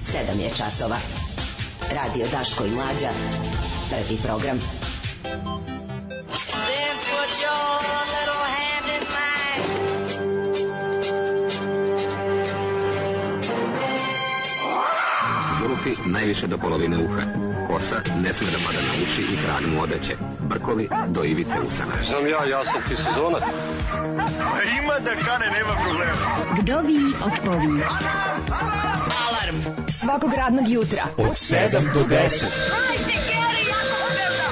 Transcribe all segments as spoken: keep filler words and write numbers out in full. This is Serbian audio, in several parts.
sedam je časova. Radio Daško i Mlađa. Prvi program. Then put your little hand in mine. Zulufi najviše do polovine uha. Kosa ne sme da pada na uši i kralj mu odeće. Brkovi do ivice usana. Znam ja, ja sam ti sezonac. A ima da kane, nema problema. Vdovi odpovi. Alarm svakog radnog jutra od sedam do deset. Hajde, Geri, jako se velda.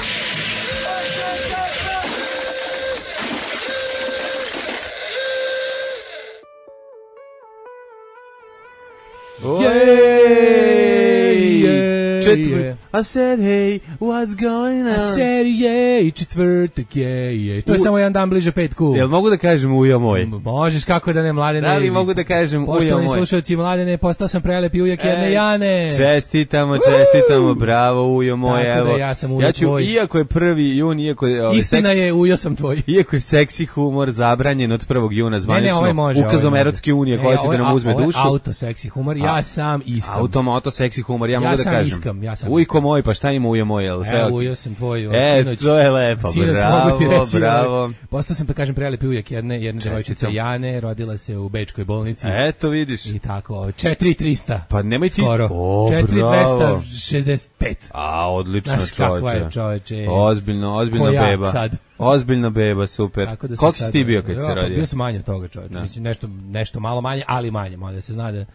Četvrt. I said, hey, what's going on? I said, jej, četvrtak, jej, jej. To je U... samo jedan dan bliže petku. Jel mogu da kažem ujo moj? Možeš, kako da ne, Mladene. Da li mogu da kažem ujo moj? Poštovani slušalci, Mladene, postao sam prelepi ujak jedne Jane. Čestitamo, čestitamo, bravo ujo moj. Tako evo. da ja sam ujo ja ću, tvoj. Iako je prvi jun, iako je... Ovaj, Istina seks, je, ujo sam tvoj. Iako je seksi humor zabranjen od prvog juna zvanično, ne, ne, ovaj može, ukazom ovaj Erotske unije koja će da nam uzme dušu. Ovo je auto seksi humor, ja A, sam iskam. Automoto seksi humor, ja, ja mogu da kažem. Iskam, ja sam Ujko moj, pa šta ima ujo moj? Jel, sve e, ok? ujo sam tvoj. E, sinoć, to je lepo, sinoć bravo, mogu ti reći, bravo. Postao sam, pa kažem, prelepi ujak jedne, jedne devojčice Jane, rodila se u Bečkoj bolnici. Eto, vidiš. I tako, četiri trista. Pa nemoj ti... Skoro. O, četiri bravo. dvesta šezdeset pet. A, odlično, znaš kakva je, čoveče. Ozbiljno, ozbiljna Ko ja beba. sad. Ozbiljna beba, super. Da koliko si ti bio kad ja, se rodio? Bio sam manje od toga, čoveče. Mislim, nešto, nešto malo manje, ali manje. Mada se zna da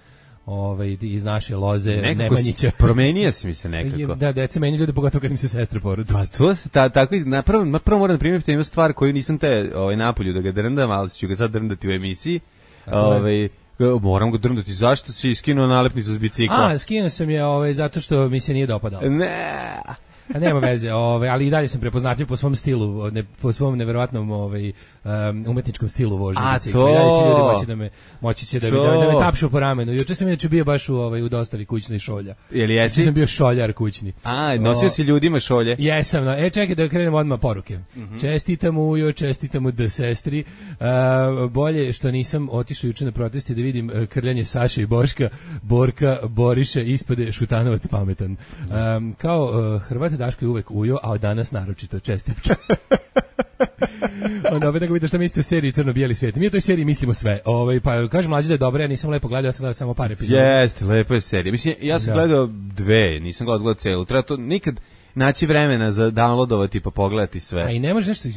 ovaj, iz naše loze nekako Nemanjića. Promenio si mi se nekako. Da, deca meni ljude, pogotovo kad im se sestre porode. Pa to se ta, tako, na prvo, na prvo moram da primjeriti jednu stvar koju nisam te ovaj, napolju da ga drndam, ali ću ga sad drndati u emisiji. Ovaj, moram ga drndati. Zašto si skinuo nalepnicu s bicikla? A, skinuo sam je ovaj, zato što mi se nije dopadalo. Ne. A nema veze, ovaj, ali i dalje sam prepoznatljiv po svom stilu, ne, po svom neverovatnom ovaj, um, umetničkom stilu vožnje bicikla. I dalje će ljudi moći da me, moći će da, mi, da, da me tapšu po ramenu. Juče sam inače bio baš u, ovaj, u dostavi kućnoj šolja. Jel jesi? Juče sam bio šoljar kućni. A, nosio o, si ljudima šolje? Jesam, no. E, čekaj da krenemo odmah poruke. Mm-hmm. Čestitam ujo, čestitam u d sestri. Uh, bolje što nisam otišao juče na protesti da vidim uh, krljanje Saše i Boška, Borka, Boriše, ispade Šutanovac pametan. Um, kao uh, Hrvat Daško je uvek ujo, a od danas naročito čestitke. Onda opet nego vidiš šta mislite o seriji Crno-bijeli svijet. Mi u toj seriji mislimo sve. Ovaj, pa kažem Mlađe da je dobra, ja nisam lepo gledao, ja sam gledao samo par epizoda. Jeste, lepo je serija. Mislim, ja sam da. gledao dve, nisam gledao, gledao celu. Treba to nikad naći vremena za downloadovati pa pogledati sve. A i ne može nešto,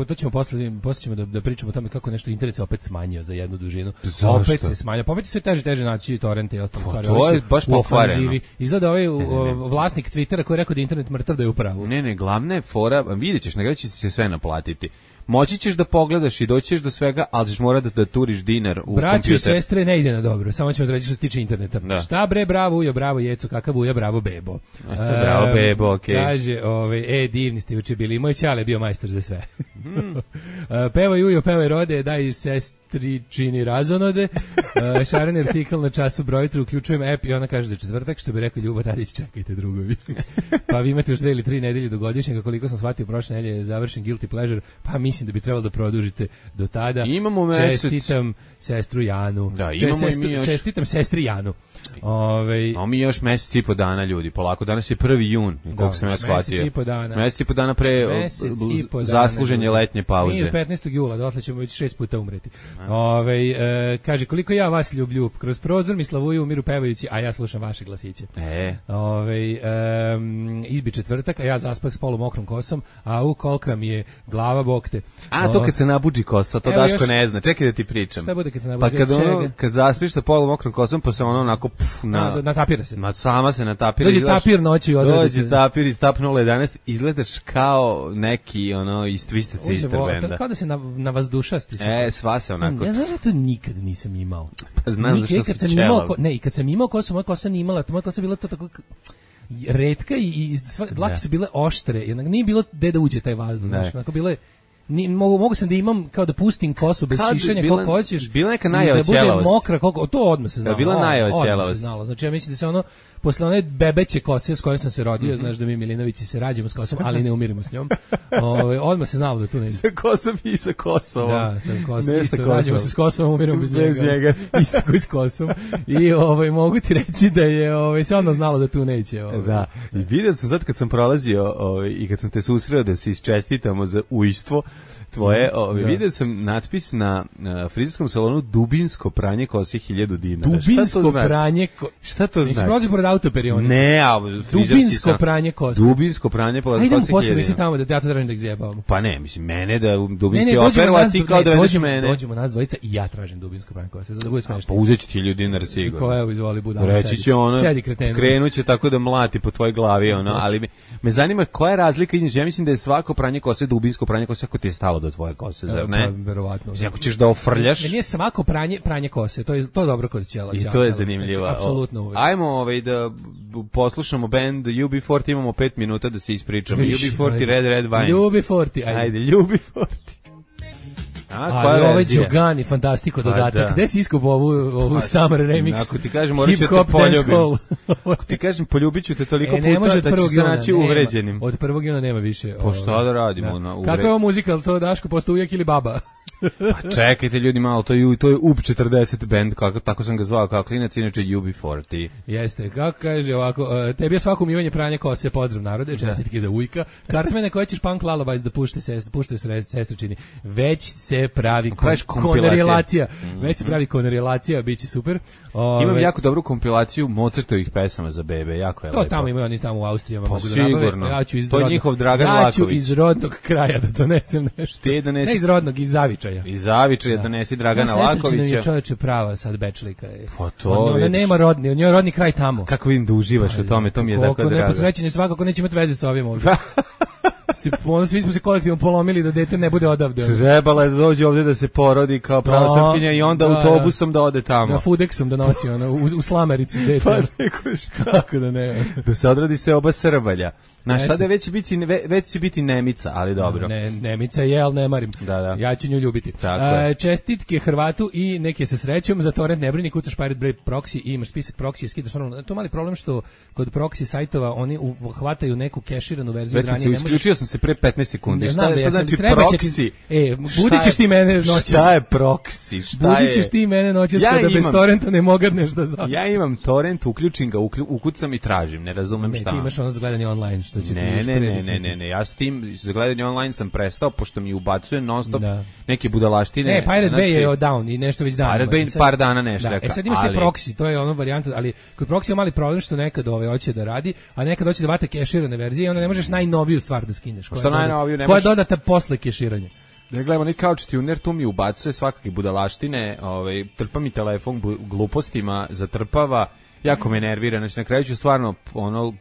to ćemo posle, posle ćemo da, da pričamo o tome kako nešto internet se opet smanjio za jednu dužinu. Zašto? Opet se smanjio, pa opet sve teže teže naći torrente i ostale stvari. To je baš pokvareno. Izgleda ovaj vlasnik Twittera koji je rekao da je internet mrtav da je u pravu. Ne, ne, glavna je fora, vidjet ćeš, na kraju će se sve naplatiti. Moći ćeš da pogledaš i doćeš do svega, ali ćeš morati da, da turiš dinar u Braćo kompjuter. I sestre ne ide na dobro, samo ćemo da reći što se tiče interneta. Da. Šta bre, bravo ujo, bravo jeco, kakav ujo, bravo bebo. Bravo bebo, okej. Okay. Kaže, ove, e, divni ste uče bili, moj ćale bio majstor za sve. Mm. Pevaj ujo, pevaj rode, daj sestri čini razonode. Šaren artikl na času broj tri, uključujem app i ona kaže da je četvrtak, što bi rekao Ljubo Tadić, čekajte drugovi. Pa vi imate još dve ili tri nedelje do godišnjega, koliko sam shvatio, prošle nedelje je završen Guilty Pleasure, pa mislim da bi trebalo da produžite do tada. Imamo mesec. Čestitam sestru Janu. Da, imamo Čestru, i mi još. Čestitam sestri Janu. Ove, a mi još mesec i po dana, ljudi, polako. Danas je prvi jun, koliko sam ja shvatio. Mesec i po dana. Mesec i po dana pre po zasluženje letnje pauze. Mi petnaestog jula, dotle ćemo već šest puta umreti. Ove, e, kaže, koliko ja vas ljubljub, kroz prozor mi slavuju umiru pevajući, a ja slušam vaše glasiće. E. Ove, e, izbi četvrtak, a ja zaspah s polu mokrom kosom, a u kolika mi je glava bokte. A, to kad se nabuđi kosa, to evo Daško još, ne zna. Čekaj da ti pričam. Šta bude kad se nabuđi? Pa kad, ono, kad zaspiš sa polom mokrom kosom, pa se ono onako pff, na, na, natapira se. Na, sama se natapira. Dođe tapir noći i odradite. Dođe tapir iz Tap nula jedanaest, izgledaš kao neki ono iz Twisted Sister benda. Kao da se na, na vazdušasti. E, sva se onako. Ja znam da to nikad nisam imao. Pa znam zašto kad sam imao, ko, ne, i kad sam imao kosu, moja kosa nije imala, moja kosa bila to tako retka i, i sva, dlake su bile oštre, jednak nije bilo gde da uđe taj vazduh, znači, onako bilo je Ni, mogu, mogu sam da imam kao da pustim kosu bez Kad bi šišanja bila- koliko hoćeš. bila neka i najava da bude ćelavosti. mokra koliko, to odmah se znalo. bila o, najava odmah se ćelavosti. znalo. Znači ja mislim da se ono posle one bebeće kose s kojom sam se rodio, znaš da mi Milinovići se rađamo s kosom, ali ne umirimo s njom. Ovaj odmah se znalo da tu ne. Sa Kosom i sa Kosovom. Da, sa Kosom. Ne Isto, sa Kosovom. rađamo se s Kosovom, umiramo bez, Bez njega. njega. Isto koji s Kosom. I ovaj mogu ti reći da je ovaj se odmah znalo da tu neće. Ovaj. Da, i vidio sam sad kad sam prolazio ovaj, i kad sam te susreo da se isčestitamo za ujstvo tvoje, ovaj, Da. vidio sam natpis na, na frizerskom salonu dubinsko pranje kose hiljadu dinara. Šta Dubinsko to znači? pranje ko... Šta to Nisi znači? prolazi pored autoperiona. Ne, a frizerski Dubinsko sam- pranje kose. Dubinsko pranje pa Ajde idemo kose posle, hiljadu mislim dinara. tamo da ja to tražim da ih zjebavamo. Pa ne, mislim, mene da u Ne, dubinski ne, dođemo operu, a nas, ti ne, kao da vedeš dođemo, mene. dođemo nas dvojica i ja tražim dubinsko pranje kose, zato da bude Pa smešno. uzet ću ti hiljadu dinara Ko sigurno. evo izvoli budalo. Reći sedi. će ono, Sedi kretenu. krenuće tako da mlati po tvojoj glavi, ono, ali me, me zanima koja je razlika između, ja mislim da je svako pranje kose dubinsko pranje kose ako ti je stalo do tvoje kose, zar ne? Pa, verovatno. Mislim, ako ćeš da ofrljaš, Ne, nije svako pranje pranje kose, to je to je dobro kod ćela. i ćela, to je ćela, zanimljivo. znači, apsolutno uvek. Ajmo ovaj, da poslušamo band U B četrdeset, imamo pet minuta da se ispričamo. U B Viš, četrdeset, ajde. Red Red Wine. Ljubi Forti, ajde. Ajde, U B četrdeset. A, Ali koja ovaj verzija? Đogani, fantastiko Pa dodatak. da. Gde si iskupao ovu, ovu Pa, summer remix? ako ti kažem, morat ću da te Hip hop dance poljubim. hall. Ako ti kažem, poljubit ću te toliko E, ne može puta od da ćeš prvog se juna, naći nema. uvređenim. Od prvog juna nema više. Pa šta ovaj, da radimo, na uvre- Kakva je ovo muzika, ali to Daško postao ujak ili baba? Pa čekajte ljudi malo, to je, to je U B četrdeset band, kako, tako sam ga zvao kao klinac, inače U B četrdeset. Jeste, kako kaže ovako, uh, tebi je svako umivanje pranja kose, pozdrav narode, čestitke za ujka. Kartmene koje ćeš punk lullabies da pušte sest, pušte se sestričini. Već se pravi kon, Praviš kompilacije. konarelacija. Već se pravi konarelacija, biće super. Ove, Imam jako dobru kompilaciju Mozartovih pesama za bebe, jako je To lepo. tamo imaju oni tamo u Austrijama. Pa mogu da nabave. sigurno. Ja ću iz To je rodnog- njihov Dragan Ja ću Laković. iz rodnog kraja da donesem nešto. Ti donesi- Ne iz rodnog, iz Zavičaja. Iz Zavičaja donesi Dragana Ja, sestričina mi je Lakovića. čoveče prava sad bečlika je. Pa to On- Ona vidiš. nema rodni, on je rodni kraj tamo. Kako vidim da uživaš u tome, to mi je tako Koliko drago. neposrećen je svakako neće imati veze sa ovim ovdje. Si- ono, svi smo se kolektivno polomili da dete ne bude odavde. Trebala je da dođe ovdje da se porodi kao prava No, Srpkinja i onda da, autobusom da ode Na tamo. Foodexom donosi ono, u, u slamerici dete. Pa neko šta. Kako da ne. Da se odradi se oba Srbalja. Znaš, Jeste. sada već će biti, ve- već će biti Nemica, ali dobro. Ne, Nemica je, ali ne marim. Da, da. Ja ću nju ljubiti. Tako A, je. čestitke Hrvatu i neke sa srećom. Za torrent ne brini, kucaš Pirate Bay proxy i imaš spisak proxy, skidaš ono. To je mali problem što kod proxy sajtova oni u, hvataju neku keširanu verziju. Već sam se, isključio sam se pre petnaest sekundi. Ne Šta, znam je, da šta jesam, znači treba će ti- proxy? E, Šta budit ćeš je- ti mene noćas. Šta je proxy? Šta Budit je? ćeš ti mene noćas Ja kada bez imam- torrenta ne mogadneš da zastaviš. Ja imam torrent, uključim ga, uklju- ukucam i tražim, ne razumem Ne, šta. ti imaš ono za gledanje online, što će ti Ne, još ne, ne, prediknuti. ne, ne, ne, ja s tim za gledanje online sam prestao pošto mi ubacuje non stop Da. neke budalaštine. Ne, Pirate znači, Bay je down i nešto već dan. Pirate ima. Bay I sad- par dana nešto da, reka, E sad imaš te ali- proxy, to je ono varijanta, ali kod proxy je mali problem što nekad ovaj hoće da radi, a nekad hoće da vate keširane verzije i onda ne možeš najnoviju stvar da skineš. koja Što je doda- najnoviju ne koja je možeš? dodata posle keširanja. Ne gledamo ni couch tuner, tu mi ubacuje svakakve budalaštine, ovaj, trpa mi telefon bu- glupostima, zatrpava, jako me nervira, znači na kraju ću stvarno ono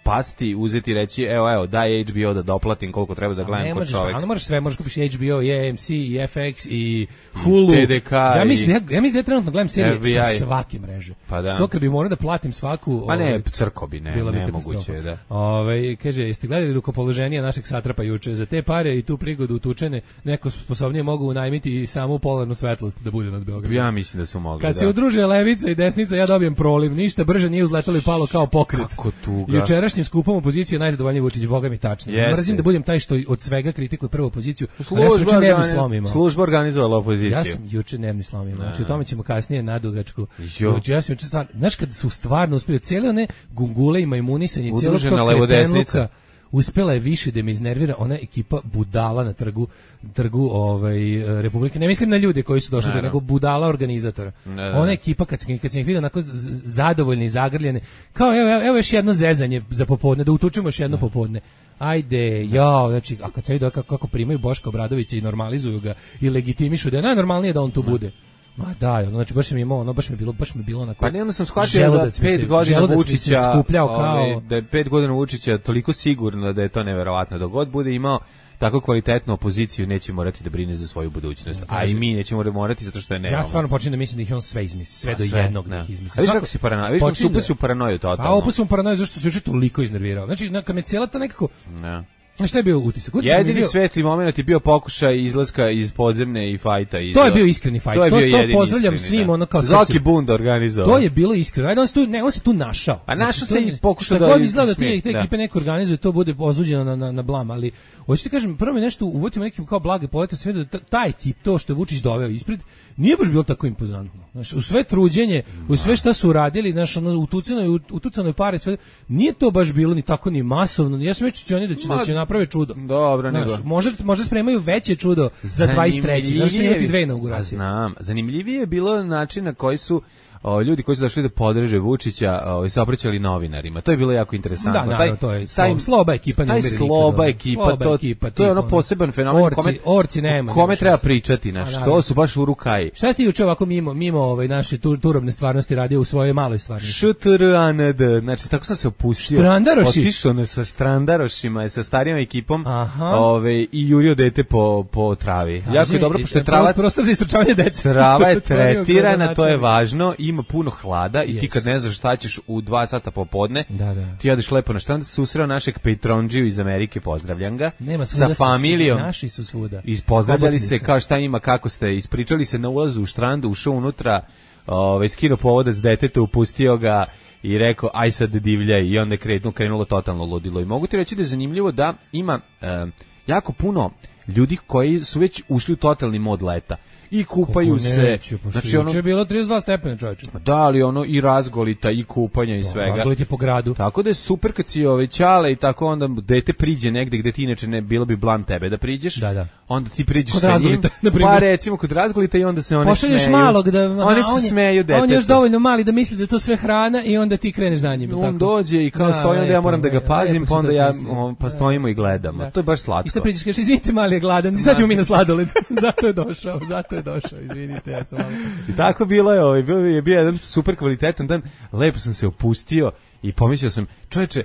pasti, uzeti i reći, evo, evo, daj H B O da doplatim koliko treba da gledam Ne kod možeš, čovjeka. ali možeš sve, možeš kupiš H B O, i A M C, i F X, i Hulu. T D K Ja mislim, i- ja, ja mislim da ja trenutno gledam serije F B I. sa svake mreže. Pa da. Što kad bi morao da platim svaku... Pa ne, ovaj, crko bi, ne, bila bi nemoguće katastrofa. je, da. Ove, kaže, jeste gledali rukopoloženija našeg satrapa juče? Za te pare i tu prigodu utučene neko sposobnije mogu unajmiti i samu polarnu svetlost da bude nad Beogradom. Ja mislim da su mogli, Kad da. se udruže levica i desnica, ja dobijem proliv. Ništa brže nije uzletalo i palo kao pokret. Kako tuga. Jučerašnjim skupom opozicije najzadovoljniji Vučić, boga mi tačno. Jeste. Mrzim da budem taj što od svega kritikuje prvu opoziciju. a ja sam Služba, juče nervni organi- slom imao. služba organizovala opoziciju. Ja sam juče nervni slom imao. Znači o tome ćemo kasnije nadugačku. Jo. Juče ja sam juče stvarno, znaš kad su stvarno uspeli cijele one gungule i majmunisanje cijelog Udružena tog levodesnica. kretenluka, uspela je više da me iznervira ona ekipa budala na trgu trgu ovaj Republike. Ne mislim na ljude koji su došli, Naravno. nego budala organizatora. Ne, da. Ona ekipa kad se kad se ih vidio onako z- z- zadovoljni, zagrljene, kao evo, evo, evo još jedno zezanje za popodne, da utučemo još jedno popodne. Ajde, jao, znači, a kad se vidi kako, kako primaju Boška Obradovića i normalizuju ga i legitimišu da je najnormalnije da on tu bude. Ma da, ono, znači baš mi je imao, ono baš mi je bilo, baš mi je bilo onako. Pa ne, onda sam shvatio da želudac mi pet se- godina želudac mi se Vučića, skupljao kao ovaj, da je pet godina Vučića toliko sigurno da je to neverovatno. Dok god bude imao tako kvalitetnu opoziciju, neće morati da brine za svoju budućnost. A i mi nećemo morati zato što je nemamo. Ja stvarno počinjem da mislim da ih je on sve izmisli, sve A do sve, jednog da. da ih izmisli. A viš Svako- kako si paranoja, viš kako si počinjem upao si da- u paranoju totalno. A opet sam u paranoju zašto se juče toliko iznervirao. Znači, kad me cijela ta nekako Ne. A šta je bio utisak? utisak Jedini bio... svetli moment je bio pokušaj izlaska iz podzemne i fajta. Iz... To je bio iskreni fajt. To, je bio to, to pozdravljam iskreni, svim, da. ono kao Zoki srce. Bund organizovao. To je bilo iskreno. Ajde, on se tu, ne, on se tu našao. A našao se i pokušao da... da... God izgleda da te, te da. ekipe neko organizuje, to bude ozuđeno na, na, na blam, ali hoćete kažem, prvo mi nešto uvotimo nekim kao blage polete, sve da taj tip, to što je Vučić doveo ispred, nije baš bilo tako impozantno. Znaš, u sve truđenje, u sve šta su uradili, znaš, ono, utucanoj, utucanoj pare, sve, nije to baš bilo ni tako ni masovno. Ja sam već oni da će, Ma, da će napraviti čudo. Dobro, znaš, nego. Možda, možda spremaju veće čudo za dvadeset treće Znaš, će imati dve inauguracije. Znam. Zanimljivije je bilo način na koji su o, ljudi koji su došli da podrže Vučića o, se obraćali novinarima. To je bilo jako interesantno. Da, taj, naravno, to je taj, sloba ekipa. Taj sloba ekipa, sloba to, ekipa, to je ono poseban fenomen. Orci, kome, orci nema. Kome treba pričati, znaš, to su baš u rukaji. Šta ste juče ovako mimo, mimo ovaj, naše tur, turobne stvarnosti radio u svojoj maloj stvarnosti? Š T R A N D, znači tako sam se opustio. Strandaroši. Otišao ne sa strandarošima, sa starijom ekipom ove, ovaj, i jurio dete po, po travi. Kaži, jako je dobro, pošto je trava... Prostor za istrčavanje dece. Trava je tretirana, to je važno, ima puno hlada i yes. ti kad ne znaš šta ćeš u dva sata popodne, da, da. ti odeš lepo na štrand, susreo našeg Patronđiju iz Amerike, pozdravljam ga, Nema sa familijom. Naši su svuda. Ispozdravljali se, kao šta ima, kako ste, ispričali se na ulazu u štrandu, ušao unutra, ovaj, skino povodac deteta, upustio ga i rekao, aj sad divljaj, i onda je krenulo, krenulo totalno ludilo. I mogu ti reći da je zanimljivo da ima e, jako puno ljudi koji su već ušli u totalni mod leta. I kupaju se. Neću, znači ono je bilo trideset dva stepena, čoveče. Da, ali ono i razgolita i kupanja i da, svega. Razgoliti po gradu. Tako da je super kad si ovaj ćale i tako onda dete priđe negde gde ti inače ne bilo bi blam tebe da priđeš. Da, da. Onda ti priđeš kod sa njim. Pa recimo kod razgolita i onda se one Pošalješ smeju. malog da oni se smeju detetu. On je još dovoljno mali da misli da je to sve hrana i onda ti kreneš za njim. On tako. dođe i kao da, stoji, onda ja moram da ga pazim, pa onda ja on, pa stojimo da, i gledamo. Da. To je baš slatko. I šta priđeš, kažeš izvinite, mali je gladan, sad ćemo mi na sladoled. Zato je došao, zato je došao, izvinite. Ja sam malo... I tako bilo je, ovaj, bio je bio jedan super kvalitetan dan, lepo sam se opustio i pomislio sam, čoveče,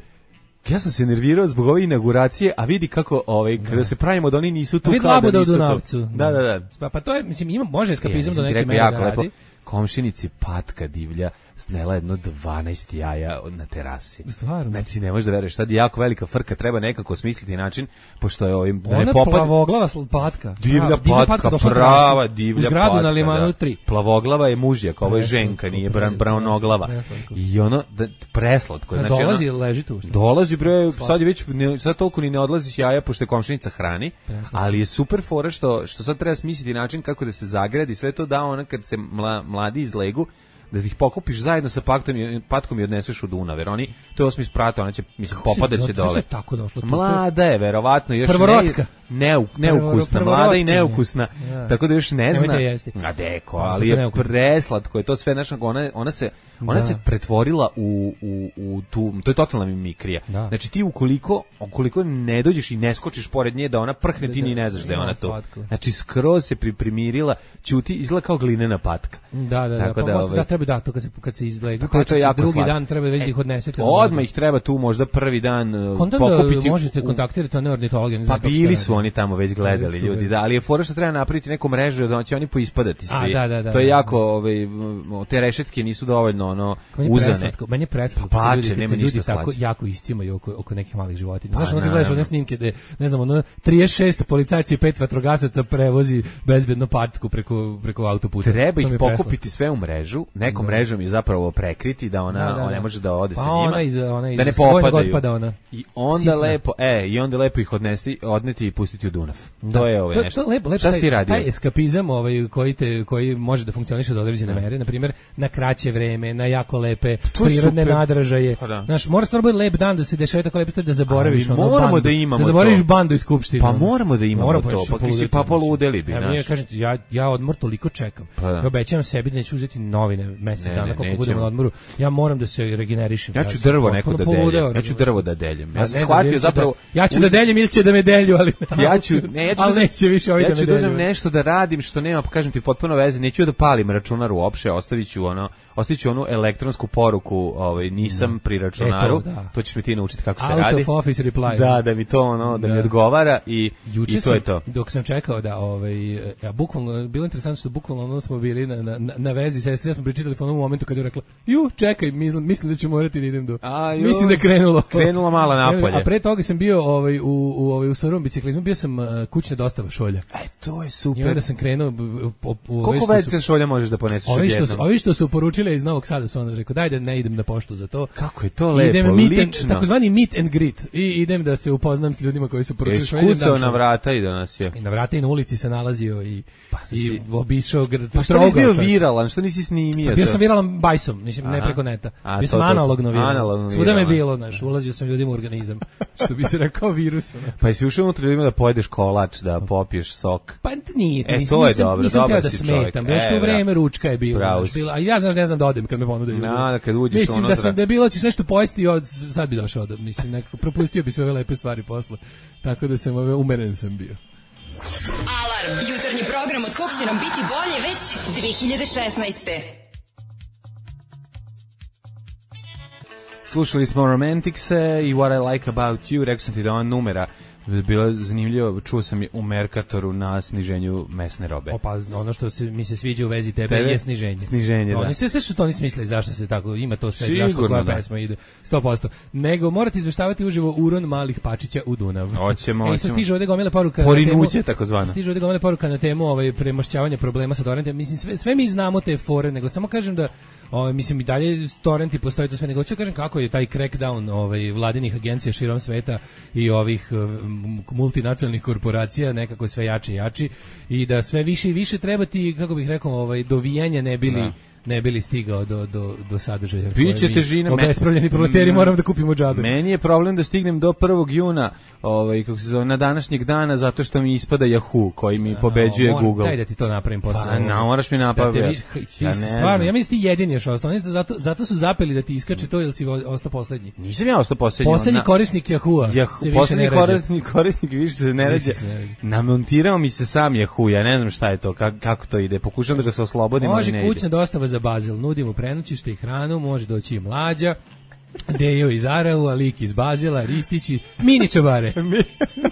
ja sam se nervirao zbog ove inauguracije, a vidi kako ovaj da. Kada se pravimo da oni nisu tu, vidi kao da nisu tu. Da, da, da. Pa, pa to je, mislim, ima, može eskapizam do neke mere da radi. Komšinici patka divlja snela jedno dvanaest jaja na terasi. Stvarno? Znači, ne možeš da veruješ, sad je jako velika frka, treba nekako smisliti način, pošto je ovim... Da ona ne popad... plavoglava patka. Divlja Prava, patka, patka prava divlja patka. U zgradu na Limanu tri. Plavoglava je mužjak, ovo je ženka, nije braunoglava. I ono, da, preslatko. Da znači, dolazi, ono, leži tu. Dolazi, bre, sad je već, ne, sad toliko ni ne odlazi s jaja, pošto je komšinica hrani, preslatko. Ali je super fora što, što sad treba smisliti način kako da se zagradi, sve to da ona kad se mla, mladi izlegu, da ih pokupiš zajedno sa paktom i patkom i odneseš u Dunav, jer oni, to je osmi sprata, ona će, mislim, popadat će dole. Tako došlo, mlada je, verovatno, još prvorotka. Ne, neukusna, mlada i neukusna, ja. Tako da još ne zna. A deko, ali je preslatko, je to sve, znaš, ona, ona se, ona da. se pretvorila u, u, u tu, to je totalna mimikrija. Da. Znači ti ukoliko, ukoliko ne dođeš i ne skočiš pored nje da ona prhne, ti ni ne znaš da je ona to. Znači skroz se priprimirila, ćuti, izgleda kao glinena patka. Da, da, tako da, da, pa da treba da to kad se kad se izgleda, tako to je jako drugi slatko. Dan treba već da ih odnesete. Odmah ih treba tu možda prvi dan Kontam pokupiti. Da možete kontaktirati one ornitologe, ne znam. Pa bili su oni tamo već gledali ljudi, da, ali je fora što treba napraviti neku mrežu da će oni poispadati svi. A, da, da, da, to je da, jako, ovaj, te rešetke nisu dovoljno ono uzane. Meni je preslatko, pa, ljudi, nema ljudi ništa tako jako istimaju oko oko nekih malih životinja. Pa, znaš, onda gledaš one snimke da ne znam, ono trideset šest policajaca i pet vatrogasaca prevozi bezbedno patku preko preko autoputa. Treba ih pokupiti sve u mrežu, nekom da. mrežom je zapravo prekriti da ona, da, da, ona ne može da ode pa sa njima. Ona iza, ona da ne popadaju. Ona. I onda Sitna. lepo, e, i onda lepo ih odnesti, odneti i pustiti u Dunav. To je ovo nešto. To lepo, lepo, šta si ti radio? Taj eskapizam ovaj, koji, te, koji može da funkcioniše do određene ne. mere, na primjer, na kraće vreme, na jako lepe prirodne super. nadražaje. Pa da. Znaš, mora stvarno biti lep dan da se dešava tako lepe stvari da zaboraviš ono moramo bandu, da imamo da zaboraviš to. bandu iz skupštine. Pa moramo da imamo Mora, to, pa ti si pa poludeli bi, znaš. Ja, kažem ti, ja, ja odmor toliko čekam. Pa ja obećavam sebi da neću uzeti novine mesec dana koliko budemo na odmoru. Ja moram da se regenerišem. Ja ću drvo neko da deljem. Ja ću drvo da deljem. Ja sam shvatio zapravo... Ja ću da deljem ili će da me delju, ali... Ja ću... Ne, ja ću ali neće više ovi da me delju. Ja ću da uzem nešto da radim što nema, kažem ti, potpuno veze. Neću da palim računar uopšte, ostavit ću ono... ostiću onu elektronsku poruku, ovaj, nisam pri računaru, E, to, da. to ćeš mi ti naučiti kako se Out radi. of office reply. Da, da mi to ono, da, da mi odgovara i, Juče i to sam, je to. dok sam čekao da, ovaj, ja, bukvalno, bilo interesantno što bukvalno ono smo bili na, na, na vezi, sestri, ja sam pričali telefonom u momentu kad je rekla, ju, čekaj, mislim, mislim da ću morati da idem do... A, ju, mislim da je krenulo. Krenulo malo napolje. A pre toga sam bio ovaj, u, u, ovaj, u Sorom biciklizmu, bio sam uh, kućna dostava šolja. E, to je I super. onda sam krenuo... U, u, u, Koliko veće šolja možeš da poneseš ovi što, odjednom? ovi što su poručile iz Novog Sada su onda rekao, daj da ne idem na poštu za to. Kako je to lepo, idem meet and, lično. takozvani meet and greet. I idem da se upoznam s ljudima koji su poručili. Jesi kucao na vrata i danas je. I na vrata i na ulici se nalazio i, pa, i si... obišao grad. Pa što nisi bio viralan, što nisi snimio? Pa bio sam viralan bajsom, mislim, ne preko neta. A, bio to, sam to, analogno viralan. analogno Svuda me je viralan. bilo, znaš, ulazio sam ljudima u organizam. Što bi se rekao virus. Ono. Pa jesi ušao unutra ljudima da pojedeš kolač, da popiješ sok? Pa nije, e, nisam, to je nisam, dobro, nisam dobar teo da si smetam. čovjek. Još to E, vreme ručka je bilo. Bravo Znaš, si. bilo a ja znaš ne znam da odem kad me ponude. Na, da kad uđeš mislim unutra. da sam da je bilo ćeš nešto pojesti od sad bi došao da mislim nekako propustio bi sve ove lepe stvari posle. Tako da sam ove umeren sam bio. Alarm, jutarnji program od kog će nam biti bolje već dve hiljade šesnaeste. Slušali smo Romanticse i What I Like About You, rekao sam ti da ova numera bilo zanimljivo, čuo sam je u Merkatoru na sniženju mesne robe. Opa, ono što se, mi se sviđa u vezi tebe, Tebe? je sniženje. Sniženje, no, da. Oni sve, sve što to oni smisle, zašto se tako, ima to sve, Sigurno, zašto koja da. pesma ide, sto posto. Nego morate izveštavati uživo uron malih pačića u Dunav. Hoćemo, e, hoćemo. stiže ovde gomila poruka Porinuće, takozvano. Stiže ovde gomila poruka na temu ovaj, premošćavanja problema sa torrentima. Mislim, sve, sve mi znamo te fore, nego samo kažem da Ovaj mislim i dalje torrenti postoje to sve, nego ću kažem kako je taj crackdown ovaj vladinih agencija širom sveta i ovih um, multinacionalnih korporacija nekako sve jači i jači i da sve više i više treba ti, kako bih rekao, ovaj dovijanje ne bili no. ne bili stigao do, do, do sadržaja. Biće težina. Obespravljeni proleteri moramo da kupimo džabe. Meni je problem da stignem do prvog juna, ovaj, kako se zove, na današnjeg dana, zato što mi ispada Yahoo, koji mi pobeđuje no, Google. Daj da ti to napravim posle. Pa, na, moraš mi napraviti. Da ja stvarno, ja mislim ti jedini još ostao. Oni zato, zato su zapeli da ti iskače to, ili si ostao poslednji. Nisam ja ostao poslednji. Poslednji korisnik Yahoo-a ja, se više poslednji ne rađa. korisnik, korisnik više se ne rađa. Namontirao mi se sam Yahoo, ja ne znam šta je to, kako, kako to ide. Pokušam da ga se oslobodim, ali ne ide. Može kućna dostava za Bazil, nudimo prenoćište i hranu, može doći i Mlađa, Dejo iz Araua, Lik iz Bazila, Ristići, mini čabare.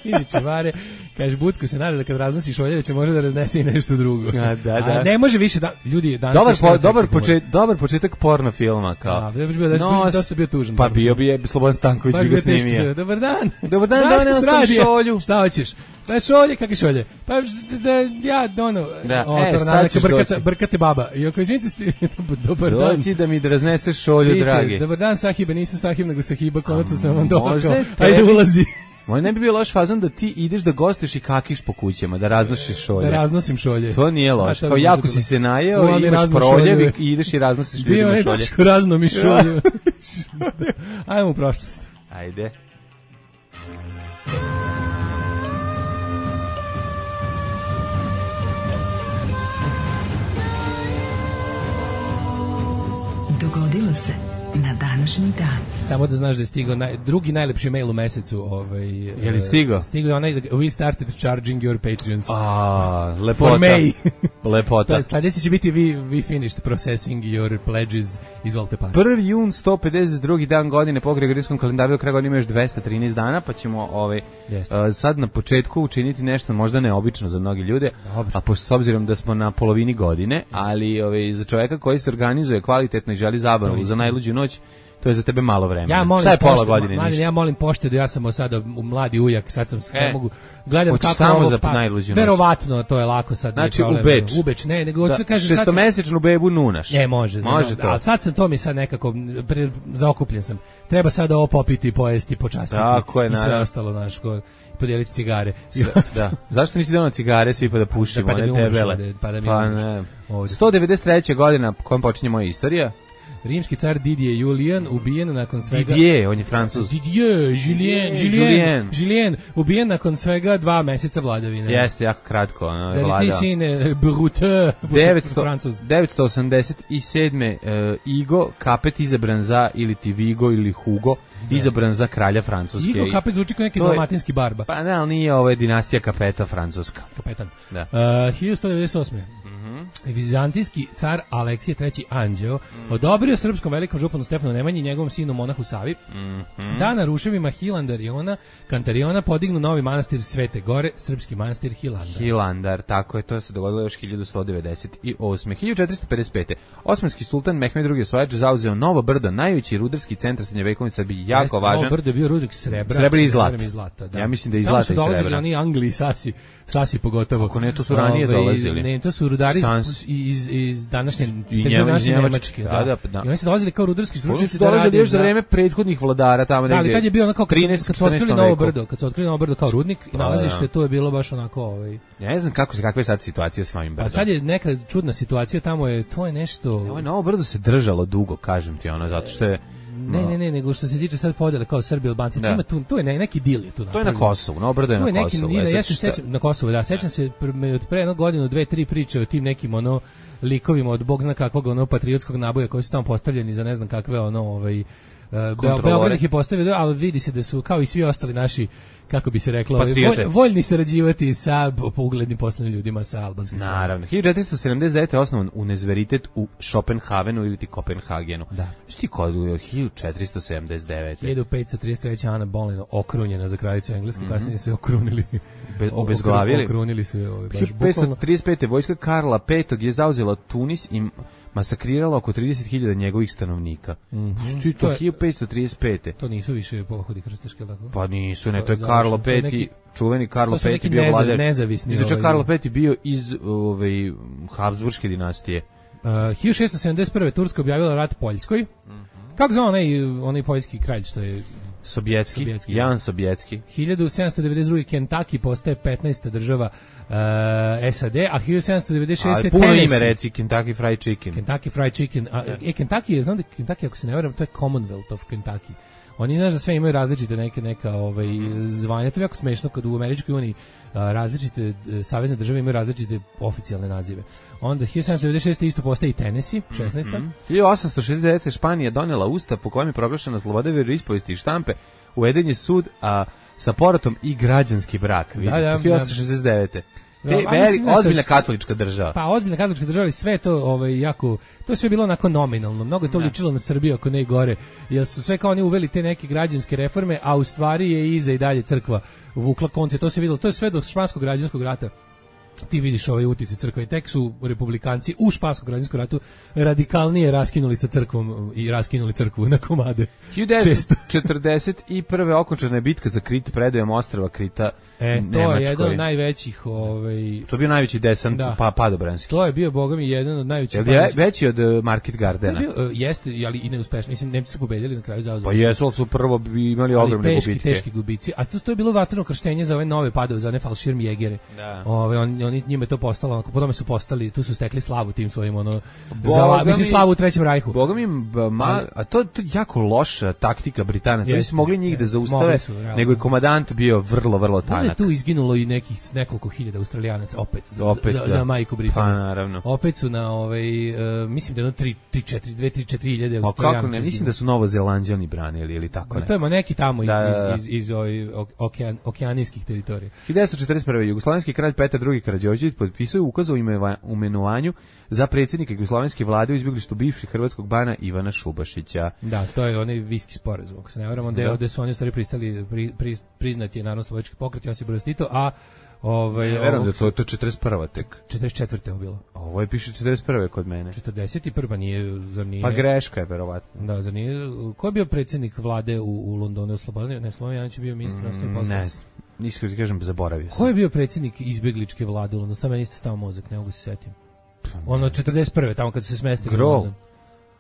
mini čabare. Kaže, Bucko se nada da kad raznosiš ovdje da će može da raznese i nešto drugo. A, da, da. A ne može više, da, ljudi, danas dobar, po, više dobar, počet, dobar početak porno filma. Kao. Da, da bi bio, da, Nos, dosta bio tužan. Pa bio bi je Slobodan Stanković bi ga snimio. Dobar dan. Dobar dan, doneo sam šolju. Šta hoćeš? Pa šolje, kakve šolje? Pa da, ja, ono, da, o, e, sad ćeš brkate, brkate baba. I ako izvinite, sti, dobar dan. Doći da mi da razneseš šolju, Biće, dragi. Dobar dan, Sahiba, nisam Sahib, nego Sahiba, konačno sam vam došao. Ajde, Ajde, ulazi. Moj ne bi bio loš fazon da ti ideš da gostuješ i kakiš po kućama, da raznosiš šolje. Da raznosim šolje. To nije loš. Kao jako si se najeo, imaš proljev i ideš i raznosiš ljudima šolje. Bio je bačko razno mi šolje. Ajmo u prošlost. Ajde. Dogodilo se na današnji dan. Samo da znaš da je stigao naj, drugi najlepši mail u mesecu. Ovaj, je li stigao? Stigao je onaj, we started charging your Patreons. A, lepota. For May. Lepota. Sljedeći će biti we, we finished processing your pledges. Izvolite par. prvi jun, sto pedeset drugi dan godine po gregorijanskom kalendaru, do kraja godine ima još dvesta trinaest dana, pa ćemo ovaj, uh, sad na početku učiniti nešto možda neobično za mnogi ljude, Dobre. a pošto s obzirom da smo na polovini godine, ali ovaj, za čovjeka koji se organizuje kvalitetno i želi zabavu za najluđu noć, to je za tebe malo vremena. Ja molim šta je pola pošte, godine? Mladen, ja molim poštedu, ja sam sada u mladi ujak, sad sam e, ne mogu gledam kako tamo ovo, za pa, najluđu noć. Verovatno to je lako sad. Znači problem, u Beč. U Beč, ne, nego hoću da kažem šestomesečnu bebu nunaš. Ne, može, može znam, to. Ali sad sam to mi sad nekako pre, zaokupljen sam. Treba sad ovo popiti, pojesti, počastiti. Tako je, i sve naravno. ostalo, znaš, ko podijeliti cigare. Da. Zašto nisi donao cigare svi pa da pušimo, da, pa da ne tebele? Da, pa da mi pa ne. sto devedeset treća godina kojom počinje moja istorija. Rimski car Didier Julian ubijen nakon svega... Didier, on je Francuz. Didier, Julien, Julien, Julien, ubijen nakon svega dva meseca vladavine. Jeste, jako kratko. Ono, Zar ti sine Brute, Francuz. devetsto osamdeset sedme. Uh, Igo Kapet izabran za, ili ti Vigo ili Hugo, da. izabran za kralja Francuske. Igo Kapet zvuči kao neki dalmatinski barba. Pa ne, ali nije, ovo je dinastija Kapeta francuska. Kapetan. Da. Uh, hiljadu sto devedeset osme. Mm-hmm. Vizantijski car Aleksije treći Anđeo mm. odobrio srpskom velikom županu Stefanu Nemanji i njegovom sinu monahu Savi mm -hmm. da na ruševima Hilandariona, Kantariona podignu novi manastir Svete Gore, srpski manastir Hilandar. Hilandar, tako je, to se dogodilo još hiljadu sto devedeset osme. hiljadu četiristo pedeset pete. Osmanski sultan Mehmed drugi Osvajač zauzeo Novo Brdo, najveći rudarski centar srednjovekovne Srbije, jako Jeste, važan. Novo Brdo je bio rudnik srebra, srebra i zlata. I zlata da. Ja mislim da i zlata i srebra. Tamo su dolazili oni Angli i Sasi, Sasi pogotovo. Kako ne, to su ranije Ove, dolazili. Ne, to su rudari iz, iz, iz današnje, I današnje Njemačke. Nemačke. Da, da, da. I oni su dolazili kao rudarski stručnjaci. Oni su dolazili još za vreme prethodnih vladara tamo da, ali kad je bio onako, trinaestom kad su otkrili Novo Brdo, kad su otkrili Novo Brdo kao rudnik i nalazište, to je bilo baš onako... Ovaj, ja ne znam kako se, kakva je sad situacija s ovim Brdom. Pa sad je neka čudna situacija, tamo je, to je nešto... Ovo Novo Brdo se držalo dugo, kažem ti, ono, zato što je... Ne, ne, ne, nego što se tiče sad podjele kao Srbi i Albanci, da. tu, tu je ne, neki dil je tu. To je na Kosovu, Novo Brdo je na Kosovu. Je ja se sećam na Kosovu, da, sećam se od pre jednu godinu, dve, tri priče o tim nekim ono likovima od bog zna kakvog ono patriotskog naboja koji su tamo postavljeni za ne znam kakve ono ovaj Beograd ih je postavio, ali vidi se da su kao i svi ostali naši, kako bi se reklo, volj, voljni sarađivati sa uglednim poslovnim ljudima sa albanskih strana. Naravno. hiljadu četiristo sedamdeset devete. osnovan univerzitet u Šopenhavenu ili ti Kopenhagenu. Da. Šti kod hiljadu četiristo sedamdeset devete. hiljadu petsto trideset treće. Ana Boleyn okrunjena za kraljicu Englesku, mm -hmm. kasnije su je okrunili. Be, obezglavili. Okrunili su je ovaj, hiljadu petsto trideset pete. vojska Karla petog je zauzela Tunis i masakrirala oko trideset hiljada njegovih stanovnika. Mm -hmm. Što je to? hiljadu petsto trideset pete. To nisu više pohodi krstaške, tako? Pa nisu, ne, to je Karlo peti, neki, čuveni Karlo peti bio vladar. Nezavisni. Izvuče ovaj, Karlo peti bio iz ovaj Habsburške dinastije. Uh, hiljadu šessto sedamdeset prve. Turska objavila rat Poljskoj. Mm -hmm. Kako zove onaj, onaj poljski kralj što je... Sobjetski, Sobjetski Jan Sobjetski. hiljadu sedamsto devedeset druge. Kentucky postaje petnaesta država uh, S A D, a hiljadu sedamsto devedeset šeste. Ali puno ime reci, Kentucky Fried Chicken. Kentucky Fried Chicken. A, e, Kentucky je, znam da Kentucky, ako se ne varam, to je Commonwealth of Kentucky. Oni, znaš da sve imaju različite neke neka ovaj, zvanja. To je jako smešno kad u Američkoj uniji različite savezne države imaju različite oficijalne nazive. Onda hiljadu sedamsto devedeset šeste. isto postaje i Tennessee, šesnaesta. Mm -hmm. hiljadu osamsto šezdeset devete. Španija donela ustav po kojem je proglašena sloboda veroispovesti i štampe, uveden je sud a, sa porotom i građanski brak. Da, da, hiljadu osamsto šezdeset devete. Te, no, veri, ozbiljna katolička država. Pa ozbiljna katolička država, sve to ovaj jako, to je sve bilo onako nominalno. Mnogo je to ličilo na Srbiju ako ne i gore. Jer su sve kao oni uveli te neke građanske reforme, a u stvari je iza i dalje crkva vukla konce. To se videlo, to je sve do španskog građanskog rata. Ti vidiš ovaj uticaj crkve i tek su republikanci u španskom građanskom ratu radikalnije raskinuli sa crkvom i raskinuli crkvu na komade. hiljadu devetsto četrdeset prve. okončana je bitka za Krit predajom ostrva Krita e, Nemačkoj. To je jedan od najvećih... Ovaj, to je bio najveći desant da. pa, padobranski. To je bio, boga mi, jedan od najvećih... Je li veći od uh, Market Gardena? To je bio, uh, jeste, ali i neuspešno. Mislim, Nemci su pobedili na kraju zauzeli. Pa jesu, ali su prvo imali ogromne teški, gubitke. Teški gubici. A to, to je bilo vatreno krštenje za ove nove padove, za one falširmjegere. Da. Ove, on, oni njima je to postalo, onako, po tome su postali, tu su stekli slavu tim svojim, ono, za, mislim, slavu u Trećem rajhu. Boga mi, ma, a to je jako loša taktika Britanaca. Oni su mogli njih da zaustave, su, nego je komadant bio vrlo, vrlo tanak. Možda je tu izginulo i nekih nekoliko hiljada Australijanaca, opet, opet za, da. za majku Britaniju. Pa, naravno. Opet su na, ovaj, uh, mislim da je ono tri, četiri, dve, tri, četiri hiljade Australijanaca. Kako ne, mislim da su Novozelanđani branili ili tako ne. ne. To je neki tamo iz, da, iz, iz, iz, iz okean, okeanijskih teritorija. hiljadu devetsto četrdeset prve. Jugoslovenski kralj Petar drugi Karađorđević potpisao ukaz o imenovanju za predsjednika jugoslovenske vlade u izbjeglištu bivšeg hrvatskog bana Ivana Šubašića. Da, to je onaj viski sporazum, ako se ne varam, da. Gde su oni stvari pristali, pri, pri, priznati je Narodnooslobodilački pokret Josip Broz Tito, a ovaj, ne verujem da to, to je četrdeset prva tek. četrdeset četvrte je bilo. Ovo je piše četrdeset prve kod mene. četrdeset prva nije, zar nije... Pa greška je, verovatno. Da, zar nije... Ko je bio predsjednik vlade u, u Londonu? Slobodan, ne, Slobodan Janić je bio ministar inostranih mm, poslova. Ne znam, iskreno ti kažem, zaboravio sam. Ko je bio predsjednik izbjegličke vlade u Londonu? Samo meni ste stao mozak, ne mogu se setim. Ono četrdeset prve, tamo kad se smestili. Grol.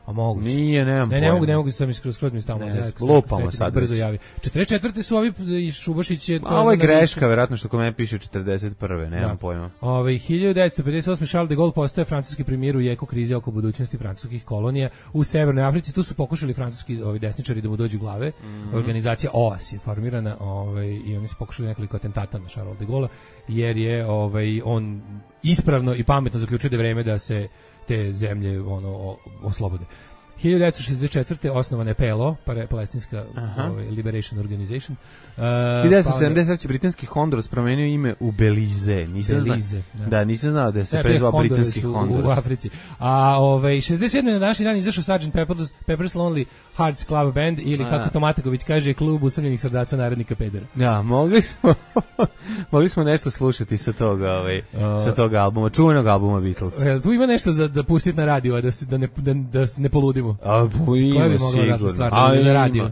A mogu. Nije, nemam Ne, ne mogu, ne mogu sam skroz skroz mi stavimo za. Lupamo sad. Brzo javi. četrdeset četvrte su ovi i Šubašić je to. A ovo je greška, verovatno što kod mene piše četrdeset prve, nemam da. pojma. Ovaj hiljadu devetsto pedeset osme. Charles de Gaulle postaje francuski premijer u jeku krize oko budućnosti francuskih kolonija u Severnoj Africi. Tu su pokušali francuski ovi desničari da mu dođu glave. Mm -hmm. Organizacija O A S je formirana, ovaj i oni su pokušali nekoliko atentata na Charles de Gaulle jer je ovaj on ispravno i pametno zaključio da je vreme da se te zemlje ono oslobode. hiljadu devetsto šezdeset četvrte osnovana je P L O, palestinska ovaj, Liberation Organization. Uh, hiljadu devetsto sedamdeset treće britanski Honduras promenio ime u Belize. Nisam Belize, zna, da. da, nisam znao da se prezvao britanski Honduras. U, u Africi. A ovaj šezdeset sedme na današnji dan izašao sergeant Pepper's, Pepper's Lonely Hearts Club Band ili a, kako Tomataković kaže klub usamljenih srdaca narodnika pedera. Da, mogli smo mogli smo nešto slušati sa toga, ovaj, uh, sa toga albuma, čuvenog albuma Beatles. Tu ima nešto za da pustiti na radio, da se da ne da, da se ne poludimo. A ima sigurno. A za radio.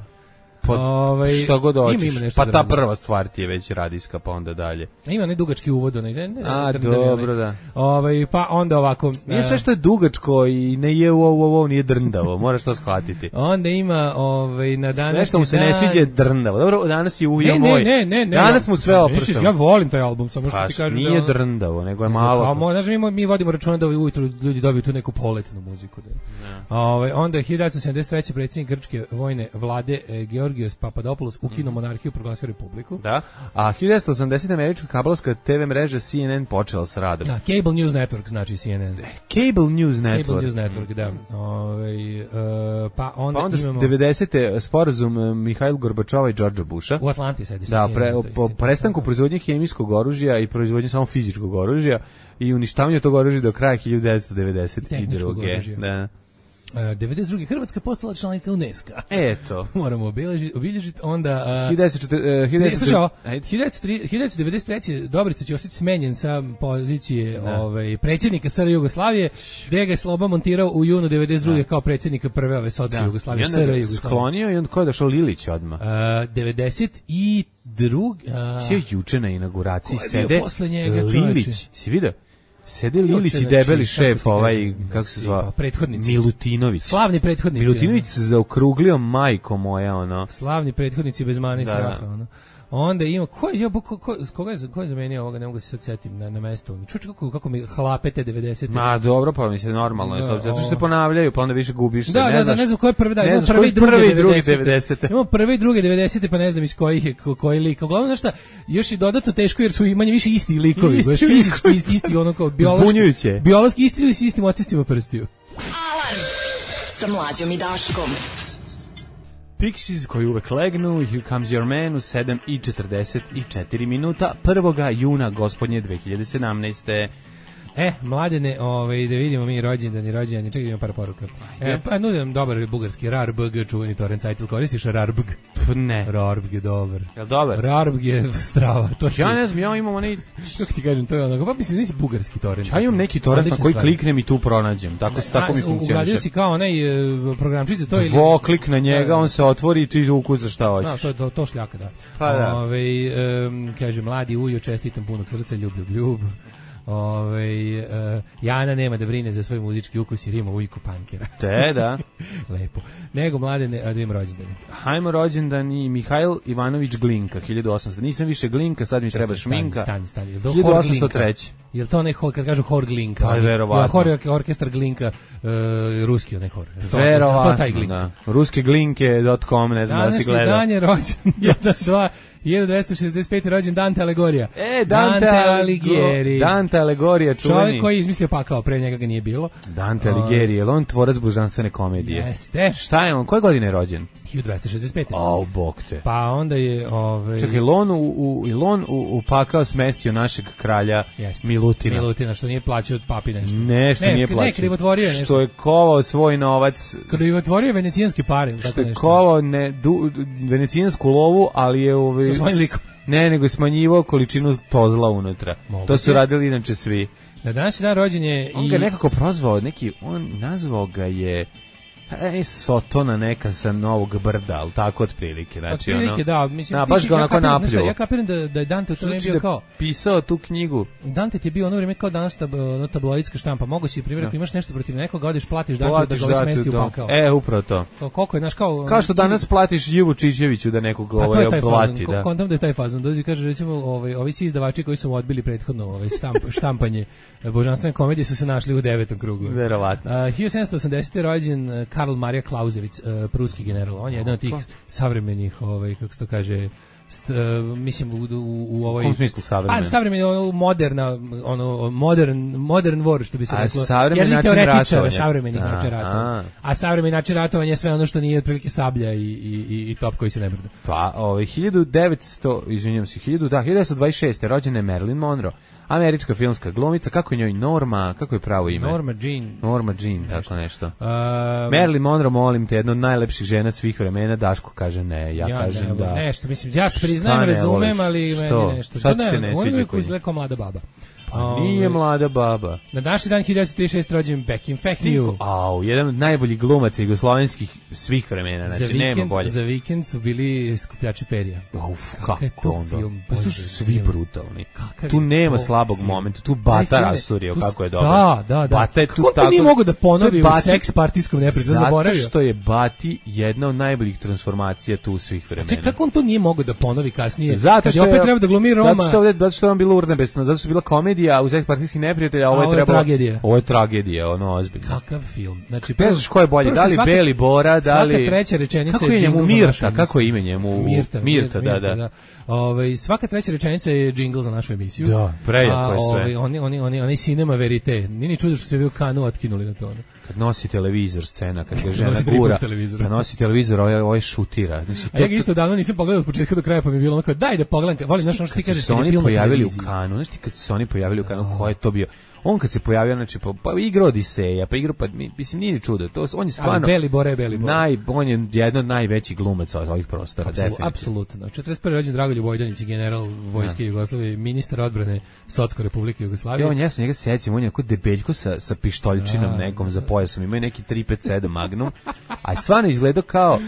Pa, ovaj, šta god hoćeš. Pa ta radio. Prva stvar ti je već radijska, pa onda dalje. Ima ne dugački uvod, ne, ne, ne. A, dobro, da. Ovaj, pa onda ovako. Nije sve što je dugačko i ne je ovo, ovo, ovo nije drndavo, moraš to shvatiti. Onda ima ovaj, na danas. Sve što mu se dan... ne sviđa je drndavo. Dobro, danas je ujo moj. Ne, ne, ne. Danas mu sve opršao. Ja volim taj album, samo što pa, ti kažem. Nije da drndavo, nego je malo. A mo, znaš, mi, mi vodimo računa da ujutru ljudi dobiju tu neku poletnu muziku. Da. Ja. Ovaj, onda je hiljadu devetsto sedamdeset treće predsjednik grčke vojne vlade eh, Georgios Papadopoulos ukinuo monarhiju, proglasio republiku. Da. A hiljadu devetsto osamdesete američka kablovska te ve mreža C N N počela s radom. Da, Cable News Network znači C N N. Cable News Network. Cable News Network, da. Ovaj uh, pa onda, pa onda imamo devedesete sporazum Mihajla Gorbačova i Đorđa Busha. U Atlanti sedište. Da, pre, po prestanku proizvodnje hemijskog oružja i proizvodnje samo fizičkog oružja i uništavanju tog oružja do kraja hiljadu devetsto devedeset druge. Da. Uh, devedeset druge Hrvatska postala članica UNESCO. Eto. Moramo obilježiti, obilježiti onda... Uh, hiljadu devetsto devedeset treće Dobrica Ćosić smenjen sa pozicije ovaj, predsjednika S R Jugoslavije, gdje ga je Sloba montirao u junu devedeset druge kao predsjednika prve ove sotske Jugoslavije. S R Jugoslavije. Sklonio i onda ko je došao Lilić odmah? Uh, devedeset druge Uh, Sve juče na inauguraciji sede njega, Lilić. Si vidio? Sede Lilić i debeli šef, ovaj, kako se zva? Prethodnici. Milutinović. Slavni prethodnici. Milutinović se zaokruglio, majko moja, ono. Slavni prethodnici bez mane i straha, ono. Onda ima, ko je, ko, ko, ko, koga je, ko je zamenio ovoga, ne mogu se sad setim na, na mesto. Čuči kako, kako mi hlapete devedesete. Ma dobro, pa mi se normalno, da, zato što se ponavljaju, pa onda više gubiš se, da, ne da, znaš. Da, ne znam ko je prvi, da, ne imamo znaš prvi i drugi, drugi devedesete. Imamo prvi i drugi devedesete, pa ne znam iz kojih je, ko, koji lik. Uglavnom, znaš šta, još i dodatno teško jer su manje više isti likovi. Isti, fizički, isti, isti, ono kao biološki. Zbunjujuće. Biološki isti ili s istim otiscima prstiju. Alarm sa Mlađom i Daškom. Pixies koji uvek legnu, Here Comes Your Man u sedam i četrdeset četiri minuta prvog juna gospodnje dve hiljade sedamnaeste. E, mladene, ovaj, da vidimo mi rođendan i rođendan, čekaj, imam par poruka. E, pa nudim dobar bugarski, Rarbg, čuveni torrent sajt, koristiš Rarbg? Ne. Rarbg je dobar. Jel dobar? Rarbg je strava. To ja ne znam, ja imam onaj... Kako ti kažem, to je ono, pa mislim, nisi bugarski torrent. Ja imam neki torrent na koji kliknem i tu pronađem, tako, a, tako mi funkcioniše. Ugradio si kao onaj programčice, to ili... Dvoklik na njega, on se otvori i ti ukucaš šta hoćeš. Da, to je to, to šljaka, da. Pa da. Ove, um, kaže, mladi ujo, čestitam punog srca, ljub, ljub, ljub. Ove, uh, Jana nema da brine za svoj muzički ukus jer ima ujku pankera. Te, da. Lepo. Nego mladene, a da im rođendane. Hajmo rođendan i Mihajl Ivanović Glinka, hiljadu osamsto. Nisam više Glinka, sad mi treba šminka. Stani, stani. hiljadu osamsto treće. Jel to onaj hor, kad kažu hor Glinka? Pa, verovatno. Hor orkestar Glinka, uh, ruski onaj hor. Verovatno, to taj Glinka. Da. ruske glinke dot com, ne znam da si gledao. Danas dan je rođen, jedan, dva, hiljadu dvesta šezdeset pete rođen Dante Aligorija. E, Dante, Dante Alighieri. Dante Aligorija, čuveni. Čovjek koji je izmislio pakao, pre njega ga nije bilo. Dante Alighieri, je li on tvorac božanstvene komedije? Jeste. Šta je on, koje godine je rođen? hiljadu dvesta šezdeset pete. O, bog te. Pa onda je... Ove... Čekaj, on u, u, on u, u pakao smestio našeg kralja Jeste. Milutina. Milutina, što nije plaćao od papi nešto. Ne, što ne, nije plaćao. Ne, krivotvorio nešto. Što je kovao svoj novac. Krivotvorio venecijanski pare. Što je kovao ne, du, venecijansku lovu, ali je... Ove, sa svojim likom. Ne, nego je smanjivao količinu tozla unutra. Mogu to su te? Radili inače svi. Na današnji dan rođen je... On i... ga nekako prozvao, neki, on nazvao ga je... E, Sotona neka sa Novog Brda, ali tako otprilike. Znači, otprilike, ono, da. Mislim, da, baš ga onako napljivo. Ja kapiram da, da je Dante u to ne bio kao... pisao tu knjigu. Dante ti je bio ono vrijeme kao danas tab, no, tabloidska štampa. Mogu si, primjer, ako imaš nešto protiv nekoga, odeš, platiš Dante da ga ovaj smesti u pakao. E, upravo to. Kao, koliko je, znaš, kao... Kao što danas platiš Ivu Čičeviću da nekog ovaj oblati. Da. Kontam da je taj fazon. Dođi kaže, recimo, ovaj, ovi svi izdavači koji su mu odbili prethodno ovaj, štamp, štampanje božanstvene komedije su se našli u devetom krugu. Verovatno. Uh, hiljadu sedamsto osamdesete rođen Karl Maria Clausewitz, uh, pruski general. On je jedan od tih savremenih, ovaj, kako se to kaže, st, uh, mislim u, u, u ovoj... U kom smislu savremeno? Pa savremeno, ono, moderna, ono, modern, modern war, što bi se a reklo. savremeni način ratovanja. Savremeni način ratovanja. A savremeni način ratovanja je sve ono što nije otprilike sablja i, i, i, i top koji se ne brda. Pa, ovaj, hiljadu devetsto, izvinjam se, hiljadu, da, hiljadu devetsto dvadeset šeste. rođena je Marilyn Monroe, američka filmska glumica. Kako je njoj Norma, kako je pravo ime? Norma Jean. Norma Jean, tako nešto. Uh, Marilyn Monroe, molim te, jedna od najlepših žena svih vremena. Daško kaže ne, ja, ja kažem ne, da... Nešto, mislim, ja priznajem, ne razumem, voliš? ali Što? meni nešto. Sad To se ne on sviđa uvijek kod izgleda kao mlada baba. Pa nije mlada baba. Na današnji dan hiljadu devetsto trideset šeste rođen Bekim Fehmiju. Au, jedan od najboljih glumaca jugoslovenskih svih vremena, znači vikend, nema bolje. Za vikend su bili skupljači perija. Uf, kako kako je to onda? film, Pa tu Bože, su svi film. brutalni. Kakav Tu je nema to slabog film? momenta, tu Bata Taj film je- rasturio tu kako je s- dobro. Da, da, da. Bata je tu Kako on to tako... nije mogao da ponovi to je u Bati- seks partijskom neprijatelju, Zato zaboravio? što je Bati jedna od najboljih transformacija tu svih vremena. Ček, kako on to nije mogao da ponovi kasnije? Zato Kad što je opet treba da glumi Roma. Zato što ovde, zato što je on bila urnebesna, zato što je bila komedija u seks partijskih neprijatelja, a ovo A je ovo je trebalo... tragedija. Ovo je tragedija, ono ozbiljno. Kakav film. Znači, Ne znaš ko je bolje, prvo da što li svaka- Beli Bora, da li... Svaka treća rečenica Kako je njemu džingl za Mirta, našu kako je emisiju. ime njemu? Mirta, Mirta, da, da. Ovaj, svaka treća rečenica je džingl za našu emisiju. Da, prejako A, je sve. ovaj, oni, oni, oni, oni cinema verite. Nije ni čudo što se bio Kanu otkinuli na to. ono. Kad nosi televizor scena, kad ga žena Nosi tri gura, puta televizor. kad nosi televizor, ovaj, ovaj šutira. Znači, A ja ga isto davno nisam pogledao od početka do kraja, pa mi je bilo onako, daj da pogledam, volim, znaš ono što ti kad kažeš, su se kad je oni film na pojavili u televiziji. Kanu, znaš ti kad su se oni pojavili u Kanu, ko je to bio? On kad se pojavio, znači, pa, pa igra Odiseja, pa igra, pa, mi- mislim, nije ni čudo, to, on je stvarno... Ali Beli Bora je Beli Bora. Naj, on je jedan od najvećih glumaca od ovih prostora, Apsolu- definitivno. Apsolutno. četrdeset prvi rođen Dragoljub Vojdanić, general vojske Jugoslavije, ministar odbrane Socko Republike I Jugoslavije. on, ja se njega sećam, on je onako debeljko sa, sa pištoljčinom nekom za pojasom, ima je neki tri pet sedam Magnum, a stvarno izgleda kao,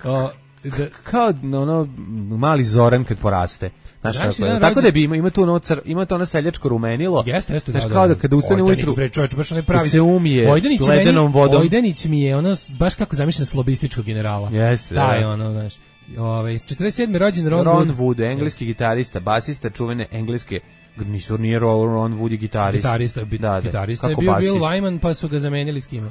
O, da, kao ono mali Zoran kad poraste. Znaš, Znači, tako, jedan tako rođen- da bi ima, ima tu ono, car, ima to ono seljačko rumenilo. Jeste, jeste, Znaš, da, kao da, da kada ustane Vojdanić, ujutru, bre, čovječ, baš onaj pravi se umije Vojdanić je ledenom meni- vodom. Vojdanić mi je ono s- baš kako zamišljam slobističkog generala. Jeste, da, Taj da. ono, znaš. Ovaj četrdeset sedmi rođen Ron, Ron Wood. Wood, engleski gitarista, basista čuvene engleske, nisu, nije Ron Ron Wood je gitarista. Gitarista, bi, Da, da. gitarista je Kako bio Bill basist? Wyman, pa su ga zamenjali s kime?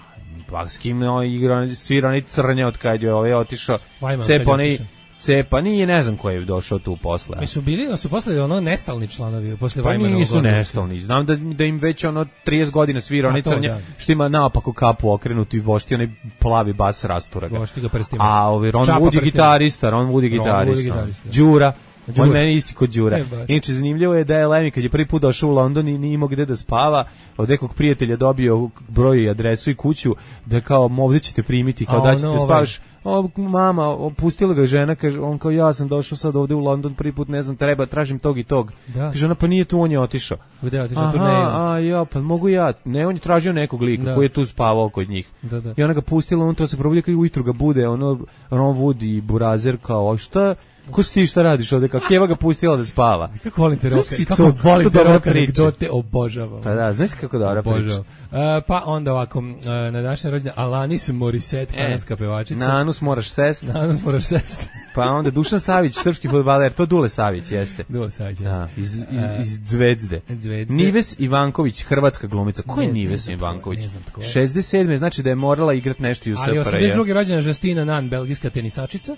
Pa s kim on igra, svira onaj crnje od kad je ovaj otišao. Wyman, kad Cepa je onaj, otišao. cepa, nije, ne znam ko je došao tu posle. Mi su bili, su posle ono nestalni članovi, posle Pa Wymanovog nisu odlaska. nestalni. Znam da, da im već ono trideset godina svira A onaj to, crnje, da. što ima naopako kapu okrenutu i vošti onaj plavi bas rastura ga. Vošti ga prstima. A ovaj Ron Čapa Wood je prstima. gitarista, Ron Wood je Ron Wood je gitarista. gitarista. Đura. Đura. On meni isti kod Đura. E, baš. Inače, zanimljivo je da je Lemmy kad je prvi put došao u London i nije imao gde da spava, od nekog prijatelja dobio broj i adresu i kuću, da kao ovdje ćete primiti, kao A da ćete ono, spavaš. O, mama, opustila ga žena, kaže, on kao ja sam došao sad ovdje u London prvi put, ne znam, treba, tražim tog i tog. Da. Kaže, ona pa nije tu, on je otišao. Gde je otišao na Aha, turneju? a ja, pa mogu ja. Ne, on je tražio nekog lika Da. koji je tu spavao kod njih. Da, da. I ona ga pustila, on to se probudila kao i ujutru ga bude, ono, Ron Wood i Burazer kao, a šta, ko si ti, šta radiš ovde, kao Keva ga pustila da spava. Kako volim te roke, Si kako to- volim to te dobra roke, priča. anegdote, obožavam. Pa da, znaš kako dobra priča. Obožavam. Uh, pa onda ovako, uh, na današnje rođendan Alanis Morissette, kanadska pevačica. Na anus moraš sest, Na Anus moraš sesti. pa onda Dušan Savić, srpski fudbaler, to Dule Savić jeste. Dule Savić, Da, iz, iz, iz Zvezde. Zvezde. Nives Ivanković, hrvatska glumica. Ko je Ne- ne Nives znam tko je, Ivanković? ne znam tko je. šezdeset sedme znači da je morala igrati nešto i u Ali S F R J. osamdeset druge rođena Justina Nan, belgijska tenisačica.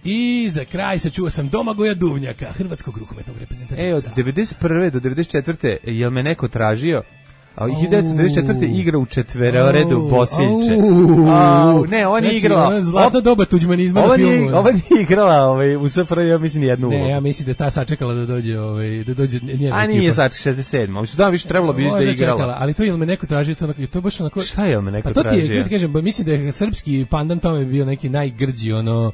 I za kraj sačuo sam Domagoja Duvnjaka, hrvatskog rukometnog reprezentativca. E, od devedeset prve do devedeset četvrte jel me neko tražio? A hiljadu devetsto devedeset četvrte igra u četveroredu Au, Bosiljče. au. Au, ne, ona nije Znači, igrala. ono zlatno doba tuđmanizma na Ova filmu. nije, ova nije igrala ovaj, u S F R J, ja mislim, jednu Ne, ulogu. ja mislim da je ta sačekala da dođe, ovaj, da dođe njena A ekipa. nije sad šezdeset sedma. Mislim, da, više trebalo bi da Možda je igrala. čekala, ali to je me neko tražio, to, onako- to je baš onako... Šta je me neko Pa to ti je, tražio? kako ti kažem, ba, mislim da je srpski pandan tome bio neki najgrđi, ono,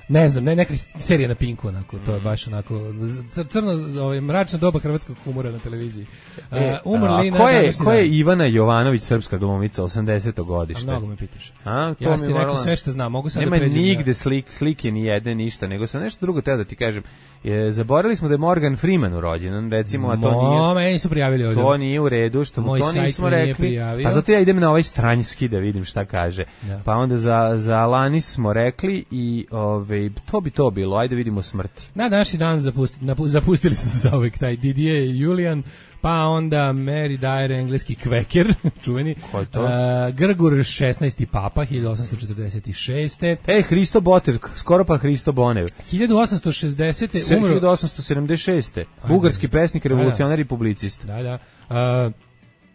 ne znam, ne, neka serija na Pinku, onako, to je baš onako, cr- crno, ovaj, mračna doba hrvatskog humora na televiziji. E, Uh, umrli a na ko je, današnji ko je dan. Ivana Jovanović, srpska glumica, osamdeseto A godište? mnogo me pitaš. A, to Ja mi sam ti morala- rekao sve što znam, mogu sad Nema da pređem. nigde slik, slike ni jedne, ništa, nego sam nešto drugo teo da ti kažem. Je, zaboravili smo da je Morgan Freeman rođendan, recimo, a to nije... Mo, meni su prijavili ovdje. To nije u redu, što mu Moj to sajt nismo mi nije rekli. prijavio. Pa zato ja idem na ovaj stranjski da vidim šta kaže. Da. Pa onda za, za Alanis smo rekli i ove, ove, to bi to bilo, ajde vidimo smrti. Na današnji dan zapusti, napu, zapustili su za uvek taj Didier i Julian, pa onda Mary Dyer, engleski kveker, čuveni. Ko je to? Uh, Grgur šesnaesti papa, hiljadu osamsto četrdeset šeste. E, Hristo Boter, skoro pa Hristo Bonev. hiljadu osamsto šezdesete. umro... hiljadu osamsto sedamdeset šeste. Bugarski pesnik, revolucionar i publicist. Da, da. Uh,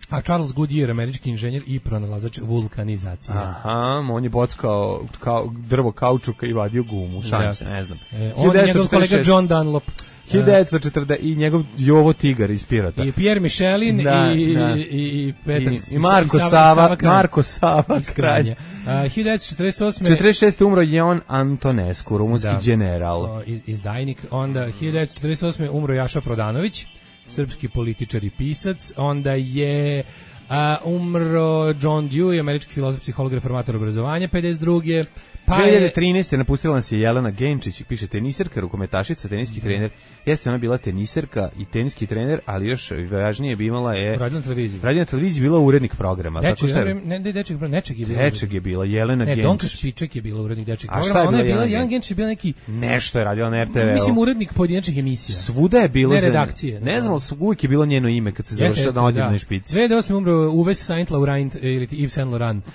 a Charles Goodyear, američki inženjer i pronalazač vulkanizacije. Aha, on je bockao kao drvo kaučuka i vadio gumu, šalim se, ne znam. E, on je njegov kolega John Dunlop. hiljadu devetsto četrdeset i njegov Jovo Tigar iz Pirata. I Pierre Michelin da, i, da. i, i Petar I, i Marko i Sava, Sava Marko Sava kralj. Uh, hiljadu devetsto četrdeset osme. četrdeset šeste umro Jon Antonescu, rumunski da. general. O, iz, izdajnik. Onda hiljadu devetsto četrdeset osme umro Jaša Prodanović, srpski političar i pisac. Onda je uh, umro John Dewey, američki filozof, psiholog, reformator obrazovanja, pedeset druge. Pa dve hiljade trinaeste. napustila nas je Jelena Genčić, piše teniserka, rukometašica, teniski trener. Jeste ona bila teniserka i teniski trener, ali još važnije bi imala je... Radio na televiziji. Radio na televiziji bila urednik programa. Dečeg, tako šta je? ne, ne, dečeg, nečeg je bila. Dečeg je bila, Jelena ne, Genčić. Ne, Donka Špiček je bila urednik dečeg programa. A šta je bila, ona je bila, Jelena Jelena Genčić je bila neki... Nešto je radila na er te ve. Mislim, urednik pojedinačnih emisija. Svuda je bilo... Ne redakcije. Ne znam, uvijek je bilo njeno ime kad se završila na odjednoj špici. dve hiljade osme. umro Uwe Saint Laurent ili Yves Saint Laurent.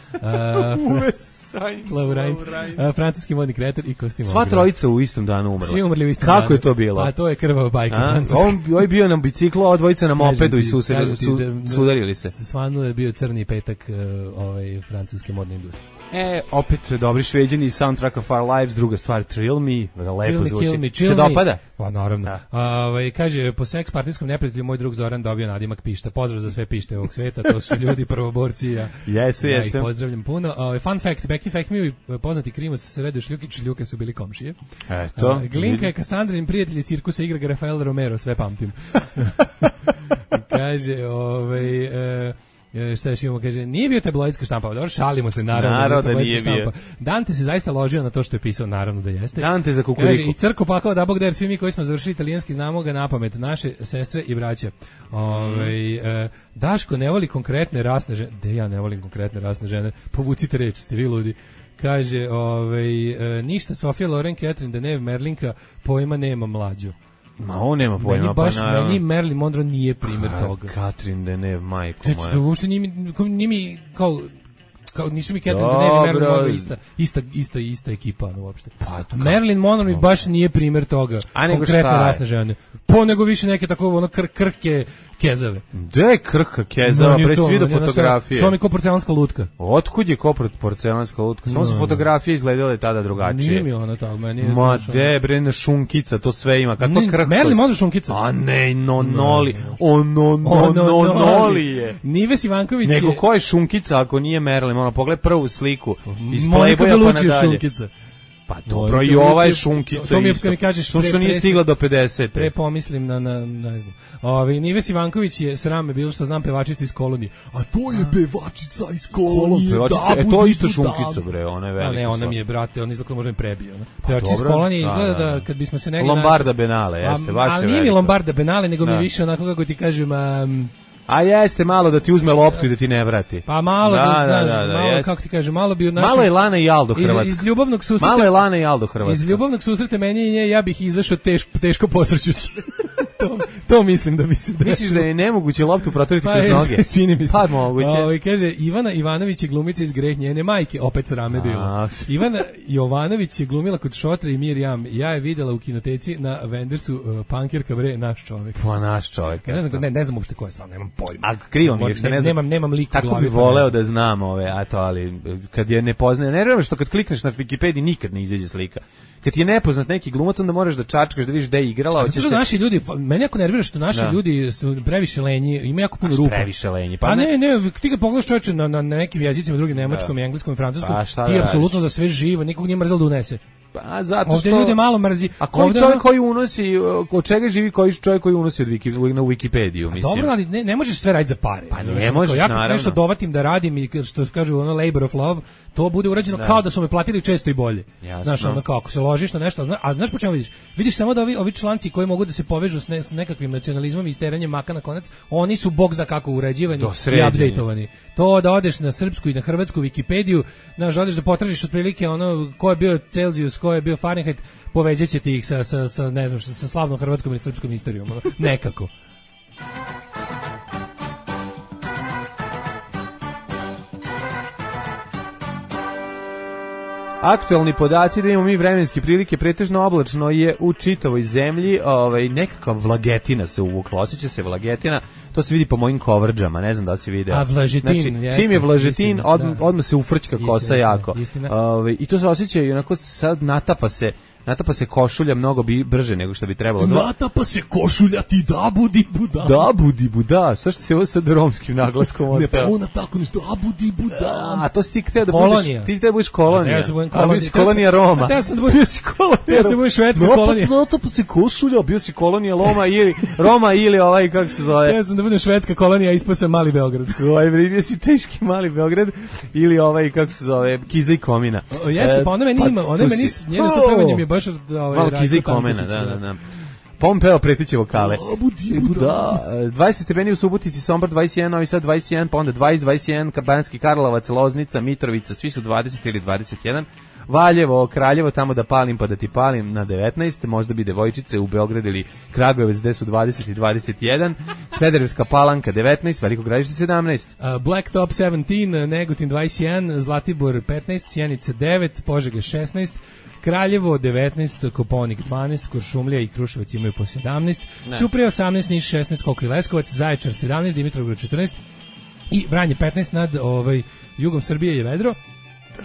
Uwe Saint Laurent. Francuski modni kreator i kostimograf. Sva trojica u istom danu umrla. Svi umrli u istom Kako danu. je to bilo? A to je krvava bajka. A, on, on je bio na biciklu, a dvojica na mopedu i su, su, sudarili se. Svanuo je bio crni petak uh, ovaj, francuske modne industrije. E, opet dobri Šveđani, Soundtrack of Our Lives, druga stvar Thrill Me, lepo chill zvuči. Me, chill Se me. dopada? Pa naravno. Da. Ovaj kaže po seks partijskom neprijatelju moj drug Zoran dobio nadimak pišta. Pozdrav za sve pište ovog sveta, to su ljudi prvoborci. Ja, jesu, ja jesu. ih pozdravljam puno. Ovaj fun fact, Becky Fact mi poznati krimac Sredo Šljukić, Šljuke su bili komšije. Eto. Uh, Glinka je Kasandrin prijatelj iz cirkusa igra Rafael Romero, sve pamtim. kaže, ovaj uh, šta još imamo, kaže, nije bio tabloidska štampa, dobro, šalimo se, naravno, naravno da nije nije štampa. bio. Dante se zaista ložio na to što je pisao, naravno da jeste. Dante za kukuriku. Kaže, i crko pakao da bog der, svi mi koji smo završili italijanski znamo ga na pamet, naše sestre i braće. Ove, e, Daško ne voli konkretne rasne žene, de ja ne volim konkretne rasne žene, povucite reč, ste vi ludi. Kaže, ove, e, ništa, Sofija Loren, Catherine Deneuve, Merlinka, pojma nema mlađu. Ma on nema pojma, meni baš, pa naravno. Meni Marilyn Monroe nije primjer Ka, toga. Catherine Deneuve, majko znači, moja. Da uopšte nije mi, nije mi kao, kao, nisu mi Catherine Deneuve i Marilyn Monroe ista, ista, ista, ista ekipa, no, uopšte. Pa, Marilyn Monroe mi baš nije primjer toga. A nego konkretne šta je? rasne žene. Po nego više neke tako ono kr, krke kezave. Gde je krka kezava, pre svi do fotografije? Svo mi ko porcelanska lutka. Otkud je ko porcelanska lutka? Samo su No, fotografije izgledale tada drugačije. Nije mi ona tako, meni je... Ma de, bre, šunkica, to sve ima. Kako krhkost? Marilyn Monroe šunkica. A ne, no, noli. O, no, no, no, noli je. Nives Ivanković je... Nego ko je šunkica ako nije Marilyn? Ono, pogledaj prvu sliku. Iz Monika Playboya pa Belucci je nadalje. šunkica. Pa dobro, i ova je šunkica to mi je, isto. kad mi kažeš, Samo što nije stigla do pedeset. Pre pomislim na, na, ne znam. Ove, Nives Ivanković je srame bilo što znam pevačica iz Kolonije. A to je pevačica iz Kolonije. Pevačica, e, to je isto šunkica, bre, ona je velika. A ne, ona mi je, brate, on izgleda možda mi prebio. Ona. Pevačica iz Kolonije izgleda da, kad bismo se negli... Lombarda Benale, jeste, baš je ali nije mi Lombarda Benale, nego mi više onako, kako ti kažem... Um, A jeste malo da ti uzme loptu i da ti ne vrati. Pa malo, da, da, da, znaš, da, da, malo, jest. kako ti kažem, malo bi od našeg... Malo je Lana i Aldo Hrvatska. Iz, iz ljubavnog susreta... Malo je Lana i Aldo Hrvatska. Iz ljubavnog susreta meni i nje, ja bih izašao teško, teško posrćući. to, to mislim da bi se desilo. Misliš da je nemoguće loptu proturiti pa kroz noge? Čini mi se. Pa moguće. O, kaže, Ivana Ivanović je glumica iz Greh njene majke, opet srame bilo. Ivana Jovanović je glumila kod Šotra i Mirjam. Ja je videla u kinoteci na Vendersu, uh, Pankirka bre, naš čovjek. Pa naš čovjek. Ja ne znam, ne, ne znam uopšte ko je stvarno, nemam pojma. A krivo mi je, što ne znam. Nemam, nemam lik u glavi. Tako bi voleo da znam ove, a to, ali kad je ne poznaje, ne vjerujem što kad klikneš na Wikipediji nikad ne izađe slika. Kad ti je nepoznat neki glumac, onda moraš da čačkaš da vidiš da je igrala. Zato što se... naši ljudi, meni jako nervira što naši da. ljudi su previše lenji, ima jako puno rupa. Previše lenji. Pa a ne, ne, ne ti kad pogledaš čovječe na, na, na nekim jezicima, drugim nemačkom, da. engleskom i francuskom, pa, ti apsolutno za sve živo, nikog nije mrzelo da unese. Pa zato ovdje što ljude malo mrzi. A koji ovdje čovjek koji unosi, od čega živi koji čovjek koji unosi od Wiki, na Wikipediju, mislim. Dobro, ali ne, ne možeš sve raditi za pare. Pa ne možeš, ja naravno. Nešto dovatim da radim i što kažu ono labor of love, to bude urađeno da. kao da su me platili često i bolje. Jasno. Znaš, ono kako se ložiš na nešto, a, a znaš po čemu vidiš? Vidiš samo da ovi, ovi članci koji mogu da se povežu s, ne, s nekakvim nacionalizmom i steranjem maka na konac, oni su bog zna kako uređivani i updateovani. To da odeš na srpsku i na hrvatsku Wikipediju, znaš, odeš da potražiš otprilike ono ko je bio Celzijus, ko je bio Fahrenheit, povećaćete ih sa, sa, sa, ne znam, sa slavnom hrvatskom ili srpskom istorijom, nekako. Aktualni podaci da imamo mi vremenske prilike, pretežno oblačno je u čitavoj zemlji, ovaj, nekakva vlagetina se uvukla, osjeća se vlagetina, to se vidi po mojim kovrđama, ne znam da se vide. A vlažetin, znači, jeste, čim je vlažetin, istina, odmah, da. odmah se ufrčka kosa istina, jako. istina. Ovaj, I to se osjeća i onako sad natapa se, natapa se košulja mnogo bi brže nego što bi trebalo. Natapa se košulja ti da budi buda. Da budi buda, sve što se ovo sad romskim naglaskom. Ne, pa ona tako nešto, da budi buda. A to si ti hteo da kolonija. budeš, ti si da budeš kolonija. Ja sam budem A bio si kolonija. kolonija Roma. Ja sam budem bio si kolonija. Ja sam budem švedska kolonija. Natapa se košulja, bio si kolonija Roma ili Roma ili ovaj kako se zove. Ja sam da budem švedska kolonija, ispao sam mali Beograd. Ovaj bio si teški mali Beograd ili ovaj kako se zove Kiza i Komina. O, jeste, pa ona meni ima, ona meni njeno to pevanje mi je baš ovaj Kiza i Komina, da, da, da. Pompeo pretiće vokale. Budi buda. dvadeset stepeni u Subotici, Sombor dvadeset jedan, Novi Sad dvadeset jedan, pa onda dvadeset, dvadeset jedan, Banjski Karlovac, Loznica, Mitrovica, svi su dvadeset ili dvadeset jedan. Valjevo, Kraljevo, tamo da palim pa da ti palim na devetnaest, možda bi devojčice u Beograd ili Kragujevac gde su dvadeset i dvadeset jedan, Smederevska Palanka devetnaest, Veliko Gradište sedamnaest. Uh, Blacktop sedamnaest, Negotin dvadeset jedan, Zlatibor petnaest, Sjenica devet, Požega šesnaest, Kraljevo devetnaest, Koponik dvanaest, Kuršumlija i Kruševac imaju po sedamnaest, ne. Ćuprija osamnaest, Niš šesnaest, Kokri Leskovac, Zaječar sedamnaest, Dimitrovgrad četrnaest i Vranje petnaest, nad ovaj, jugom Srbije je vedro.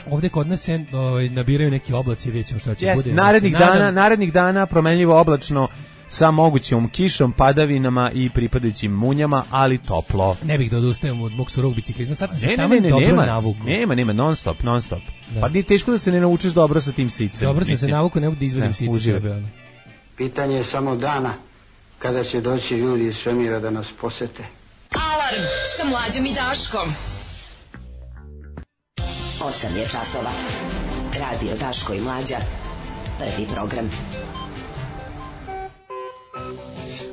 Ovde kod nas se ovaj, nabiraju neki oblaci, vidjet ćemo šta će yes, bude. Narednih dana, narednih dana promenljivo oblačno sa mogućom kišom, padavinama i pripadajućim munjama, ali toplo. Ne bih da odustajem od mog surog biciklizma, sad sam ne, se tamo ne, ne, dobro nema, navuku. Nema, nema, non stop, non stop. Da. Pa nije teško da se ne naučiš dobro sa tim sicem. Dobro sam mislim. se navuku, ne mogu da izvedim sice sebe. Pitanje je samo dana kada će doći ljudi iz svemira da nas posete. Alarm sa Mlađom i Daškom. osam je časova. Radio Daško i Mlađa. Prvi program.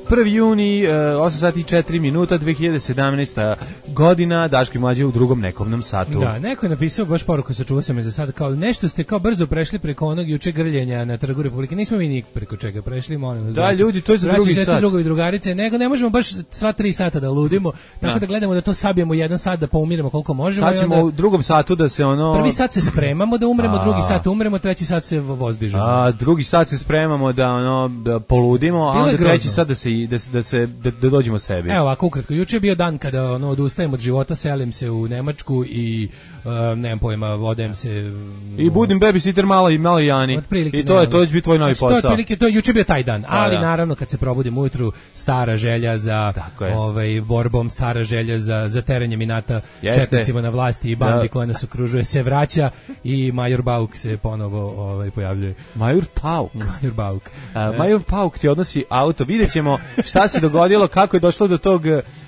prvi juni, osam sati i četiri minuta, dve hiljade sedamnaesta godina, Daško i Mlađa u drugom nekovnom satu. Da, neko je napisao baš poruku, sačuvao sam je za sad, kao nešto ste kao brzo prešli preko onog juče grljenja na Trgu Republike. Nismo mi nik preko čega prešli, molim vas. Da, braću, ljudi, to je za drugi sat. Drugovi drugarice, nego ne možemo baš sva tri sata da ludimo, tako da, da gledamo da to sabijemo jedan sat, da poumiremo koliko možemo. Sad ćemo onda, u drugom satu da se ono... Prvi sat se spremamo da umremo, a, drugi sat umremo, treći sat se vozdižemo. A, drugi sat se spremamo da ono da poludimo, a onda treći sat da se da se da se da, da dođemo sebi. Evo ovako ukratko, juče je bio dan kada ono odustajem od života, selim se u Nemačku i uh, nemam pojma, odem se i budim babysitter malo i malo Jani. Otprilike, i to je to će biti tvoj novi znači, posao. To je otprilike, to je juče bio taj dan, ali da, da. naravno kad se probudim ujutru, stara želja za ovaj borbom, stara želja za za terenjem inata četnicima na vlasti i bandi da. koja nas okružuje se vraća i Major Bauk se ponovo ovaj pojavljuje. Major Pauk. Major Bauk. A, Major Pauk ti odnosi auto. Videćemo šta se dogodilo, kako je došlo do tog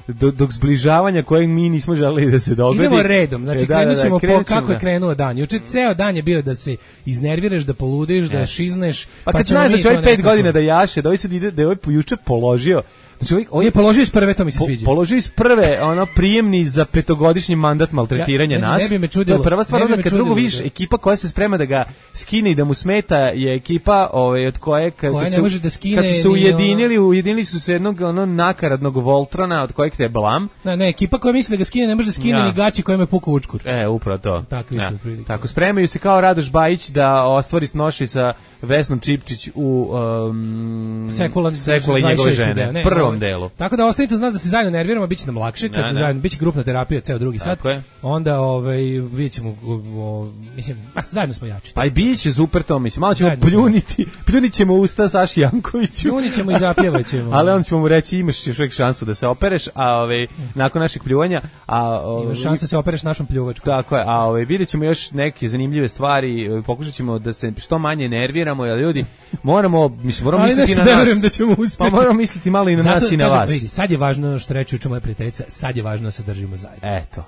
do, do zbližavanja kojeg mi nismo želeli da se dogodi. Idemo redom, znači da, krenut ćemo da, da, po kako da. je krenuo dan. Juče ceo dan je bio da se iznerviraš, da poludiš, da šizneš. Pa, pa kad znaš da će ovaj pet godina da jaše, da ovaj sad ide, da je ovaj juče položio. Znači, ovaj, ovaj je položio iz prve, to mi se sviđa. Po, položio iz prve, ono, prijemni za petogodišnji mandat maltretiranja ja, nas. Ne bi me čudilo. To je prva stvar, onda kad drugo vidiš, ekipa koja se sprema da ga skine i da mu smeta je ekipa ovaj, od koje, kad, koja kad, ne su, može da skine, kad su se ujedinili, ono... ujedinili su se jednog ono, nakaradnog Voltrona od kojeg te je blam. Ne, ne, ekipa koja misli da ga skine, ne može da skine ja. ni gaći kojima je pukao učkur. E, upravo to. Takvi ja. su prilike. Tako, spremaju se kao Radoš Bajić da ostvari snoši sa Vesnom Čipčić u um, Sekula, Sekula i njegove žene, ne, prvom ne, delu. Tako da ostanite uz nas da se zajedno nerviramo, bit će nam lakše, kad zajedno, bit će grupna terapija ceo drugi sat, onda ovaj, vidjet ćemo, o, mislim, a, zajedno smo jači. Pa i bit će super to, mislim, malo ćemo pljuniti, pljunit ćemo usta Saši Jankoviću. Pljunit ćemo i zapjevat ćemo. Ali onda ćemo mu reći, imaš još uvijek šansu da se opereš, a ovaj, nakon našeg pljuvanja, a... Ovaj, imaš šansu da se opereš našom pljuvačkom. Tako je, a ovaj, vidjet ćemo još neke zanimljive stvari, pokušat ćemo da se što manje nerviramo, jer ljudi, moramo, mislim, moramo misliti na nas. Da ćemo uspjeti. Pa moramo misliti malo i na Zato, nas i na kažem, vas. Vidi, sad je važno što reče uče moja prijateljica, sad je važno da se držimo zajedno. Eto.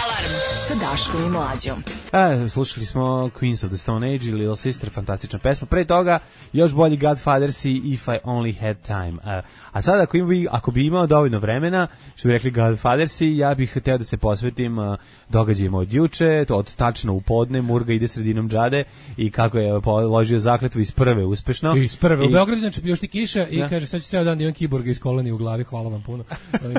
Alarm sa Daškom i Mlađom. E, slušali smo Queens of the Stone Age i Little Sister, fantastična pesma. Pre toga još bolji Godfathers i If I Only Had Time. A, a sada ako, bi, ako bi imao dovoljno vremena, što bi rekli Godfathers, ja bih hteo da se posvetim uh, događajima od juče, to od tačno u podne, Murga ide sredinom džade i kako je položio zakletvu iz prve uspešno. Iz prve, I, u Beogradu znači još ti kiša i ja. kaže sad ću ceo dan da imam kiborga iz koleni u glavi, hvala vam puno.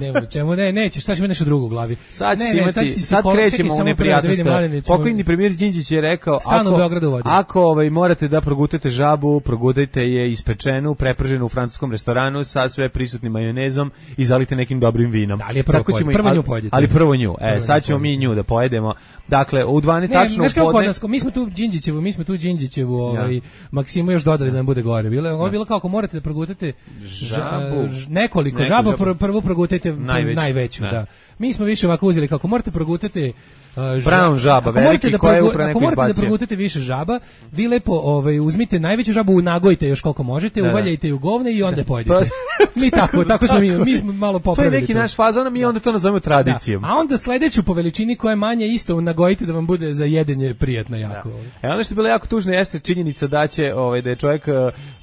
Nema čemu, ne, nećeš, sad ćemo nešto drugo u glavi. Sad, ne, imati, ne, sad, sad kol, krećemo u neprijatnost. Pokojni premijer Đinđić je rekao, ako, ako ovaj, morate da progutate žabu, progutajte je ispečenu, preprženu u francuskom restoranu sa sve prisutnim majonezom i zalite nekim dobrim vinom. Da, ali je prvo, Tako ćemo, prvo ali, nju pojedite. Ali prvo nju, e, prvo sad ćemo mi nju da pojedemo. Dakle, u dvanaest tačno u podne. Mi smo tu Đinđićevu, mi smo tu Đinđićevu, ovaj, ja. Maksimu još dodali da nam bude gore. Bilo je, ovo je bilo kao ako morate da progutate žabu, ž, nekoliko žaba, žabu. prvo progutajte najveću, najveću da. da. Mi smo više ovako uzeli kako morate progutate Uh, Brown žaba, veliki, da koja je upravo neko izbacio. Ako morate da progutate više žaba, vi lepo ovaj, uzmite najveću žabu, nagojite još koliko možete, da, uvaljajte ju govne i onda da. pojedite. Mi tako, tako smo mi, mi smo malo popravili. To je neki to. naš fazon, mi onda to nazovemo tradicijom. Da. A onda sledeću po veličini koja je manje isto nagojite da vam bude za jedenje prijatno jako. Da. E ono što je bilo jako tužno jeste činjenica da će ovaj da je čovjek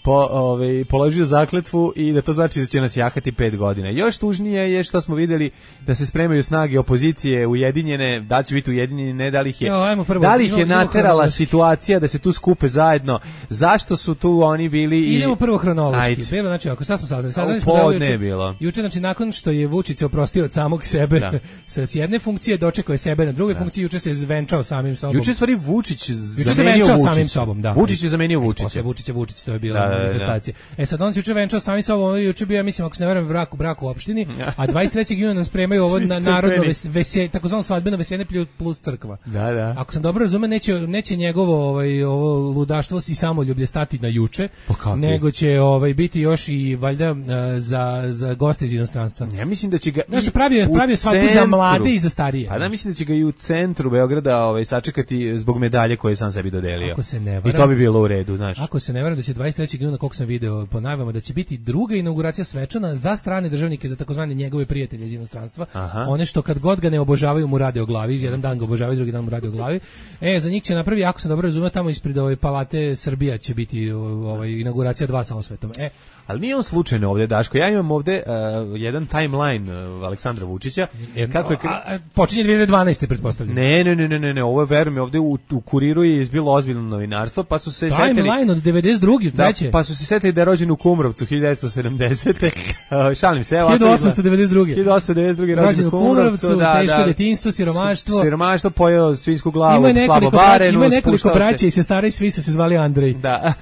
po ovaj položio zakletvu i da to znači da će nas jahati pet godina. Još tužnije je što smo videli da se spremaju snage opozicije ujedinjene, da će biti ujedinjeni, ne da li ih je, jo, prvo, da li ih je idemo, naterala idemo situacija da se tu skupe zajedno. Zašto su tu oni bili i idemo prvo hronološki. Bilo znači ako sad smo saznali, saznali smo da juče bilo. Juče znači nakon što je Vučić se oprostio od samog sebe da. sa jedne funkcije dočekao je sebe na druge da. funkcije, juče se zvenčao samim sobom. Juče stvari Vučić zamenio Vučić samim sobom, da. Vučić je zamenio Vučića. Vučić je Vučić, to je bila da, manifestacija. Da, da. E sad on se juče venčao samim sobom, juče bio ja mislim ako se ne varam brak u braku u opštini, a dvadeset trećeg juna nam spremaju ovo na narodno veselje, takozvano svadbeno veselje plus crkva. Da, da. Ako sam dobro razumeo, neće neće njegovo ovaj ovo ludaštvo i samoljublje stati na juče, nego će ovaj biti još i valjda za za goste iz inostranstva. Ja mislim da će ga da se pravi pravi svadbu za mlade i za starije. Pa da mislim da će ga i u centru Beograda ovaj sačekati zbog medalje koje je sam sebi dodelio. Ako se ne varam, i to bi bilo u redu, znaš. Ako se ne varam da će dvadeset trećeg juna, koliko sam video po najavama, da će biti druga inauguracija svečana za strane državnike, za takozvane njegove prijatelje iz inostranstva. Aha. One što kad god ga ne obožavaju mu rade o glavi, jedan dan ga obožavaju, drugi dan mu rade o glavi. E, za njih će napravi, ako sam dobro razumeo, tamo ispred ove palate Srbija će biti ovaj inauguracija dva sa osvetom. E, ali nije on slučajno ovdje, Daško. Ja imam ovdje uh, jedan timeline uh, Aleksandra Vučića. E, kako je... A, a, počinje dvije hiljade dvanaeste pretpostavljam. Ne, ne, ne, ne, ne, ovo je, verujem, ovdje u, u Kuriru je izbilo ozbiljno novinarstvo, pa su se setili... Timeline od devedeset druge, treće. Da, pa su se setili da je rođen u Kumrovcu hiljadu devetsto sedamdesete Uh, šalim se, evo... hiljadu osamsto devedeset druge hiljadu osamsto devedeset druge rođen u Kumrovcu, da, teško da, detinjstvo, siromaštvo. Siromaštvo, pojeo svinsku glavu, slabo barenu, spuštao se. Ima nekoliko braća i sestara i svi su se zvali Andrej. Da.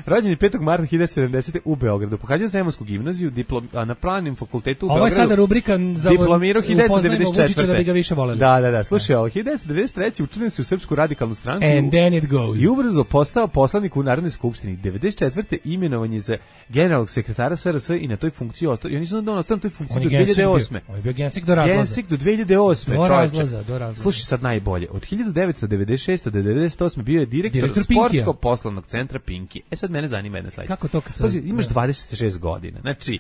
Rođen je petog marta hiljadu devetsto sedamdesete u Beogradu. Pohađao Zemunsku gimnaziju, diplom, a na Pravnim fakultetu u Beogradu. Ovo je sada rubrika za diplomirao hiljadu devetsto devedeset četvrte da bi ga više voleli. Da, da, da. Slušaj, ovo hiljadu devetsto devedeset treće učlanio se u Srpsku radikalnu stranku. And then it goes. I ubrzo postao poslanik u Narodnoj skupštini. devedeset četvrte imenovan je za generalnog sekretara S R S i na toj funkciji ostao. I oni su da on ostao na toj funkciji do dve hiljade osme. On je bio gensik do razlaza. Gensik do dve hiljade osme. Do razlaza, do razlaza. Slušaj sad najbolje. Od hiljadu devetsto devedeset šeste do devedeset osme bio je direktor, direktor sportskog poslovnog centra Pinki. E sad mene zanima jedna sledeća. Kako to kad se... Imaš dvadeset šest godina. Znači,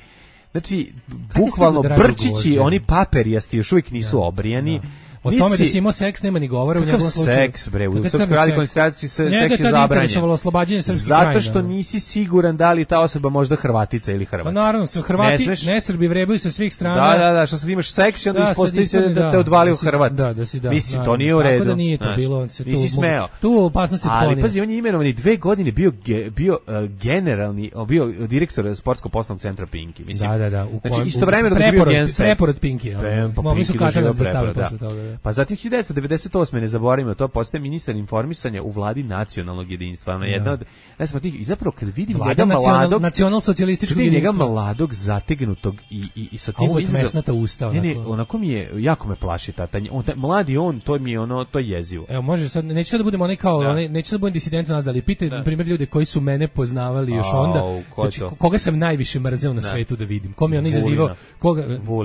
znači bukvalno brčići, oni paperijasti još uvijek nisu da, obrijani. Da. O tome da si imao seks nema ni govora u njegovom slučaju. Seks, bre, u Srpskoj radikalnoj stranci se seks je zabranjen. Oslobađanje srpskih Zato što nisi siguran da li ta osoba možda Hrvatica ili Hrvat. Pa naravno, su Hrvati, ne, ne Srbi vrebaju sa svih strana. Da, da, da, što sad imaš seks i onda da, ispostavi se da, da te odvalio da, Hrvat. Da, da si da. Mislim, to nije u redu. Tako da nije to bilo, on se tu, nisi smeo. Tu opasnosti otklonio. Ali pazi, on je imenovani dve godine bio ge, bio uh, generalni, bio direktor sportsko-poslovnog centra Pinki, mislim. Da, da, da. U znači istovremeno dok je bio gensek. Preporod Pinki. Mogli su katanac da stave posle toga. Pa zatim hiljadu devetsto devedeset osme ne zaboravimo, to postaje ministar informisanja u vladi nacionalnog jedinstva. Ona jedna od, ne znam, tih, i zapravo kad vidim njega mladog, nacional-socijalističkog jedinstva. Njega mladog, zategnutog i, i, i sa tim... A uvijek mesnata usta. Ne, ne, onako mi je, jako me plaši ta, ta on, taj, mladi on, to mi je ono, to je jezivo. Evo, može sad, neću sad da budemo onaj kao, da. Onaj, neću sad da budem disident nas, da li pitaj, na primjer, ljude koji su mene poznavali još A, onda, ko znači, koga sam najviše mrzeo na svetu da vidim, kom je on izazivao, koga,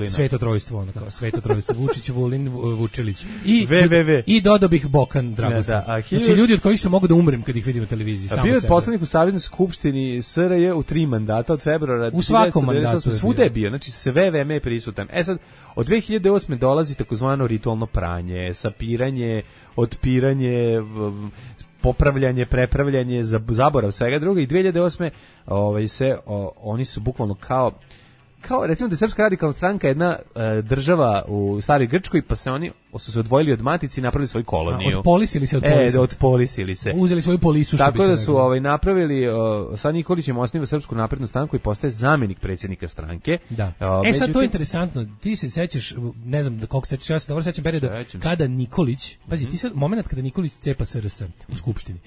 svetotrojstvo, ono kao, svetotrojstvo, Vučić, Vulin, Vučilić. I, ve ve ve. I dodao bih Bokan Dragoslav. Da, da, znači ljudi od kojih sam mogu da umrem kad ih vidim na televiziji. A bio je poslanik u Saveznoj skupštini S R J u tri mandata od februara. U svakom mandatu. Svuda je bio, znači sve vreme je prisutan. E sad, od dve hiljade osme dolazi takozvano ritualno pranje, sapiranje, otpiranje, popravljanje, prepravljanje, zaborav svega druga i dve hiljade osme ovaj, se, o, oni su bukvalno kao kao recimo da je Srpska radikalna stranka jedna e, država u staroj Grčkoj, pa se oni su se odvojili od matici i napravili svoju koloniju. A, odpolisili se, odpolisili. E, da odpolisili se. Uzeli svoju polisu, što tako bi se da su rekao. ovaj, napravili, o, sad Nikolićem osniva Srpsku naprednu stranku i postaje zamjenik predsjednika stranke. Da. O, e sad međutim, to je interesantno, ti se sećaš, ne znam da koliko sećaš, ja se dobro sećam perioda kada Nikolić, pazi, ti sad, moment kada Nikolić cepa S R S u Skupštini,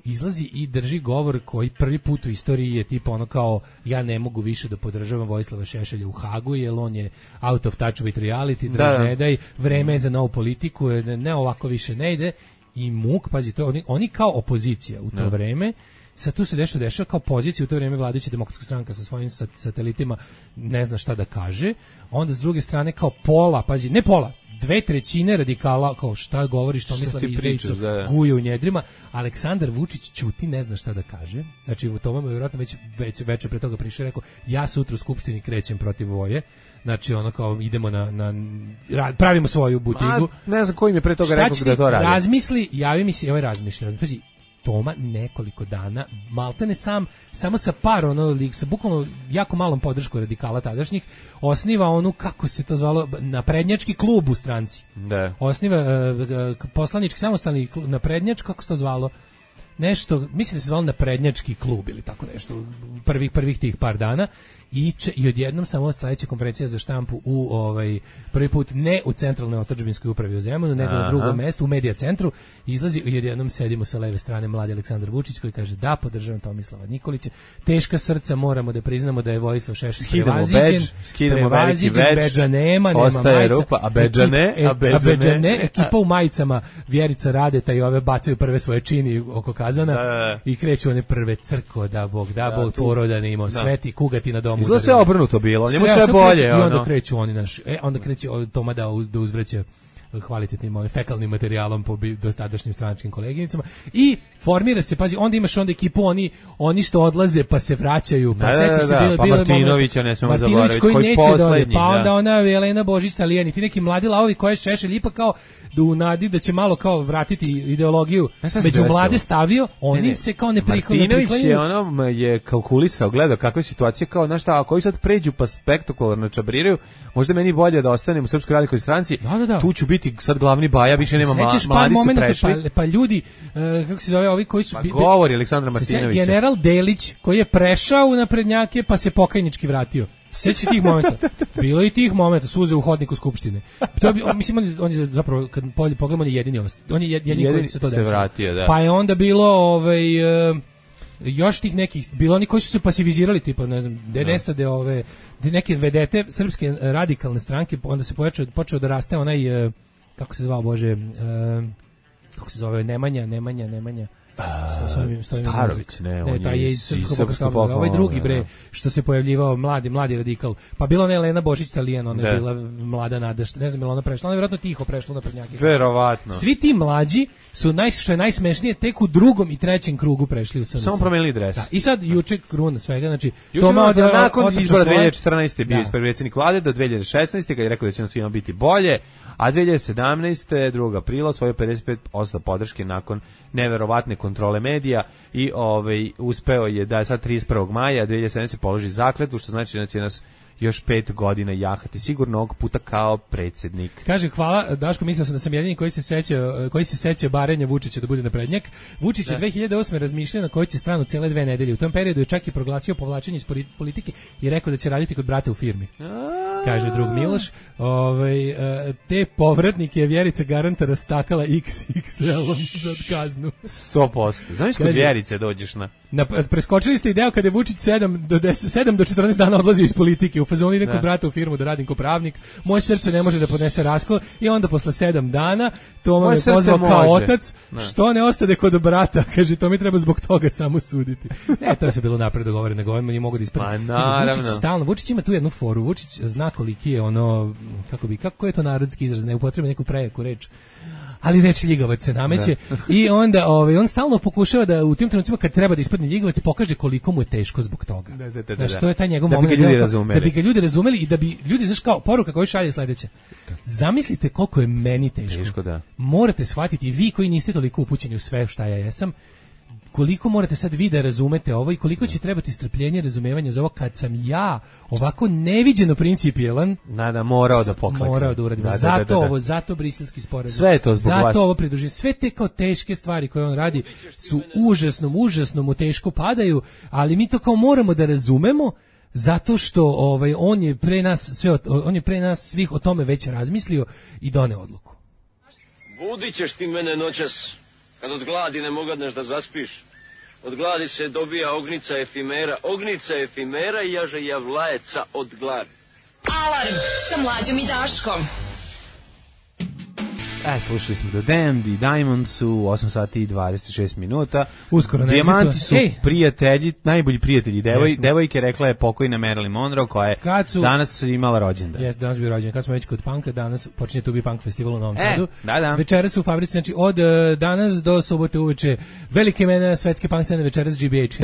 izlazi i drži govor koji prvi put u istoriji je tipa ono kao ja ne mogu više da podržavam Vojislava Šešelja u Hagu jer on je out of touch with reality, drž ne daj, vreme je za novu politiku, ne, ne ovako više ne ide i muk, pazi, to oni, oni kao opozicija u to da. vreme, sad tu se dešava dešava kao pozicija u to vrijeme vladajuća demokratska stranka sa svojim satelitima ne zna šta da kaže, onda s druge strane kao pola, pazi, ne pola, dve trećine radikala, kao šta govori, što misle izdejicu, guje u njedrima. Aleksandar Vučić ćuti, ne zna šta da kaže. Znači, u tome je vjerojatno već, već večer pre toga prišao i rekao, ja sutra u Skupštini krećem protiv Voje. Znači, ono kao, idemo na, na pravimo svoju butigu. Ma, ne znam koji mi je pre toga rekao da to radi. Razmisli, javi mi se, ovaj razmišlja, pazi, Toma nekoliko dana, maltene sam, samo sa par, ono, sa bukvalno jako malom podršku radikala tadašnjih, osniva onu, kako se to zvalo, naprednjački klub u stranci. Da. Osniva uh, poslanički samostalni naprednjač, kako se to zvalo? Nešto, mislim da se zvalo naprednjački klub ili tako nešto, prvih, prvih tih par dana. I, če, i odjednom samo sledeća konferencija za štampu u ovaj prvi put ne u centralnoj otadžbinskoj upravi u Zemunu, nego na drugom mestu u Medija centru, izlazi i odjednom sedimo sa leve strane mladi Aleksandar Vučić koji kaže da podržavam Tomislava Nikolića. Teška srca, moramo da priznamo da je Vojislav Šešelj prevaziđen. Skidamo veliki bedž. Bedža nema, nema majica. Rupa, a bedža ne, a bedža ne. ne. Ekipa u majicama Vjerica Radeta i ove bacaju prve svoje čini oko kazana da, da. i kreću one prve crko, da Bog, da, da Bog poroda ne imao, sveti kugati na domu. Izgleda sve obrnuto bilo, njemu sve, sve bolje. I onda ono. kreću oni naš, e, onda kreće Toma da, uz, da uzvraća kvalitetnim ovim fekalnim materijalom po do tadašnjim stranačkim koleginicama i formira se, pazi, onda imaš onda ekipu oni oni što odlaze pa se vraćaju, pa da, sećaš se da, bilo pa bilo Martinovića ne smemo Martinović zaboraviti koji, koji neće poslednji, pa onda da. ona Jelena Božić Talijani, ti neki mladi lavovi koje Šešelj ipak kao da u nadi da će malo kao vratiti ideologiju među mlade stavio, oni ne, ne. se kao ne prihvataju. Martinović je ono je kalkulisao, gledao kakva je situacija, kao znaš šta, ako oni sad pređu pa spektakularno čabriraju, možda meni bolje da ostanem u Srpskoj radikalnoj stranci, da, da, da. tu ću biti sad glavni baja, više nema mla, mladi su prešli. Pa, pa ljudi, uh, kako se zove, ovi koji su... Pa govori Aleksandra Martinovića. General Delić, koji je prešao u naprednjake, pa se pokajnički vratio. Seći tih momenta. Bilo i tih momenta, suze u hodniku Skupštine. To bi, mislim, on je, on je zapravo, kad pogledamo, on je jedini ost. On je jedini, jedini koji se to desilo. Vratio, da. Pa je onda bilo, ovaj... Uh, još tih nekih, bilo oni koji su se pasivizirali, tipa, ne znam, de nestade ove, de neke vedete srpske radikalne stranke, onda se počeo, počeo da raste onaj, uh, kako se zvao, Bože, uh, kako se zove, Nemanja, Nemanja, Nemanja, Uh, Starović, ne, on ne, je iz Srpskog pokreta, ovaj drugi bre, što se pojavljivao mladi, mladi radikal. Pa bila ona Jelena Božić Talijan, ona je bila mlada nada, ne znam, je ona prešla, ona je vjerojatno tiho prešla na prednjake. Verovatno. Svi ti mlađi su naj, što je najsmešnije, tek u drugom i trećem krugu prešli u S N S. Samo promenili dres. Da. I sad juče kruna svega, znači Toma od nakon izbora dve hiljade četrnaeste bio ispred predsjednik vlade do dve hiljade šesnaeste kad je rekao da će nam svima biti bolje, a dve hiljade sedamnaeste drugog aprila osvojio pedeset pet posto podrške nakon neverovatne kontrole medija i ovaj uspeo je da sad trideset prvog maja dve hiljade sedamnaeste položi zakletvu, što znači da će nas još pet godina jahati sigurno ovog puta kao predsjednik. Kaže, hvala, Daško, mislio sam da sam jedini koji se seća, koji se seća barenja Vučića da bude naprednjak. Vučić je dve hiljade osme razmišljao na kojoj će stranu cele dve nedelje. U tom periodu je čak i proglasio povlačenje iz politike i rekao da će raditi kod brata u firmi. Kaže drug Miloš. Ovaj, te povratnike je Vjerica Garanta rastakala iks iks el-om za kaznu. sto posto. Znaš kod Vjerice dođeš na... na... Preskočili ste ideo kada je Vučić sedam do deset, sedam do četrnaest dana odlazio iz politike. U fazonu idem kod brata u firmu da radim kao pravnik. Moje srce ne može da podnese raskol i onda posle sedam dana Toma me pozvao kao može. Otac. Ne. Što ne ostade kod brata? Kaže, to mi treba zbog toga samo suditi. Ne, to je sve bilo napred dogovoreno, nego on mi mogu da ispredi. Pa naravno. Vučić stalno, Vučić ima tu jednu foru. Vučić zna zna koliki je ono, kako bi, kako je to narodski izraz, ne upotrebi neku prejaku reč, ali reč ljigavac se nameće i onda ovaj, on stalno pokušava da u tim trenucima kad treba da ispadne ljigavac pokaže koliko mu je teško zbog toga. Da, da, da, znaš, da. to je taj njegov da moment. Bi ga ljudi razumeli. Da bi ga ljudi razumeli i da bi ljudi, znaš kao, poruka koju šalje sledeća. Zamislite koliko je meni teško. Teško, da. Morate shvatiti, i vi koji niste toliko upućeni u sve šta ja jesam, koliko morate sad vi da razumete ovo i koliko će trebati strpljenje, razumevanja za ovo kad sam ja ovako neviđeno principijelan. Da, da, morao da pokleknem. Morao da uradim. Da, da, zato da, da, da. ovo, zato briselski sporazum. Sve je to zbog zato vas. ovo pridruživanje. Sve te kao teške stvari koje on radi su užasno, užasno mu teško padaju, ali mi to kao moramo da razumemo. Zato što ovaj on je pre nas sve on je pre nas svih o tome već razmislio i doneo odluku. Budit ćeš ti mene noćas, kad od gladi ne mogadneš da zaspiš. Od gladi se dobija ognica efimera, ognica efimera i jaže javlajeca od gladi. Alarm sa Mlađom i Daškom. E, slušali smo The Damned i Diamonds u osam sati i dvadeset šest minuta. Uskoro na Dijamanti su Ej. prijatelji, najbolji prijatelji devoj, Jesmo. devojke, rekla je pokojna Marilyn Monroe, koja je su, danas imala rođendan. Jeste, danas bio rođendan. Kad smo već kod punka, danas počinje tu bi punk festival u Novom E, Sadu. da, da. Večeras u fabrici, znači od uh, danas do subote uveče velike imena svetske punk scene, večeras G B H.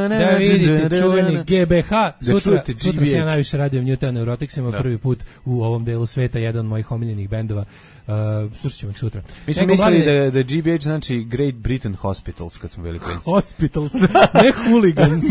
Da vidite čuveni G B H. Sutra, sutra se ja najviše radim Newton Neuroticsima, Da. prvi put u ovom delu sveta, jedan od mojih omiljenih bendova. Uh, slušat ćemo ih sutra. Mi smo Nego mislili glavne- da, da G B H znači Great Britain Hospitals kad smo bili klinci. Hospitals, ne hooligans.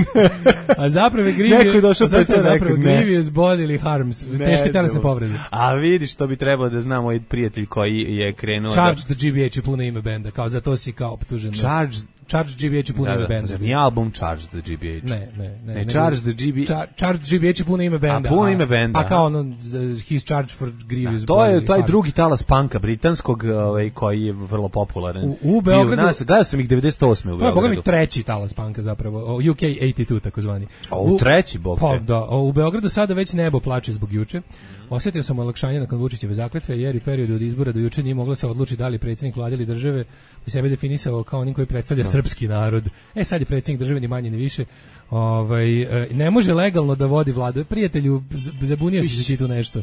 A zapravo je Neko je Grievous, došao pa je zašto je to zapravo rekao, ne. Grievous bodily harms, Ne, teške telesne dobro. povrede. A vidiš, to bi trebalo da zna moj prijatelj koji je krenuo Charged G B H je puno ime benda, kao za to si kao optužen. da... Charged... Charged G B H je puno Da, ime da, benda. zar nije album Charged the G B H? Ne, ne, ne. Ne, nego- Charged the G B H... Char- Charged G B H je puno ime benda. A, puno ime benda, Pa kao a? ono, z- he's charged for grievous. Da, to je bodily taj harm. drugi talas panka britanskog, ovaj, koji je vrlo popularan. U- u Beogradu- Bio nas, gledao sam ih devedeset osme u To je, boga mi, Beogradu. treći talas panka zapravo, o, U K osamdeset dva takozvani. A, u treći, bog Pa te. da, o, u Beogradu sada već nebo plače zbog juče. Osjetio sam olakšanje nakon Vučićeve zakletve, jer i period od izbora do juče nije moglo se odlučiti da li predsjednik vlade ili države bi sebe definisao kao onim koji predstavlja srpski narod. E sad je predsjednik države ni manje ni više. Ovaj, e, ne može legalno da vodi vladu. Prijatelju, z- zabunio si se ti tu nešto.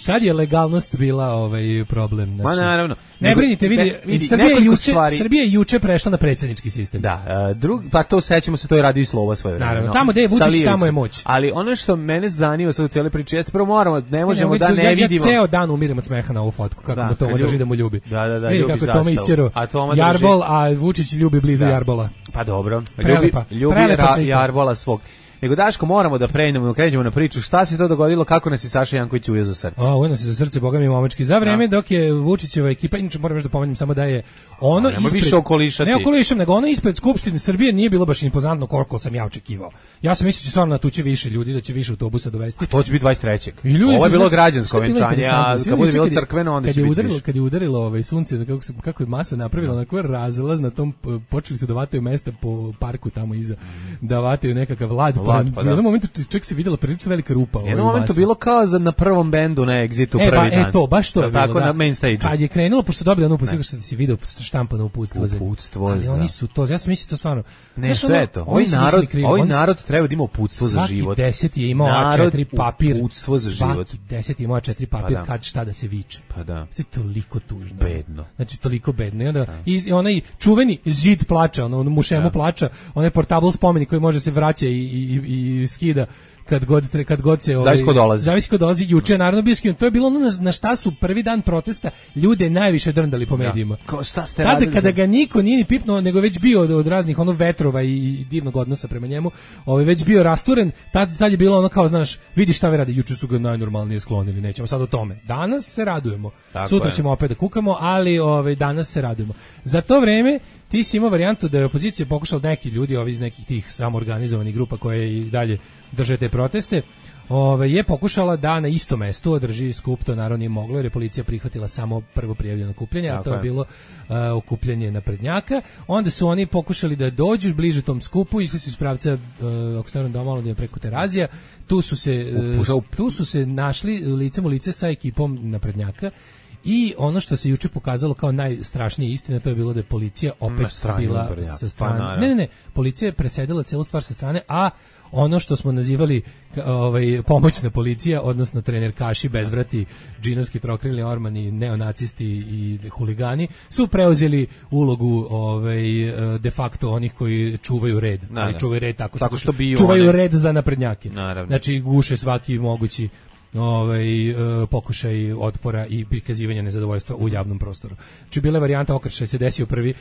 Kad je legalnost bila ovaj problem? Ma Znači, naravno. ne Nego- brinite, vidi, ne, vidi, Srbija, je nekoliko juče, stvari- Srbija je juče prešla na predsjednički sistem. Da, a, drug, pa to sećamo se, to je radio i Sloba svoje vreme. Naravno, no. tamo gde je Vučić, Sa Lijevicom. tamo je moć. Ali ono što mene zanima sad u cijeloj priči, jeste prvo moramo, ne možemo Ne, da ne ja, vidimo... Ja ceo dan umirem od smeha na ovu fotku, kako Da, da, Toma kad drži ljubi- da mu ljubi. Da, da, da, Vidi ljubi kako je Toma zastavu. isćero A Toma drži- Jarbol, a Vučić ljubi blizu Da. Jarbola. Pa dobro, ljubi, Prelepa, ljubi prelepa ra, slika. Jarbola svog. Nego Daško, moramo da pređemo, da krećemo na priču. Šta se to dogodilo, kako nas je Saša Janković ujeo za srce? A, ujno se za srce, boga mi momački. Za vreme dok je Vučićeva ekipa, inače moram još da pomenem samo da je ono A, nemoj ispred... više okolišati. Ne okolišam, nego ono ispred Skupštine Srbije nije bilo baš impozantno koliko sam ja očekivao. Ja sam mislio da će stvarno natući više ljudi, da će više autobusa dovesti. To će biti dvadeset trećeg. I ljudi Ovo je su, bilo znaš, građansko šta je bilo venčanje, a interesantno? Svi kad bude juče bilo kad je- crkveno, onda kad će je biti udarilo, više. kad je udarilo ovaj sunce, kako, se- kako je masa napravila, onako razlaz na tom, p- počeli su da vataju mesta po parku tamo iza, da vataju nekakav lad. Lad, pa, pa u da. jednom momentu čak se videla prilično velika rupa. U ovaj, jednom u momentu masi. bilo kao za, na prvom bendu na Exitu E, prvi ba, dan. e to, baš to je Jel bilo, tako da. na main stage. Kad je krenulo, pošto su dobili ono uputstvo, što si video štampano uputstvo. za- Uputstvo Ali za- oni su to, ja sam mislio to stvarno. Ne, Znaš, sve ono, to. oni Ovaj se nisu narod, ni krivi, ovaj oni su- narod treba da ima uputstvo za Svaki život. deset je imao A Narod četiri papir. uputstvo za život. Svaki deset je imao A četiri papir, Pa da. kad šta da se viče. Pa da. To je toliko tužno. Bedno. Znači, toliko bedno. I onda, i, i onaj čuveni zid plača, ono, ono mušemu plača, onaj portable spomenik koji može se vraća i, i, i, i skida kad god tre- kad god se ovaj Zavisi ko dolazi. zavisi ko dolazi. Juče je naravno bio skinut. To je bilo ono na, na šta su prvi dan protesta ljude najviše drndali po medijima. Kao šta ste Tada radili kada za- ga niko nije ni pipnuo, nego već bio od, od raznih ono vetrova i, i divnog odnosa prema njemu, ovaj već bio rasturen, tad, tad je bilo ono kao, znaš, vidi šta vi radi, juče su ga najnormalnije sklonili, nećemo sad o tome. Danas se radujemo. Tako Sutra je. ćemo opet da kukamo, ali ovaj danas se radujemo. Za to vreme ti si imao varijantu da je opozicija pokušala, neki ljudi ovi iz nekih tih samoorganizovanih grupa koje i dalje drže te proteste, Ove, je pokušala da na istom mestu održi skup, to naravno nije moglo jer je policija prihvatila samo prvo prijavljeno okupljanje, a Tako to je je. bilo uh, okupljanje naprednjaka. Onda su oni pokušali da dođu bliže tom skupu, išli su iz pravca, uh, ako se ne varam, domalo preko Terazija, tu su se, uh, Upušao- tu su se našli licem u lice sa ekipom naprednjaka. I ono što se juče pokazalo kao najstrašnija istina, to je bilo da je policija opet Na strani bila naprednjaka. sa Pa strane. naravno. ne, ne, ne, policija je presedila celu stvar sa strane, a ono što smo nazivali ovaj, pomoćna policija, odnosno trenerkaši, bezvrati, džinovski trokrili ormani, neonacisti i huligani, su preuzeli ulogu ovaj, de facto onih koji čuvaju red. Da, ali da. čuvaju red tako, tako što biju čuvaju one... red za naprednjake. Naravno. Znači guše svaki mogući ovaj, uh, pokušaj otpora i prikazivanja nezadovoljstva u javnom prostoru. Znači bila je varijanta okršaj se desio prvi.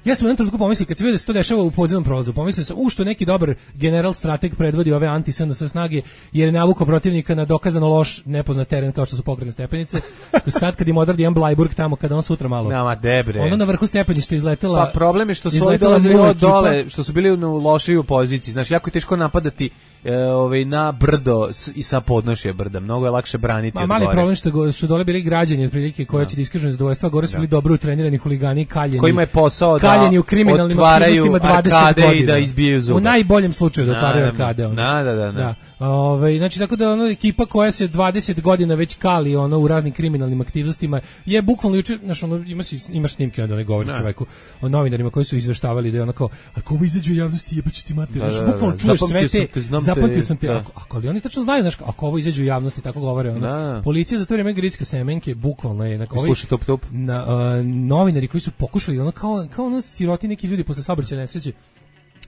Ja sam u jednom trenutku pomislio, kad se vidio da se to dešava u podzemnom prolazu, pomislio sam, u što neki dobar general strateg predvodi ove anti-S N S snage, jer je navukao protivnika na dokazano loš, nepoznat teren kao što su pokretne stepenice. Sad kad im odradi jedan Blajburg tamo, kada on sutra malo... Nama, debre. Ono na vrhu stepeništa izletela... Pa problem je što su ovi dolazili od dole, što su bili u lošiju poziciji. Znaš, jako je teško napadati e, ovaj, na brdo s, i sa podnošje brda. Mnogo je lakše braniti Ma, od mali gore. problem što go, su dole bili građani otprilike koji će da iskažu nezadovoljstva, gore su bili dobro utrenirani huligani, kaljeni. Kojima je posao da kaljeni u kriminalnim aktivnostima dvadeset godina. I da izbijaju zube. U najboljem slučaju da otvaraju na, arkade. Ono. Da, da, da. da. Ove, znači, tako da ono, ekipa koja se dvadeset godina već kali ono, u raznim kriminalnim aktivnostima je bukvalno juče, znaš, ono, ima si, imaš snimke onda ne govori čoveku o novinarima koji su izveštavali da je onako, ako ovo izađe u javnosti jebaću ti mater, da, znači, da, bukvalno da, čuješ sve te, te zapamtio sam te, da. ako, ako, ali oni tačno znaju, znaš, ako ovo izađe u javnosti, tako govore, ono, da. Policija za to vreme Gricka Semenke, bukvalno je, onako, sluša top top. Na, uh, novinari koji su pokušali, ono, kao, kao ono siroti neki ljudi posle saobraćajne nesreće,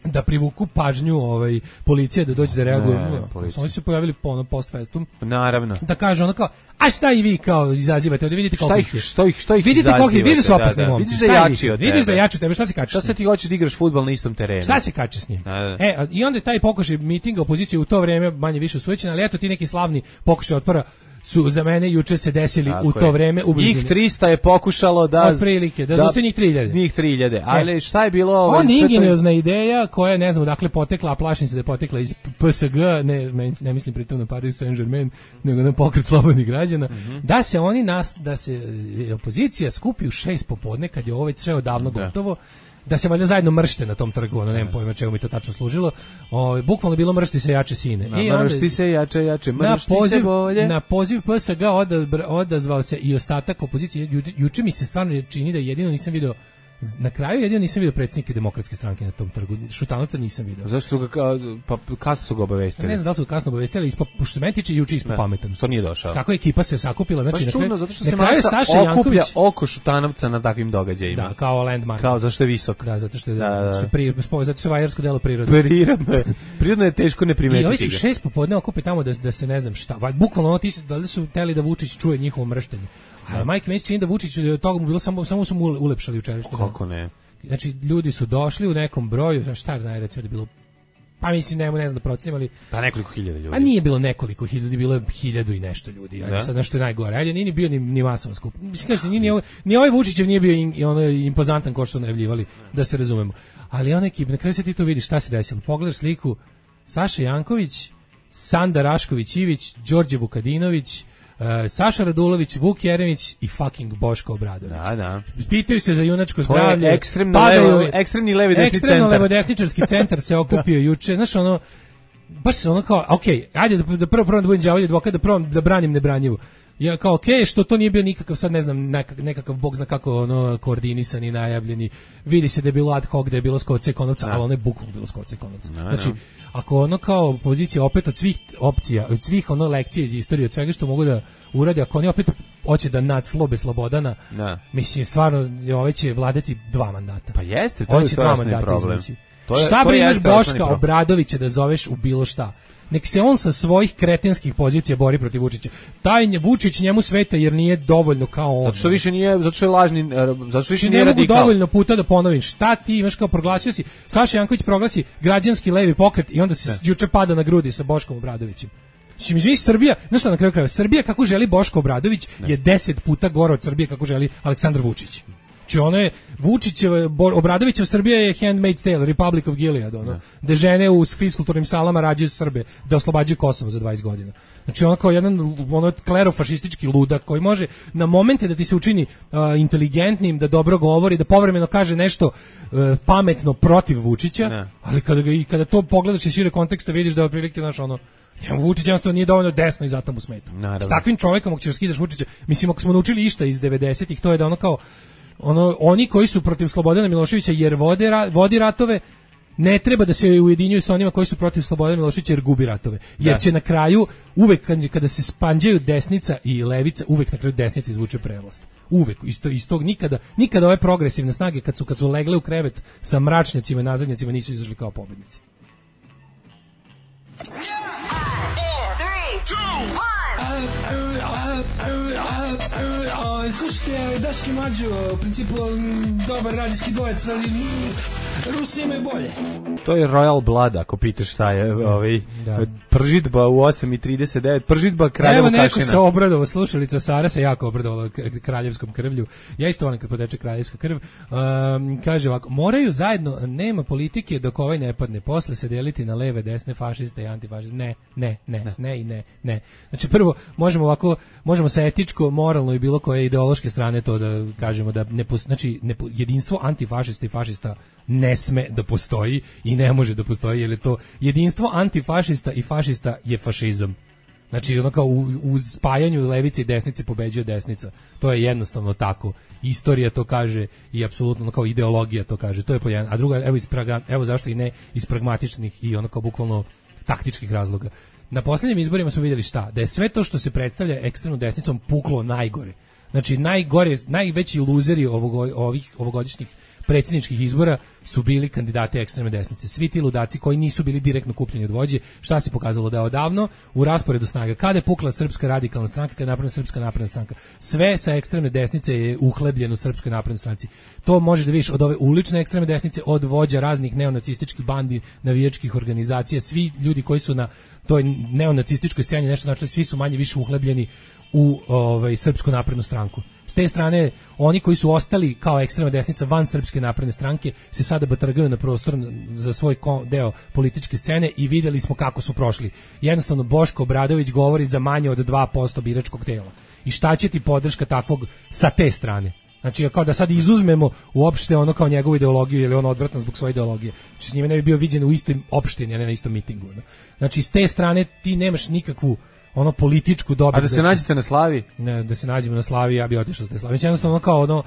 da privuku pažnju ovaj policije da dođe da reaguje. Oni su se pojavili po ono post festum. Naravno. Da kaže ono kao, a šta i vi kao izazivate, da vidite kako ih što ih što ih vidite kako ih vidiš opasni da, da. momci. Vidiš da jači od tebe. Vidiš da jači od tebe, šta se kačeš? Šta se ti hoćeš da igraš fudbal na istom terenu? Šta se kačeš s njim? Da, da. E, i onda taj pokušaj mitinga opozicije u to vreme manje više usujećen, ali eto ti neki slavni pokušaj otpora su za mene juče se desili tako u to je. Vreme u blizini. Njih trista je pokušalo da otprilike da, da zaustavi njih tri hiljade. Njih tri hiljade. Ali e. šta je bilo ovo? On ingeniozna ideja koja ne znam odakle potekla, a plašim se da je potekla iz P S G, ne ne mislim pritom na Paris Saint-Germain, nego na pokret slobodnih građana, mm-hmm. da se oni nas da se opozicija skupi u šest popodne kad je ovo već sve odavno da. Gotovo. Da se valjda zajedno mršte na tom trgu, ono, nemam pojma čemu mi to tačno služilo. O, bukvalno bilo mršti se jače sine. Na, I mršti onda, se jače, jače, mršti poziv, se bolje. Na poziv P S G odazv, odazvao se i ostatak opozicije. Ju, juče mi se stvarno čini da jedino nisam video, na kraju jedino nisam video predsjednike Demokratske stranke na tom trgu. Šutanovca nisam video. Zašto su ga, pa kasno su ga obavestili? Ne znam da su ga kasno obavestili, ispa, pošto se meni tiče juče ispo pametan. Što nije došao? Kako je ekipa se sakupila, znači baš na kraju, čudno, zato što se masa Saša okuplja oko Šutanovca na takvim događajima. Da, kao landmark. Kao zašto je visok. Da, zato što je, da, da, da. Pri, zato što je vajarsko delo prirode. Prirodno je. Prirodno je teško ne primetiti. I ovi su šest popodne okupi tamo da, da se ne znam šta. Bukvalno ono ti da li su hteli da Vučić čuje njihovo mrštenje. A Mike Mesić čini da Vučić od toga mu bilo samo samo su mu ulepšali jučerašnji. Kako ne? Znači, ljudi su došli u nekom broju, šta je recimo da bilo, pa mislim, ne, ne znam da procenim, ali... Pa nekoliko hiljada ljudi. A nije bilo nekoliko hiljada, bilo je hiljadu i nešto ljudi, ajde sad nešto je najgore, ajde nije ni bio ni, ni masovan skup. Mislim, kažete, ni, ni, ni ovaj Vučićev nije bio in, ono, impozantan ko što su najavljivali, da se razumemo. Ali on ekip, na kraju se ti to vidiš šta se desilo. Pogledaš sliku Saša Janković, Sanda Rašković-Ivić, Đorđe Vukadinović, Uh, Saša Radulović, Vuk Jeremić i fucking Boško Obradović. Da, da. Pitaju se za junačko zdravlje. Ekstremno levo, ekstremni levi desni centar. Ekstremno levodesničarski centar se okupio juče. Znaš, ono, baš se ono kao, ok, ajde da, da prvo prvo da budem đavolji advokat, da prvo da branim nebranjivo. Ja kao, ok, što to nije bio nikakav, sad ne znam, nekakav, nekakav bog zna kako ono, koordinisan i najavljeni. Vidi se da je bilo ad hoc, da je bilo skoce konovca, ali ono je bukvalno bilo skoce konovca. Znači, ako ono kao pozicija opet od svih opcija, od svih ono lekcije iz istorije, od svega što mogu da urade, ako oni opet hoće da nadslobe Slobodana, da. Mislim, stvarno, ovaj će vladati dva mandata. Pa jeste, to je to problem. To je, šta brineš Boška Obradovića da zoveš u bilo šta? Nek se on sa svojih kretenskih pozicija bori protiv Vučića. Taj Vučić njemu sveta jer nije dovoljno kao on. Zato što više nije, zato što je lažni, zato što više nije ne radikal. Ne mogu dovoljno puta da ponovim. Šta ti imaš kao proglasio si? Saša Janković proglasi građanski levi pokret i onda se juče pada na grudi sa Boškom Obradovićem. Znači, mi Srbija, znaš šta na kraju krajeva, Srbija kako želi Boško Obradović ne. je deset puta gore od Srbije kako želi Aleksandar Vučić. Znači, ono je, Vučićeva, Obradovićeva Srbija je Handmaid's Tale, Republic of Gilead, ono, da žene u fiskulturnim salama rađaju Srbe, da oslobađaju Kosovo za dvadeset godina. Znači, ono kao jedan ono, klerofašistički ludak koji može na momente da ti se učini uh, inteligentnim, da dobro govori, da povremeno kaže nešto uh, pametno protiv Vučića, ne. ali kada, ga, i kada to pogledaš iz šire konteksta vidiš da je otprilike, znaš, ono, njemu Vučić jednostavno nije dovoljno desno i zato mu smeta. Naravno. S takvim čovjekom, ako ćeš skidaš Vučića, mislim, ako smo naučili išta iz devedesetih, to je da ono kao, ono, oni koji su protiv Slobodana Miloševića jer vode, vodi ratove, ne treba da se ujedinjuju sa onima koji su protiv Slobodana Miloševića jer gubi ratove. Jer da. će na kraju, uvek kada se spanđaju desnica i levica, uvek na kraju desnica izvuče prevlast. Uvek, isto, istog, nikada, nikada ove progresivne snage kad su, kad su legle u krevet sa mračnjacima i nazadnjacima nisu izašli kao pobednici. Slušajte, Daški Mađo, u principu dobar radijski dvojec, ali Rusi imaju bolje. To je Royal Blood, ako pitaš šta je ovaj, da. Pržitba u osam i trideset devet, pržitba Kraljevo Kašina. Evo neko se obradovao, slušalica Sara se jako obradovala kraljevskom krvlju. Ja isto volim kad poteče kraljevska krv. Um, kaže ovako, moraju zajedno, nema politike dok ovaj ne padne, posle se deliti na leve, desne, fašiste i antifašiste. Ne, ne, ne, ne, ne i ne, ne. Znači prvo, možemo ovako, možemo sa etičko, moralno i bilo koje ideološke strane to da kažemo da ne postoji, znači ne, jedinstvo antifašista i fašista ne sme da postoji i ne može da postoji, jer je to jedinstvo antifašista i fašista je fašizam. Znači, ono kao u, u spajanju levice i desnice pobeđuje desnica. To je jednostavno tako. Istorija to kaže i apsolutno ono kao ideologija to kaže. To je po jedan. A druga, evo, iz praga, evo zašto i ne iz pragmatičnih i ono kao bukvalno taktičkih razloga. Na posljednjim izborima smo vidjeli šta? Da je sve to što se predstavlja ekstremnom desnicom puklo najgore. Znači, najgore, najveći luzeri ovog, ovih ovogodišnjih predsjedničkih izbora su bili kandidati ekstremne desnice. Svi ti ludaci koji nisu bili direktno kupljeni od vođe, šta se pokazalo da je odavno u rasporedu snaga. Kada je pukla Srpska radikalna stranka, kada je napravljena Srpska napredna stranka, sve sa ekstremne desnice je uhlebljeno u Srpskoj naprednoj stranci. To možeš da vidiš od ove ulične ekstremne desnice, od vođa raznih neonacističkih bandi, navijačkih organizacija, svi ljudi koji su na toj neonacističkoj sceni nešto znači, svi su manje više uhlebljeni u ovaj Srpsku naprednu stranku. S te strane, oni koji su ostali kao ekstremna desnica van Srpske napredne stranke se sada batrgaju na prostor za svoj deo političke scene i vidjeli smo kako su prošli. Jednostavno, Boško Obradović govori za manje od dva posto biračkog tela. I šta će ti podrška takvog sa te strane? Znači, kao da sad izuzmemo uopšte ono kao njegovu ideologiju, jer je on odvratan zbog svoje ideologije. Znači, s njime ne bi bio viđen u istoj opštini, a ne na istom mitingu. Znači, s te strane ti nemaš nikakvu ono političku dobit. A da se da nađete na Slavi? Ne, da se nađemo na Slavi, ja bih otišao sa te Slavi. Jednostavno kao ono,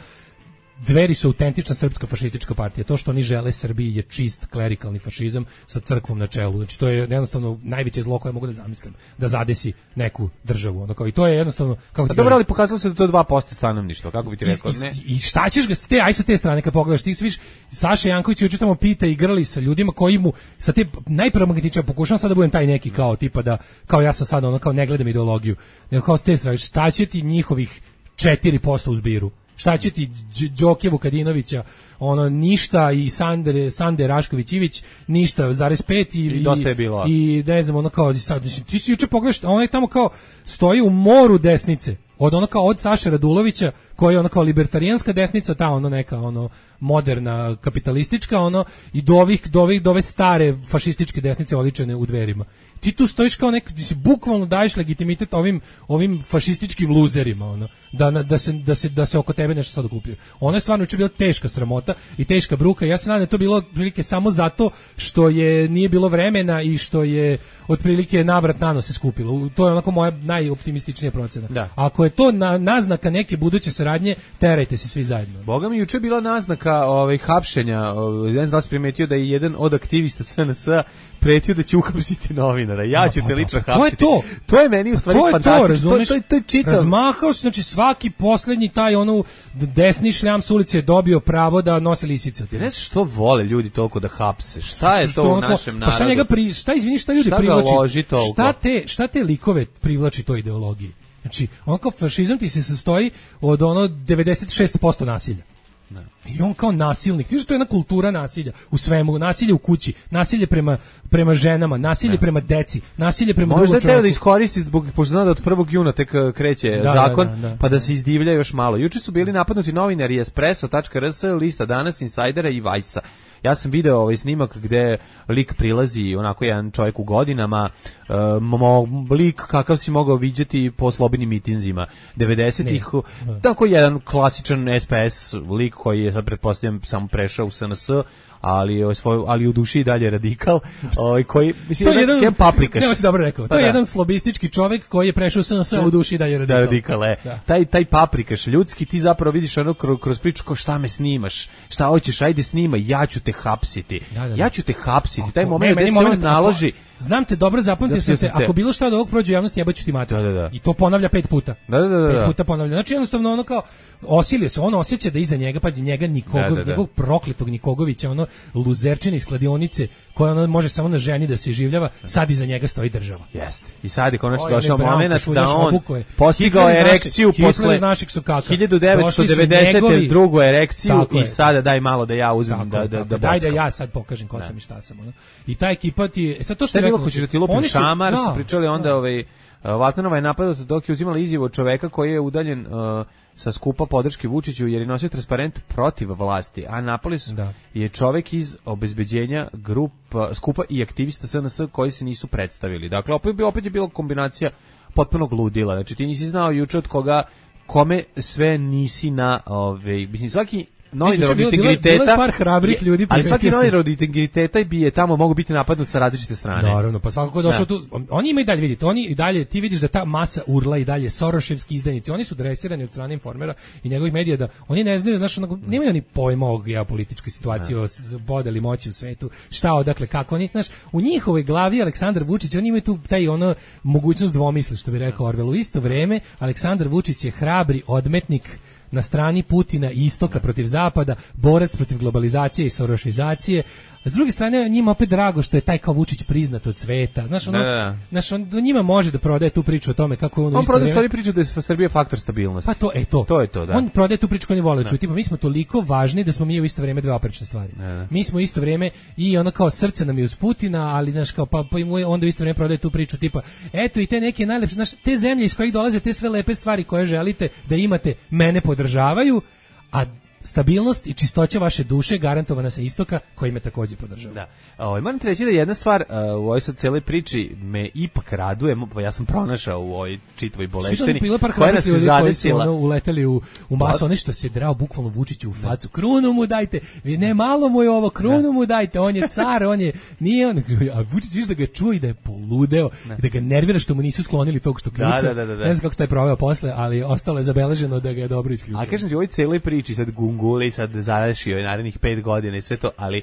Dveri su autentična srpska fašistička partija. To što oni žele Srbiji je čist klerikalni fašizam sa crkvom na čelu. Znači to je jednostavno najveće zlo koje mogu da zamislim, da zadesi neku državu. Ono kao i to je jednostavno kako ti. Pa dobro, ali pokazalo se da to je dva posto stanovništva, kako bi ti rekao, ne? I, i šta ćeš ga s te, aj sa te strane kad pogledaš, ti sviš Saša Janković juče tamo pita i grli sa ljudima koji mu sa te najpragmatičnije, pokušavam sad da budem taj neki kao tipa da kao ja sam sad ono kao ne gledam ideologiju. Nego kao s te strane, šta će ti njihovih četiri posto u zbiru? Šta će ti Đoke Vukadinovića, ono ništa, i Sandre Sande Rašković-Ivić ništa, zarez pet i, I dosta je bilo. I ne znam, ono kao sad, ti si juče pogledaš, on je tamo kao stoji u moru desnice. Od ono kao od Saše Radulovića, koji je ono kao libertarijanska desnica, ta ono neka ono moderna kapitalistička, ono i do ovih do ovih do ove stare fašističke desnice oličene u Dverima. Ti tu stojiš kao nek, ti si bukvalno daješ legitimitet ovim ovim fašističkim luzerima, ono da da se da se da se oko tebe nešto sad okupio. Ono je stvarno juče bila teška sramota i teška bruka. Ja se nadam da je to bilo otprilike samo zato što je nije bilo vremena i što je otprilike navrat na nos se skupilo. To je onako moja najoptimističnija procena. Da. Ako je to na, naznaka neke buduće saradnje, terajte se svi zajedno. Boga mi, juče bila naznaka ovaj, hapšenja, ovaj, ne znam da li si primetio da je jedan od aktivista S N S-a pretio da će uhapsiti novinara. Ja ću te lično hapsiti. To je to. To je meni u stvari fantastično. To, to, to je čitav. Razmahao se, znači svaki poslednji taj ono desni šljam s ulice je dobio pravo da nosi lisice. Ja ne znam što vole ljudi toliko da hapse. Šta je to u našem narodu? Pa šta njega pri, šta izvini, šta ljudi šta privlači? Šta te, šta te likove privlači toj ideologiji? Znači, on kao fašizam ti se sastoji od ono devedeset šest posto nasilja. Ne. I on kao nasilnik, ti što to je jedna kultura nasilja u svemu, nasilje u kući, nasilje prema, prema ženama, nasilje ne. prema deci, nasilje prema drugom čovjeku. Možda je teo da iskoristi, zbog, pošto zna da od prvog juna tek kreće da, zakon, da, da, da, pa da se izdivlja još malo. Juče su bili napadnuti novinari espresso tačka r s, Lista Danas, Insajdera i Vajsa. Ja sam video ovaj snimak gde lik prilazi, onako jedan čovjek u godinama, um, lik kakav si mogao viđati po slobodnim mitinzima devedesetih, tako jedan klasičan S P S lik koji je sad pretpostavljam samo prešao u S N S, ali svoj, ali u duši i dalje radikal, ovaj koji mislim to je jedan paprikaš. Nema si dobro rekao. To je da. jedan slobistički čovjek koji je prešao u S N S, u duši i dalje radikal. Da, radikal je. Da. Taj taj paprikaš ljudski, ti zapravo vidiš ono kroz, kroz priču kao šta me snimaš, šta hoćeš, ajde snimaj, ja ću te hapsiti. Da, da, da. Ja ću te hapsiti. Ako, taj moment ne, da se on naloži. Znam te dobro, zapamtio sam te, ako bilo šta od ovog prođe u javnosti, jebaću ti mater. Da, da, da. I to ponavlja pet puta. Da, da, da, pet da. puta ponavlja. Znači jednostavno ono kao osilio se, on osjeća da iza njega, pa njega Nikogov, da, da, da. njegovog prokletog Nikogovića, ono luzerčine iz kladionice, koja ono može samo na ženi da se življava, sad iza njega stoji država. Jeste. I sad je konačno Oj, došao ne, momenat Branko, da on obukuje. postigao Hitler iz erekciju našeg- posle Hitler iz našeg sokaka. hiljadu devetsto devedesete Došli su drugu erekciju Tako i je. sada daj malo da ja uzmem Tako da je, da tako da je. Daj da bockam. ja sad pokažem ko sam i šta sam. Ono. I ta ekipa ti... E sad to što Šta je je bilo, rekao, hoćeš da ti lupim oni su- šamar, da, su pričali onda ovaj Vatanova je napadao dok je uzimala izjavu od čoveka koji je udaljen uh, sa skupa podrške Vučiću jer je nosio transparent protiv vlasti, a napali su Da. je čovek iz obezbeđenja grupa, skupa i aktivista S N S koji se nisu predstavili. Dakle, opet, bi- opet je bila kombinacija potpunog ludila. Znači, ti nisi znao juče od koga, kome sve nisi na, ovaj, mislim, svaki novinar od bilo- bilo je- integriteta, bilo je par hrabrih je- ljudi, ali svaki primetio sam. novinar od integriteta bi je tamo mogu biti napadnut sa različite strane. Naravno, pa svako ko je došao Da. tu, oni imaju dalje, vidite, oni i dalje, ti vidiš da ta masa urla i dalje Soroševski izdajnici, oni su dresirani od strane Informera i njegovih medija da oni ne znaju, znaš, onako, nemaju oni pojma o geopolitičkoj situaciji, o s- podeli moći u svetu, šta, odakle, kako oni, znaš, u njihovoj glavi Aleksandar Vučić, oni imaju tu taj ono mogućnost dvomisli, što bi rekao Orwell. U isto vreme Aleksandar Vučić je hrabri odmetnik na strani Putina i istoka protiv zapada, borac protiv globalizacije i sorošizacije. A s druge strane, njima opet drago što je taj kao Vučić priznat od sveta. Znaš, ono, Da, da, da. znaš, on do njima može da prodaje tu priču o tome kako je on u On isto prodaje vreme- stvari priča da je Srbija faktor stabilnosti. Pa to, e to. To je to, da. On prodaje tu priču koju oni vole čuti, pa mi smo toliko važni da smo mi u isto vrijeme dve oprečne stvari. da. Mi smo u isto vrijeme i ono kao srce nam je uz Putina, ali znaš kao pa, pa i mu- onda u isto vrijeme prodaje tu priču tipa eto i te neke najlepše, znaš, te zemlje iz kojih dolaze te sve lepe stvari koje želite da imate, mene podržavaju, a stabilnost i čistoća vaše duše garantovana sa istoka koji me takođe podržava. Da. Ovaj moram ti reći da jedna stvar uh, u ovoj sad celoj priči me ipak raduje, mo- ja sam pronašao u ovoj čitvoj boleštini Bilo par koja nas hrabrih se ljudi koji su zadesila. ono, uleteli u, u masu, oni što se drao bukvalno Vučiću u facu. Krunu mu dajte, vi ne malo mu je ovo, krunu mu dajte, on je car, on je, nije on, a Vučić viš da ga čuje i da je poludeo, i da ga nervira što mu nisu sklonili tog što kljuca. Da, da, da, da. Ne znam kako se taj proveo posle, ali ostalo je zabeleženo da ga je dobro isključio. A kažem ti, u ovoj celoj priči sad gunguli, sad završio je narednih pet godina i sve to, ali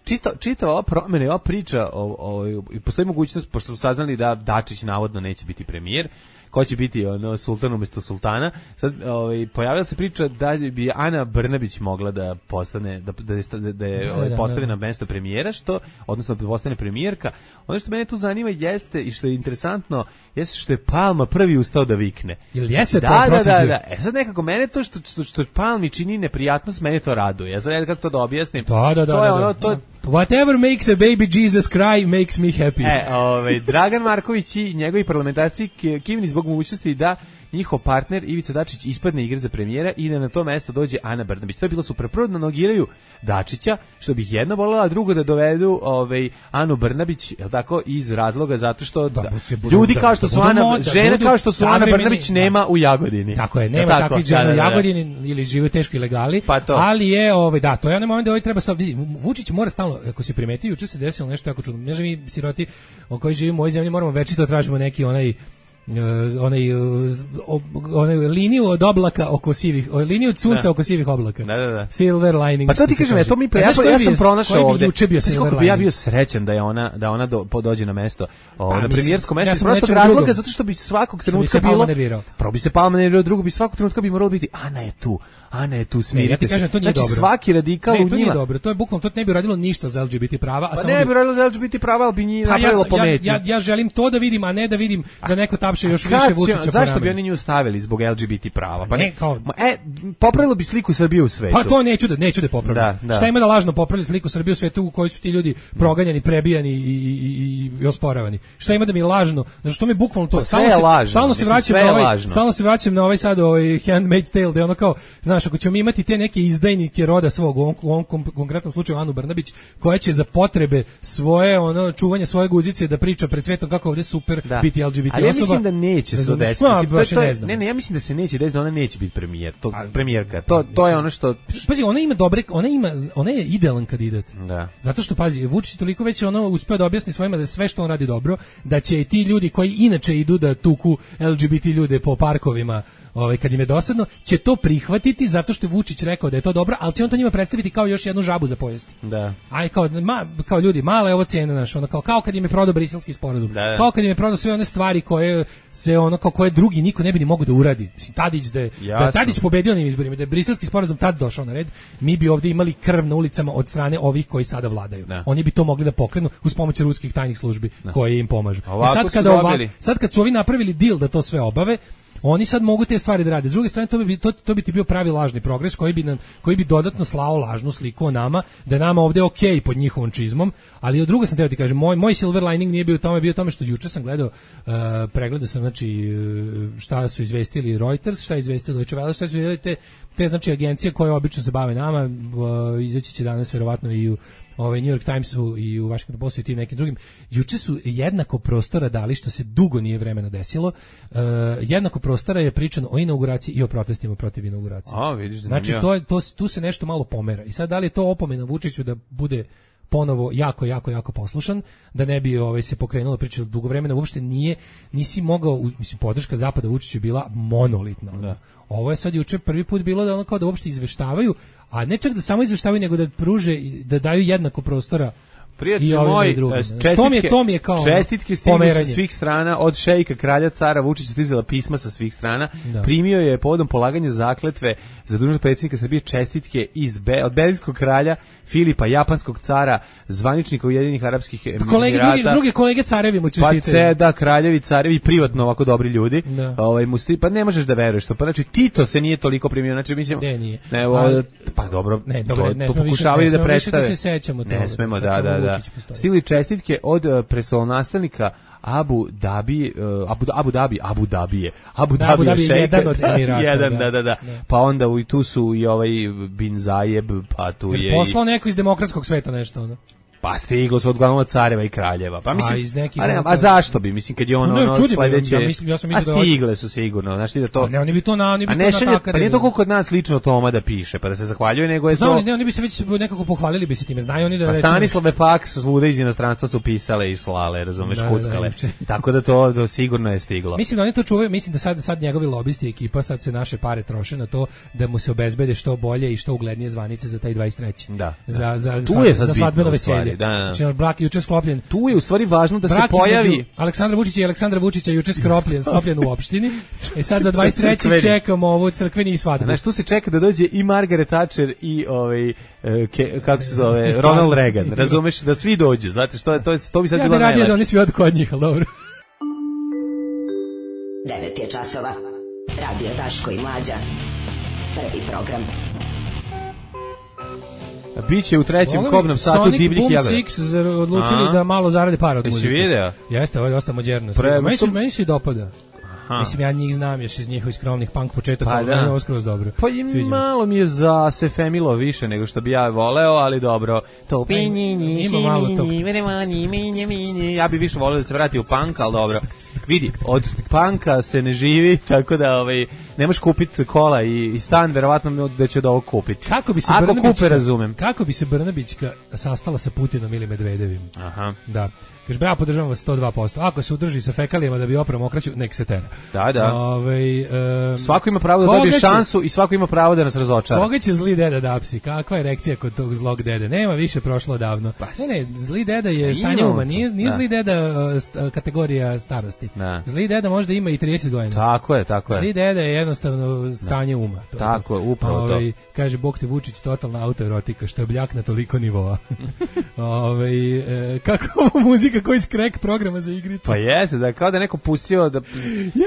čita, čita ova promjena i ova priča o, o, i postoji mogućnost, pošto su saznali da Dačić navodno neće biti premijer, ko će biti ono, sultan umjesto sultana, sad ovaj, pojavila se priča da bi Ana Brnabić mogla da postane, da, da, da, da je Da, ovaj, da, postavi da. na mesto premijera, što, odnosno da postane premijerka. Ono što mene tu zanima jeste, i što je interesantno, jeste što je Palma prvi ustao da vikne. Jel jeste da, to da, protiv da, bio? da. E sad nekako, mene to što, što, što Palmi čini neprijatnost, mene to raduje. Ja sad ne znam kako to da objasnim. Da, da, da. To je da, ono, da. to je Whatever makes a baby Jesus cry makes me happy. E, ovaj, Dragan Marković i njegovi parlamentarci ki- kivni zbog mogućnosti da njihov partner Ivica Dačić ispadne igre za premijera i da na to mesto dođe Ana Brnabić. To je bilo super. Prvo da nogiraju Dačića, što bih jedna voljela, a drugo da dovedu ovaj, Anu Brnabić, je tako, iz razloga zato što Da, da, bu se budu- ljudi da- kao što da su budu Ana, moda, žene budu kao što su Ana savremeni- Brnabić da. nema u Jagodini. Tako je, Je nema tako? takvih Da, žena da, u da. Jagodini ili žive u teškoj ilegali, Pa to. ali je, ovaj, da, to je onaj moment da ovaj treba sad, vidi, Vučić mora stalno, ako se primeti, juče se desilo nešto jako čudno, ne znam mi siroti o kojoj živimo u ovoj zemlji, moramo večito da tražimo neki onaj Uh, onaj, uh, o- onaj liniju od oblaka oko sivih, o, liniju od sunca Da. oko sivih oblaka. Da, da, da. Silver lining. Pa to ti što se kažem, kaže. ja to mi A ja, znaš koji ja bi- sam pronašao koji bi ovde. juče bio Znaš silver koliko bi ja lining? bio srećan da je ona da ona do, po- dođe na mesto, o, Pa, na mislim, premijersko mesto, ja iz sam prostog nečem razloga drugom. zato što bi svakog Što bi trenutka se Palma bilo nervirao. Prvo bi se Palma nervirao, drugo bi svakog trenutka bi moralo biti Ana je tu. Ana je tu, Ne, smirite ja ti kažem, se. to nije Znači dobro. svaki radikal ne, u to njima. nije dobro, to je bukvalno, to ne bi uradilo ništa za L G B T prava, a Pa samo ne bi bi radilo za L G B T prava, ali bi njih Pa ja, napravilo sam- ja, pometnju. ja, ja želim to da vidim, a ne da vidim da neko tapše još Kad više će- Vučića po Zašto bi ramenu. oni nju stavili zbog L G B T prava? Pa Ne, ne, kao- Ma, e, popravilo bi sliku Srbije u svetu. Pa to neću da neću da popravljam. Da, da. Šta ima da lažno popravlja sliku Srbije u svetu u kojoj su ti ljudi proganjani, prebijani i, i, i, i osporavani? Šta ima da mi lažno? Znači što mi bukvalno to Pa sve stalno je se lažno, stalno se mislim, vraćam sve na je ovaj lažno. stalno se vraćam na ovaj sad ovaj Handmaid's Tale, da je ono kao, znaš, ako ćemo mi imati te neke izdajnike roda svog, u ovom, u ovom kom- konkretnom slučaju Anu Brnabić, koja će za potrebe svoje ono čuvanje svoje guzice da priča pred svetom kako ovde super Da. biti L G B T Ali ja osoba. mislim da neće se to Razumeš? desiti. Ma, Mislim, to- baš to je- ne znam. Ne, ne, ja mislim da se neće desiti, da ona neće biti premijer, to, premijerka. To, to je ono što... Pazi, ona ima dobre, ona ima, ona je idealan kandidat. Da. Zato što pazi, Vučić je toliko već ono uspeo da objasni svojima da sve što on radi dobro, da će i ti ljudi koji inače idu da tuku L G B T ljude po parkovima, ovaj, kad im je dosadno, će to prihvatiti zato što je Vučić rekao da je to dobro, ali će on to njima predstaviti kao još jednu žabu za pojesti. Da. Aj kao, ma, kao ljudi, mala je ovo cena naša, ono kao, kao kad im je prodao Briselski sporazum, da, da. kao kad im je prodao sve one stvari koje se ono kao koje drugi niko ne bi ni mogao da uradi. Mislim, Tadić da je, da je Tadić pobedio na izborima, da je Briselski sporazum tad došao na red, mi bi ovdje imali krv na ulicama od strane ovih koji sada vladaju. Da. Oni bi to mogli da pokrenu uz pomoć ruskih tajnih službi da. koje im pomažu. I sad kada ova, sad kad su ovi napravili deal da to sve obave, oni sad mogu te stvari da rade. S druge strane, to bi, to, to bi ti bio pravi lažni progres koji bi, nam, koji bi dodatno slao lažnu sliku o nama, da je nama ovdje ok pod njihovom čizmom, ali od druga sam teo ti kažem, moj, moj silver lining nije bio u tome, bio u tome što juče sam gledao, uh, pregledao sam znači, šta su izvestili Reuters, šta je izvestili Deutsche Welle, šta su izvestili te, te znači, agencije koje obično se bave nama, uh, izaći će danas verovatno i u ovaj New York Timesu i u Washington Postu i tim nekim drugim. Juče su jednako prostora dali, što se dugo nije vremena desilo. Uh, jednako prostora je pričano o inauguraciji i o protestima protiv inauguracije. A, vidiš, znači to je to tu se nešto malo pomera. I sad da li je to opomena Vučiću da bude ponovo jako jako jako poslušan, da ne bi ovaj se pokrenulo priča dugo vremena, uopšte nije nisi mogao, mislim podrška zapada Vučiću bila monolitna. Da. Ovo je sad juče prvi put bilo da ono kao da uopšte izveštavaju, a ne čak da samo izveštavaju, nego da pruže, da daju jednako prostora. Prijatelj moj, čestitke, to mi je, to mi je kao čestitke stižu sa svih strana, od šejka, kralja, cara, Vučić stizala pisma sa svih strana, da. Primio je povodom polaganja zakletve za dužnost predsjednika Srbije čestitke iz Be, od belgijskog kralja, Filipa, japanskog cara, zvaničnika Ujedinjenih arapskih emirata. Kolege, drugi, druge kolege carevi mu čestitaju. Pa ce, da, kraljevi, carevi, privatno ovako dobri ljudi. Ovaj, musti, pa ne možeš da veruješ to. Pa znači, Tito se nije toliko primio, znači, mislim... Ne, nije. Ne, ovo, pa dobro, ne, dobro, to, ne to pokušavaju da predstave. Ne, da se sećamo toga. Ne smemo, da, da, da. Stili čestitke od uh, prestolonastavnika Abu Dhabi, uh, Abu, Abu Dhabi, Abu Dhabije, Abu da, Dhabi je jedan od Emirata. jedan, da, da, da, da. Pa onda u, tu su i ovaj Bin Zajeb, pa tu jer je... poslao neko iz demokratskog sveta nešto, ono. Pa stiglo su odglavno od careva i kraljeva. Pa mislim, a, iz nekih a, ne, a zašto bi, mislim, kad je ono, ne, ono sledeće... Ja mislim, ja sam a stigle da su sigurno, znaš ti da to... A ne, oni bi to na, oni bi a ne, to šalje, natakali. Pa nije to kod nas lično Toma da piše, pa da se zahvaljuje, nego je Znam, to... ne, oni bi se već nekako pohvalili bi se time, znaju oni da... Pa Stanislave Pak svuda iz inostranstva su pisale i slale, razumeš, da, kuckale. Da, tako da to, to sigurno je stiglo. Mislim da oni to čuvaju, mislim da sad, sad njegovi lobisti ekipa, sad se naše pare troše na to da mu se obezbede što bolje i što uglednije zvanice za taj dvadeset treći. Da, za, za, za, tu je sad za svadbeno veselje. Da, da. Znači, brak juče sklopljen. Tu je u stvari važno da brak se pojavi Aleksandra Vučića i Aleksandra Vučića juče sklopljen, sklopljen u opštini. I sad za dvadeset treći čekamo ovu crkveni i svadbu. Znaš, tu se čeka da dođe i Margaret Thatcher i ovaj ke, kako se zove Ronald Reagan. Razumeš da svi dođu. Znate što je to je to bi sad ja bilo najlepše. Ja da oni svi od kod njih, al dobro. devet je časova. Radio Daško i Mlađa. Prvi program. Biće u trećem kobnom satu divljih jagada. Sonic Boom Six odlučili da malo zarade para od muzike. Jesi video? Jeste, ovo je dosta moderno. Meni se meni se dopada. Aha. Mislim, ja njih znam još iz njihovih skromnih punk početaka, pa, ali je ovo skroz dobro. Pa i malo mi je za se femilo više nego što bi ja voleo, ali dobro. To ima malo tog. Ja bi više voleo da se vrati u punk, ali dobro. Vidi, od punka se ne živi, tako da ovaj, ne možeš kupiti kola i, i stan, verovatno da će od ovog kupiti. Kako bi se Ako kupe, razumem. Kako bi se Brnabićka sastala sa Putinom ili Medvedevim? Aha. Da. Kaže, ja podržavam vas sto dva posto. Ako se udrži sa fekalijama da bi oprao mokraću, nek se tera. Da, da. Ove, um, svako ima pravo da dobije će, šansu i svako ima pravo da nas razočara. Koga će zli deda da apsi? Kakva je reakcija kod tog zlog dede? Nema više, prošlo davno. Pa, ne, ne, zli deda je stanje uma. Nije, nije zli deda uh, kategorija starosti. Da. Zli deda možda ima i trideset godina. Tako je, tako je. Zli deda je jednostavno stanje da. uma. To tako je, upravo Ove, to. Kaže, Bog te Vučić, totalna autoerotika, što je bljak na toliko nivoa. Ove, e, kako ovo muzika koji skrek programa za igrice. Pa jeste, da kao da neko pustio da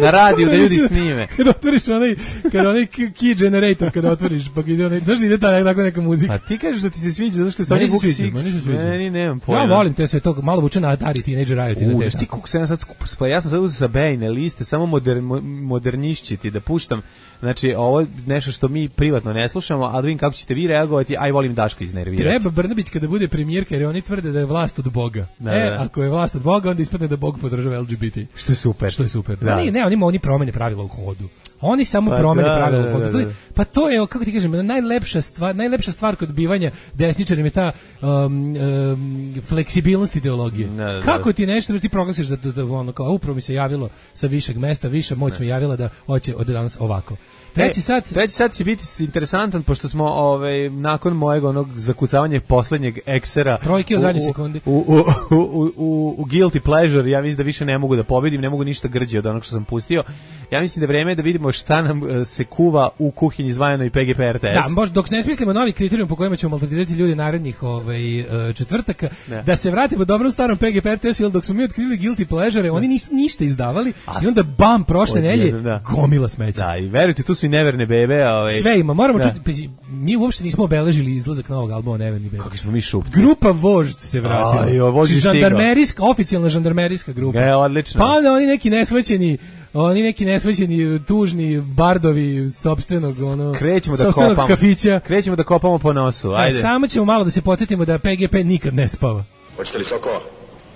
na radiju da ljudi snime. Kad otvoriš onaj, kad onaj key generator kad otvoriš, pa ide onaj, znaš ide ta tako neka muzika. A ti kažeš da ti se sviđa zato što se oni Book Six. Meni nemam pojma. Ja volim te sve to, malo vuče na Atari Teenage Riot i na te. Ti kako se ja sad skupo, ja sam sad uzeo sa Bejne liste, samo modern, modernišćiti da puštam. Znači, ovo je nešto što mi privatno ne slušamo, ali da vidim kako ćete vi reagovati, aj volim Daška iznervirati. Treba Brnabić kada bude premijerka, jer oni tvrde da je vlast od Boga. Da, e, da. Ako je vlast od Boga, onda ispadne da Bog podržava L G B T. Što je super. Što je super. Da. Ne, ne, oni, oni promene pravila u hodu. Oni samo pa promene da, pravila. Da, da, da. To, pa to je, kako ti kažem, najlepša stvar, najlepša stvar kod bivanja desničarima je ta um, um, fleksibilnost ideologije. Da, da, kako ti nešto da ti proglasiš da, da, da ono kao upravo mi se javilo sa višeg mesta, viša moć mi javila da hoće od danas ovako. Treći sat, e, treći sat će biti interesantan pošto smo ovaj nakon mojeg onog zakucavanja poslednjeg eksera trojke u zadnjoj sekundi u, u, u, u, u, u guilty pleasure, ja mislim da više ne mogu da pobedim, ne mogu ništa grđe od onog što sam pustio. Ja mislim da je vreme da vidimo šta nam uh, se kuva u kuhinji zvajano i P G P R T S. Da, možda dok ne smislimo novi kriterijum po kojima ćemo maltretirati ljudi narednih ovaj, uh, četvrtaka, ne. Da se vratimo dobrom starom P G P R T S, jer dok smo mi otkrili guilty pleasure, oni nisu ništa izdavali. As, i onda bam, prošle nelje, da. Gomila smeća. Da, i verujte, tu su i neverne bebe. Ovaj. Sve ima, moramo da. čuti, mi uopšte nismo obeležili izlazak novog albuma Neverni bebe. Kako smo mi šupci. Grupa Vožd se vratila. Aj, vožd je žandarmerijska, oficijalna žandarmerijska grupa. Je, odlično. Pa onda oni neki nesvećeni Oni neki nesvećeni, tužni bardovi sopstvenog, ono, krećemo da kopamo. Kafića. Krećemo da kopamo po nosu, ajde. Da, samo ćemo malo da se podsjetimo da P G P nikad ne spava. Hoćete li sokova?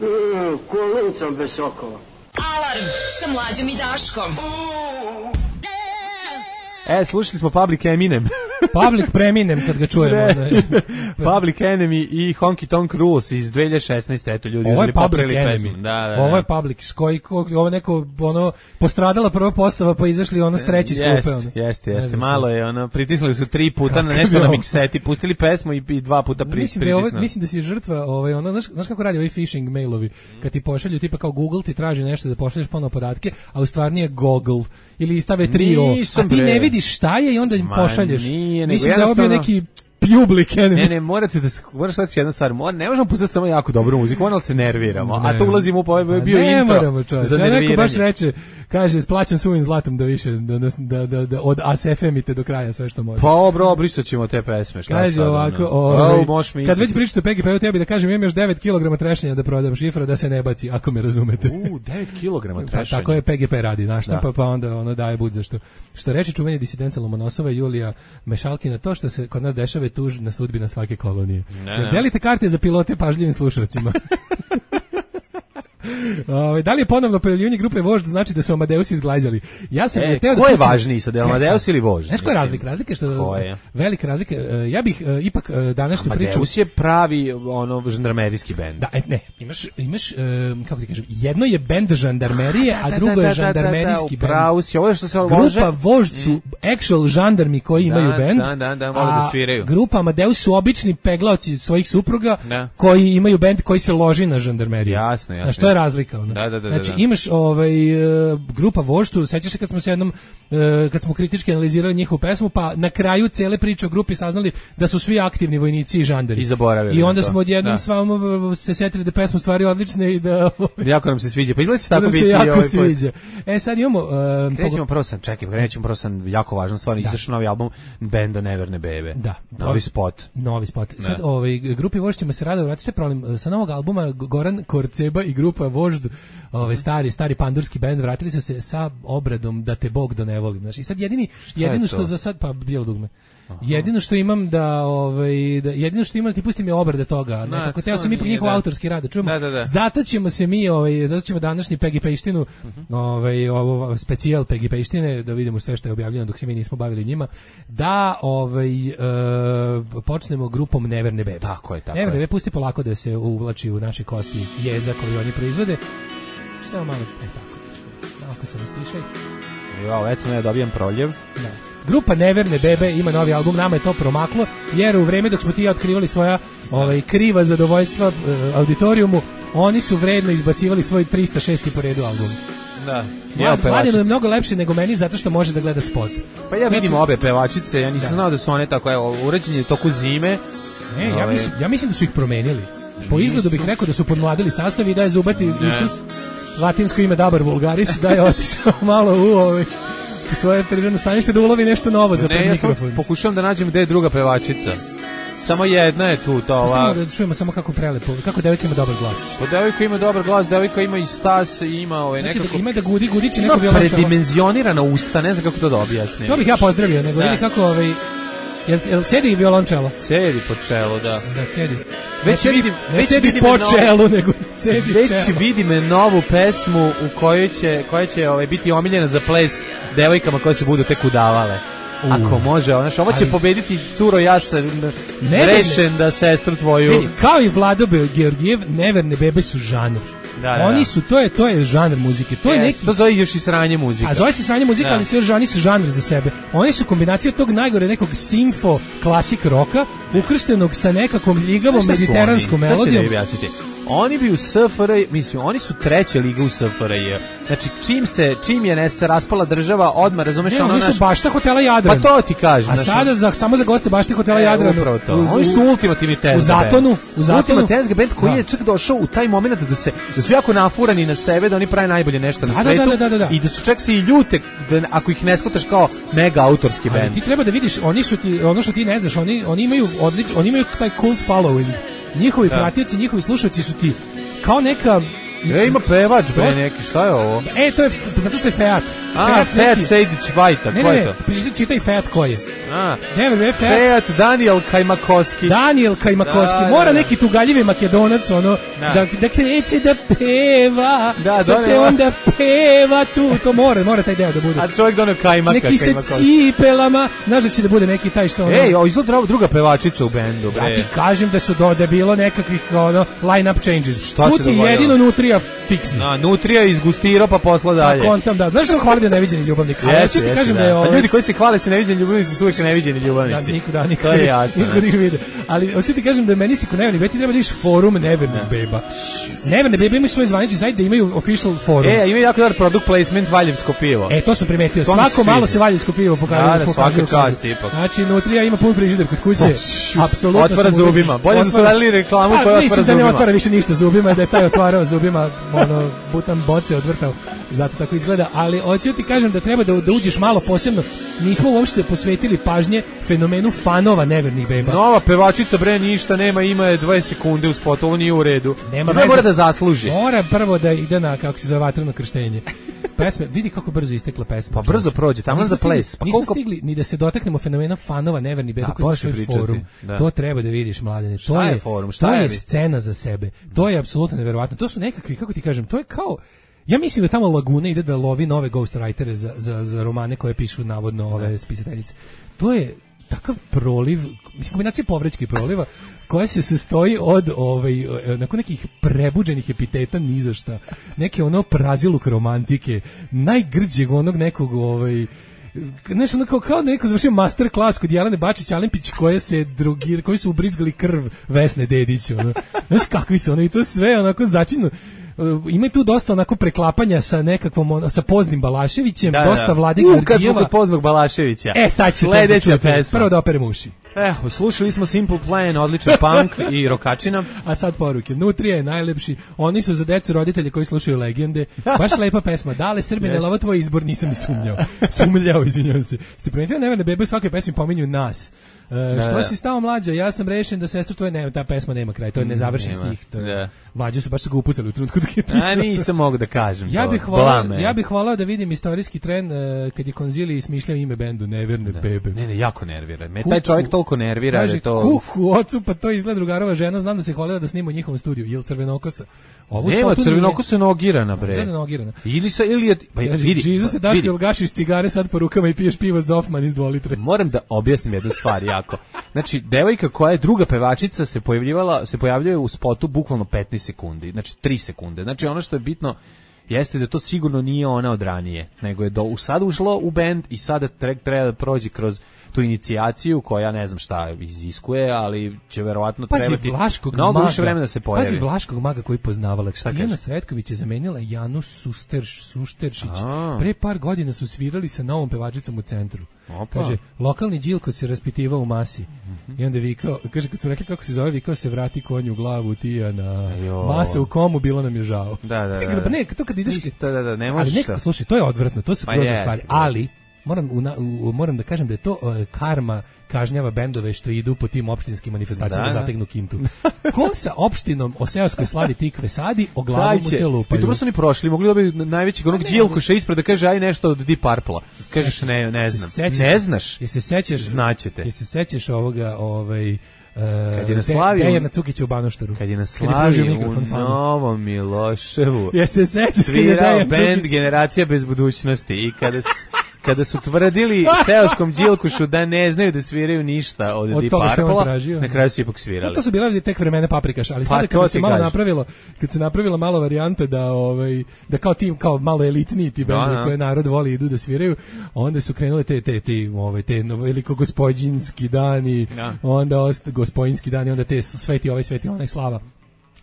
Mm, Kolucom bez sokova. Alarm sa Mlađom i Daškom. E, slušali smo Public Eminem. Public Preminem kad ga čujemo. Public Enemy i Honky Tonk Rules iz dve hiljade šesnaeste. Eto, ljudi ovo je Public Enemy. Da, da, ovo je Public, koji, ovo neko, ono, postradala prva postava, pa izašli ono s treći skupe. Jeste, jeste, jeste. Malo je, ono, pritisnuli su tri puta na nešto na mikseti, pustili pesmu i, i dva puta pri, mislim pritisnuli. Da ovo, mislim da si žrtva, ovaj, ono, znaš, znaš kako radi ovaj phishing mailovi, kad ti pošalju, tipa kao Google ti traži nešto da pošalješ ponovo podatke, a u stvari nije Google, ili stave tri o, a ti ne vidiš šta je i onda im pošalješ. Nije, mislim da ovo neki Public Enemy. Ne, ne, morate da moraš shvatiti jednu stvar. Mora, ne možemo pustiti samo jako dobru muziku, moramo se nerviramo. Ne, a to ulazimo u ovaj bio ne intro. Moramo, za nerviranje. Neko baš reče, kaže, splaćam svojim zlatom da više da da da, da od A S F M-ite do kraja sve što može. Pa obro, brisaćemo te pesme, šta kaže sad, ovako, ovaj, oh, kad već pričate o P G P-u, tebi da kažem, imam još devet kilograma trešnja da prodam, šifra da se ne baci, ako me razumete. U, devet kilograma trešnja. Pa, tako je P G P radi, našta, pa, pa onda ono daje bud zašto. Što reče čuveni disidenca Lomonosova i Julija Mešalkina, to što se kod nas dešava je tužna sudbina svake kolonije. Ne, ne. Delite karte za pilote pažljivim slušalcima. Ove, da li je ponovno pojavljivanje grupe Vožd znači da su Amadeusi izglajzali? Ja sam e, teo ko da je važniji sad, Amadeus ili Vožd? Znaš koja je razlika? Razlika što velika razlika. Ja bih uh, ipak uh, današnju priču. Amadeus je pravi ono žandarmerijski bend. Da, ne, imaš imaš uh, kako ti kažem, jedno je bend žandarmerije, a, da, a drugo da, da, je žandarmerijski bend. Pravo si, ovo što se grupa Vožd su actual žandarmi koji da, imaju bend. Da, da, da, vole da sviraju. Grupa Amadeus su obični peglaoci svojih supruga da. koji imaju bend koji se loži na žandarmeriju. Jasno, jasno. Znaš, to je razlika ona. Da, da, da, znači da. imaš ovaj uh, grupa Vožd, sećaš se kad smo se jednom uh, kad smo kritički analizirali njihovu pesmu, pa na kraju cele priče o grupi saznali da su svi aktivni vojnici i žandari. I zaboravili. I onda smo odjednom s vama se setili da pesma stvari odlične i da jako nam se sviđa. Pa izgleda tako biti. Se jako ovaj sviđa. E sad imamo uh, krećemo prvo sam, čekaj, krećemo prvo sam jako važno stvar, izašao novi album benda Neverne bebe. Da. Novi spot. Novi spot. Sad ovaj grupi Vožd ćemo se rado vratiti se problem sa novog albuma Goran Korceba i grupa Vožd, ovaj stari stari pandurski bend, vratili su se sa obradom Da te Bog do ne volim. Znači i sad jedini jedino što za sad pa bijelo dugme. Aha. Jedino što imam da ovaj da jedino što imam ti pustim je obrade toga, nekako teo sam ipak njihov autorski rad, čujemo. Da, da, da. Zato ćemo se mi ovaj zato ćemo današnji P G P-štinu, uh-huh. ovaj ovo specijal P G P-štine da vidimo sve što je objavljeno dok se mi nismo bavili njima, da ovaj e, počnemo grupom Neverne bebe. Tako je, tako. Neverne bebe pusti polako da se uvlači u naše kosti jeza koji oni proizvode. Samo malo e, tako. Ako se rastišaj. Jo, već sam ja dobijam proljev. Da. Grupa Neverne bebe ima novi album, nama je to promaklo, jer u vreme dok smo ti ja otkrivali svoja ovaj, kriva zadovoljstva uh, auditorijumu, oni su vredno izbacivali svoj trista šesti po redu album. Da. Mlad, Mladinu je mnogo lepše nego meni zato što može da gleda spot. Pa ja vidim obe pevačice, ja nisam da. znao da su one tako, evo, uređenje u toku zime. Ne, ja mislim, ja mislim da su ih promenili. Po izgledu bih rekao da su podmladili sastav i da je Zubati Isus, latinsko ime Dabar Vulgaris, da je otišao malo u ovaj svoje prirodno stanište da ulovi nešto novo za ne, mikrofon. Ja pokušavam da nađem gde je druga pevačica. Samo jedna je tu, to ova. Da čujemo samo kako prelepo, kako devojka ima dobar glas. Pa devojka ima dobar glas, devojka ima i stas, ima ovaj znači, nekako. Da ima da gudi, gudići neko violončelo. Predimenzionirana usta, ne znam kako to da objasnim. To bih ja pozdravio, nego vidi kako ovaj Jel, jel cedi i violončelo? Cedi po čelu, da. Da, cedi. Već ne vidim, ne već cedi vidim po novu, čelu, nego cedi već čelo. vidim novu pesmu u kojoj će, koja će ovaj, biti omiljena za ples devojkama koje se budu tek udavale. Ako može, znaš, ovo će Ali- pobediti curo, ja sam Ne, rešen da sestru tvoju... Vidi, kao i Vlado Georgijev, neverne bebe su žanr. Da, da, Oni da. su, to je, to je žanr muzike. To je Yes, neki... to zove još i sranje muzika. A zove se sranje muzika, Da. ali sve još oni su žanr za sebe. Oni su kombinacija tog najgore nekog simfo klasik roka, ukrštenog sa nekakvom ljigavom Znaš šta su mediteranskom oni? Sad ću melodijom. da objasniti. Oni bi u S F R J, mislim, oni su treća liga u S F R J. Znači, čim se, čim je ne se raspala država, odmah, razumeš, Ne, ono oni su naš... bašta hotela Jadran. Pa to ti kažem. A znaš, sada za, samo za goste bašte hotela E, Jadran. upravo to. U- Oni su u- ultimativni tezga U Zatonu, band. u Zatonu. Ultima tezga band koji Da. je čak došao u taj moment da se da su jako nafurani na sebe, da oni prave najbolje nešto na Da, da, svetu da, da, da, da. i da su čak se i ljute da ako ih ne shvataš kao mega autorski Ali band. ti treba da vidiš, oni su ti, ono što ti ne znaš, oni, oni imaju odlič, oni imaju taj cult following. Njihovi Da. pratioci, njihovi slušalci su ti kao neka... E, ima pevač bre Dosta- neki, šta je ovo? E, to je, f- zato što je Feat. A, Feat neki- Sejdić Vajta, Ne, ko ne, je ne, to? prišli, čitaj Feat ko je. A, Ne, ne, Feat. Feat Daniel Kajmakovski. Daniel Kajmakovski, Da, mora da, da. neki tugaljivi Makedonac, ono, Da. da, da kreće da peva, Da, sad se doneo- onda peva tu, to mora, mora taj deo da bude. A čovjek donio Kajmaka. Neki se Kajmakovski. cipelama, znaš da će da bude neki taj što ono... Ej, o, izgleda druga pevačica u bendu, bre. Ja ti kažem da su do, da je bilo nekakvih ono, line-up changes. Šta tu se ti dogodilo? jedino Nutrija fiksni. Na, Nutrija je izgustirao pa posla Pa dalje. kontam, da. Znaš što hvali da je neviđeni ljubavnik? Ali ja Jeste, ću ti jeste, kažem da je Pa ovaj... ljudi koji se hvale su neviđeni ljubavnici su uvijek neviđeni Da, ljubavnici. niko, da, niko, To je jasno. niko ne. ih vide. Ali hoću ti kažem da meni se ko neverni beba, ti treba da ideš forum nevernih beba. Neverne bebe imaju svoj zvanični sajt da imaju official forum. E, ima jako dobar product placement Valjevsko pivo. E, to sam primetio. To mi se Svako malo sviđa. se valjevsko pivo pokazuje. Da, da, pokazuje svaka u čast, ipak. Znači, Nutrija ima pun frižider kod kuće. Apsolutno. Otvara sam ubeđen. zubima. Bolje da su Otvara- radili reklamu Pa, koja otvara mislim da ne zubima. otvara više ništa zubima, da je taj otvarao zubima, ono, butan boce odvrtao. Zato tako izgleda. Ali hoću ti kažem da treba da, da uđeš malo posebno. Nismo uopšte posvetili pažnje fenomenu fanova nevernih beba. Nova pevačica bre ništa nema, ima je dvadeset sekunde u spotu, ovo nije u redu. Nema Sve veze. mora da zasluži. Mora prvo da ide na, kako se zove, vatreno krštenje. Pesme, vidi kako brzo istekla pesma. Pa brzo prođe, tamo Nismo za stigli- ples. Pa nismo koliko- stigli ni da se dotaknemo fenomena fanova neverni beba Da, koji ima možeš mi svoj pričati, forum. da. To treba da vidiš, mladene. To Šta je forum? Šta to je je vi- scena za sebe. To je apsolutno neverovatno. To su nekakvi, kako ti kažem, to je kao ja mislim da tamo Laguna ide da lovi nove ghostwritere za, za, za romane koje pišu navodno ove spisateljice. To je takav proliv, mislim kombinacija povrečka i proliva koja se sastoji od ovaj nakon nekih prebuđenih epiteta ni za šta. Neke ono praziluk romantike, najgrđeg onog nekog ovaj nešto ono kao, kao da neko završio master klas kod Jelene Bačić-Alempić koje se drugi, koji su ubrizgali krv Vesne Dedić, ono. Znaš kakvi su ono i to sve onako začinjeno. Ima tu dosta onako preklapanja sa nekakvom ono, sa Poznim Balaševićem, Da, dosta da. Vlade U, kad smo Georgijeva. kod Poznog Balaševića. E, sad će sledeća pesma. Prvo da operem uši. Evo, slušali smo Simple Plan, odličan punk i rokačina. A sad poruke. Nutrija je najlepši. Oni su za decu roditelje koji slušaju legende. Baš lepa pesma. Dale Srbine, Jeste. ovo tvoj izbor, nisam ni sumnjao. Sumnjao, izvinjavam se. Ste primetili neverne bebe u svakoj pesmi pominju nas. E, što da. si stao mlađa? Ja sam rešen da sestru tvoje nema, ta pesma nema kraj. To je nezavršen Nema, stih. To je, da. Mlađu su baš su ga upucali u trenutku dok je pisao. A nisam mogu da kažem Ja to. bih volao, Blame. ja bih volao da vidim istorijski tren e, kad je Konzili smišljao ime bendu Neverne bebe. Ne, ne, jako nervira. Me Kuku. taj čovjek toliko nervira da Kaže, je to... kuku, ocu, pa to izgleda drugarova žena, znam da se hvalila da snima u njihovom studiju, jel Crvenokosa? Ovo Nema, spotu nije- crvenoko se nogirana, bre. Izgleda nogirana. Ili sa, ili je... Pa Kaže, vidi, Žizo se pa, daš vidi. jel gašiš cigare sad po rukama i piješ pivo Zofman iz dvolitre. Moram da objasnim jednu stvar jako. Znači, devojka koja je druga pevačica se pojavljivala, se pojavljuje u spotu bukvalno petnaest sekundi, znači tri sekunde. Znači, ono što je bitno jeste da to sigurno nije ona od ranije, nego je do, u sad ušlo u bend i sada tre, treba da prođe kroz tu inicijaciju koja ne znam šta iziskuje, ali će verovatno Pazi trebati Vlaškog mnogo maga, više vremena da se pojavi. Pazi Vlaškog maga koji poznavala. Tijana kaže? Sretković je zamenila Janu Susterš, Sušteršić. A. Pre par godina su svirali sa novom pevačicom u centru. Opa. Kaže, lokalni Đilko se raspitivao u masi. I onda vikao, kaže, kad su rekli kako se zove, vikao se vrati konju u glavu, Tijana. Jo. Masa u komu, bilo nam je žao. Da, da, da. E, pa ne, to kad ideš... Ništa, da, da, ne Ali možeš nekako, to. slušaj, to je odvratno, to su Pa grozne jeste, stvari. da. Ali, moram, u, u, moram da kažem da je to uh, karma kažnjava bendove što idu po tim opštinskim manifestacijama da, da zategnu kintu. Ko sa opštinom o seoskoj slavi tikve sadi, o glavu mu se lupaju. I dobro su oni prošli, mogli da bi najvećeg onog Đilkoša ispred da kaže aj nešto od Deep Purple. Kažeš ne, ne znam. Sećaš, ne znaš? Je se sećaš? Znaćete. Je se sećaš ovoga, ovaj Uh, kad je na slavi Dejana Cukića u Banoštaru. Kad je na slavi u Novom Miloševu. Ja se sećaš kad je Dejana bend Generacija bez budućnosti i kada kada su tvrdili seoskom Đilkušu da ne znaju da sviraju ništa od, od Deep Purple, na kraju su ipak svirali. No, to su bila tek vremena Paprikaš, ali sada pa, kad se malo gaži. napravilo, kad se napravila malo varijanta da ovaj da kao tim kao malo elitniji ti bendovi koje narod voli idu da sviraju, onda su krenule te te te ovaj te veliko gospodinski dani, ja. onda ost gospodinski dani, onda te sveti ovaj sveti onaj slava.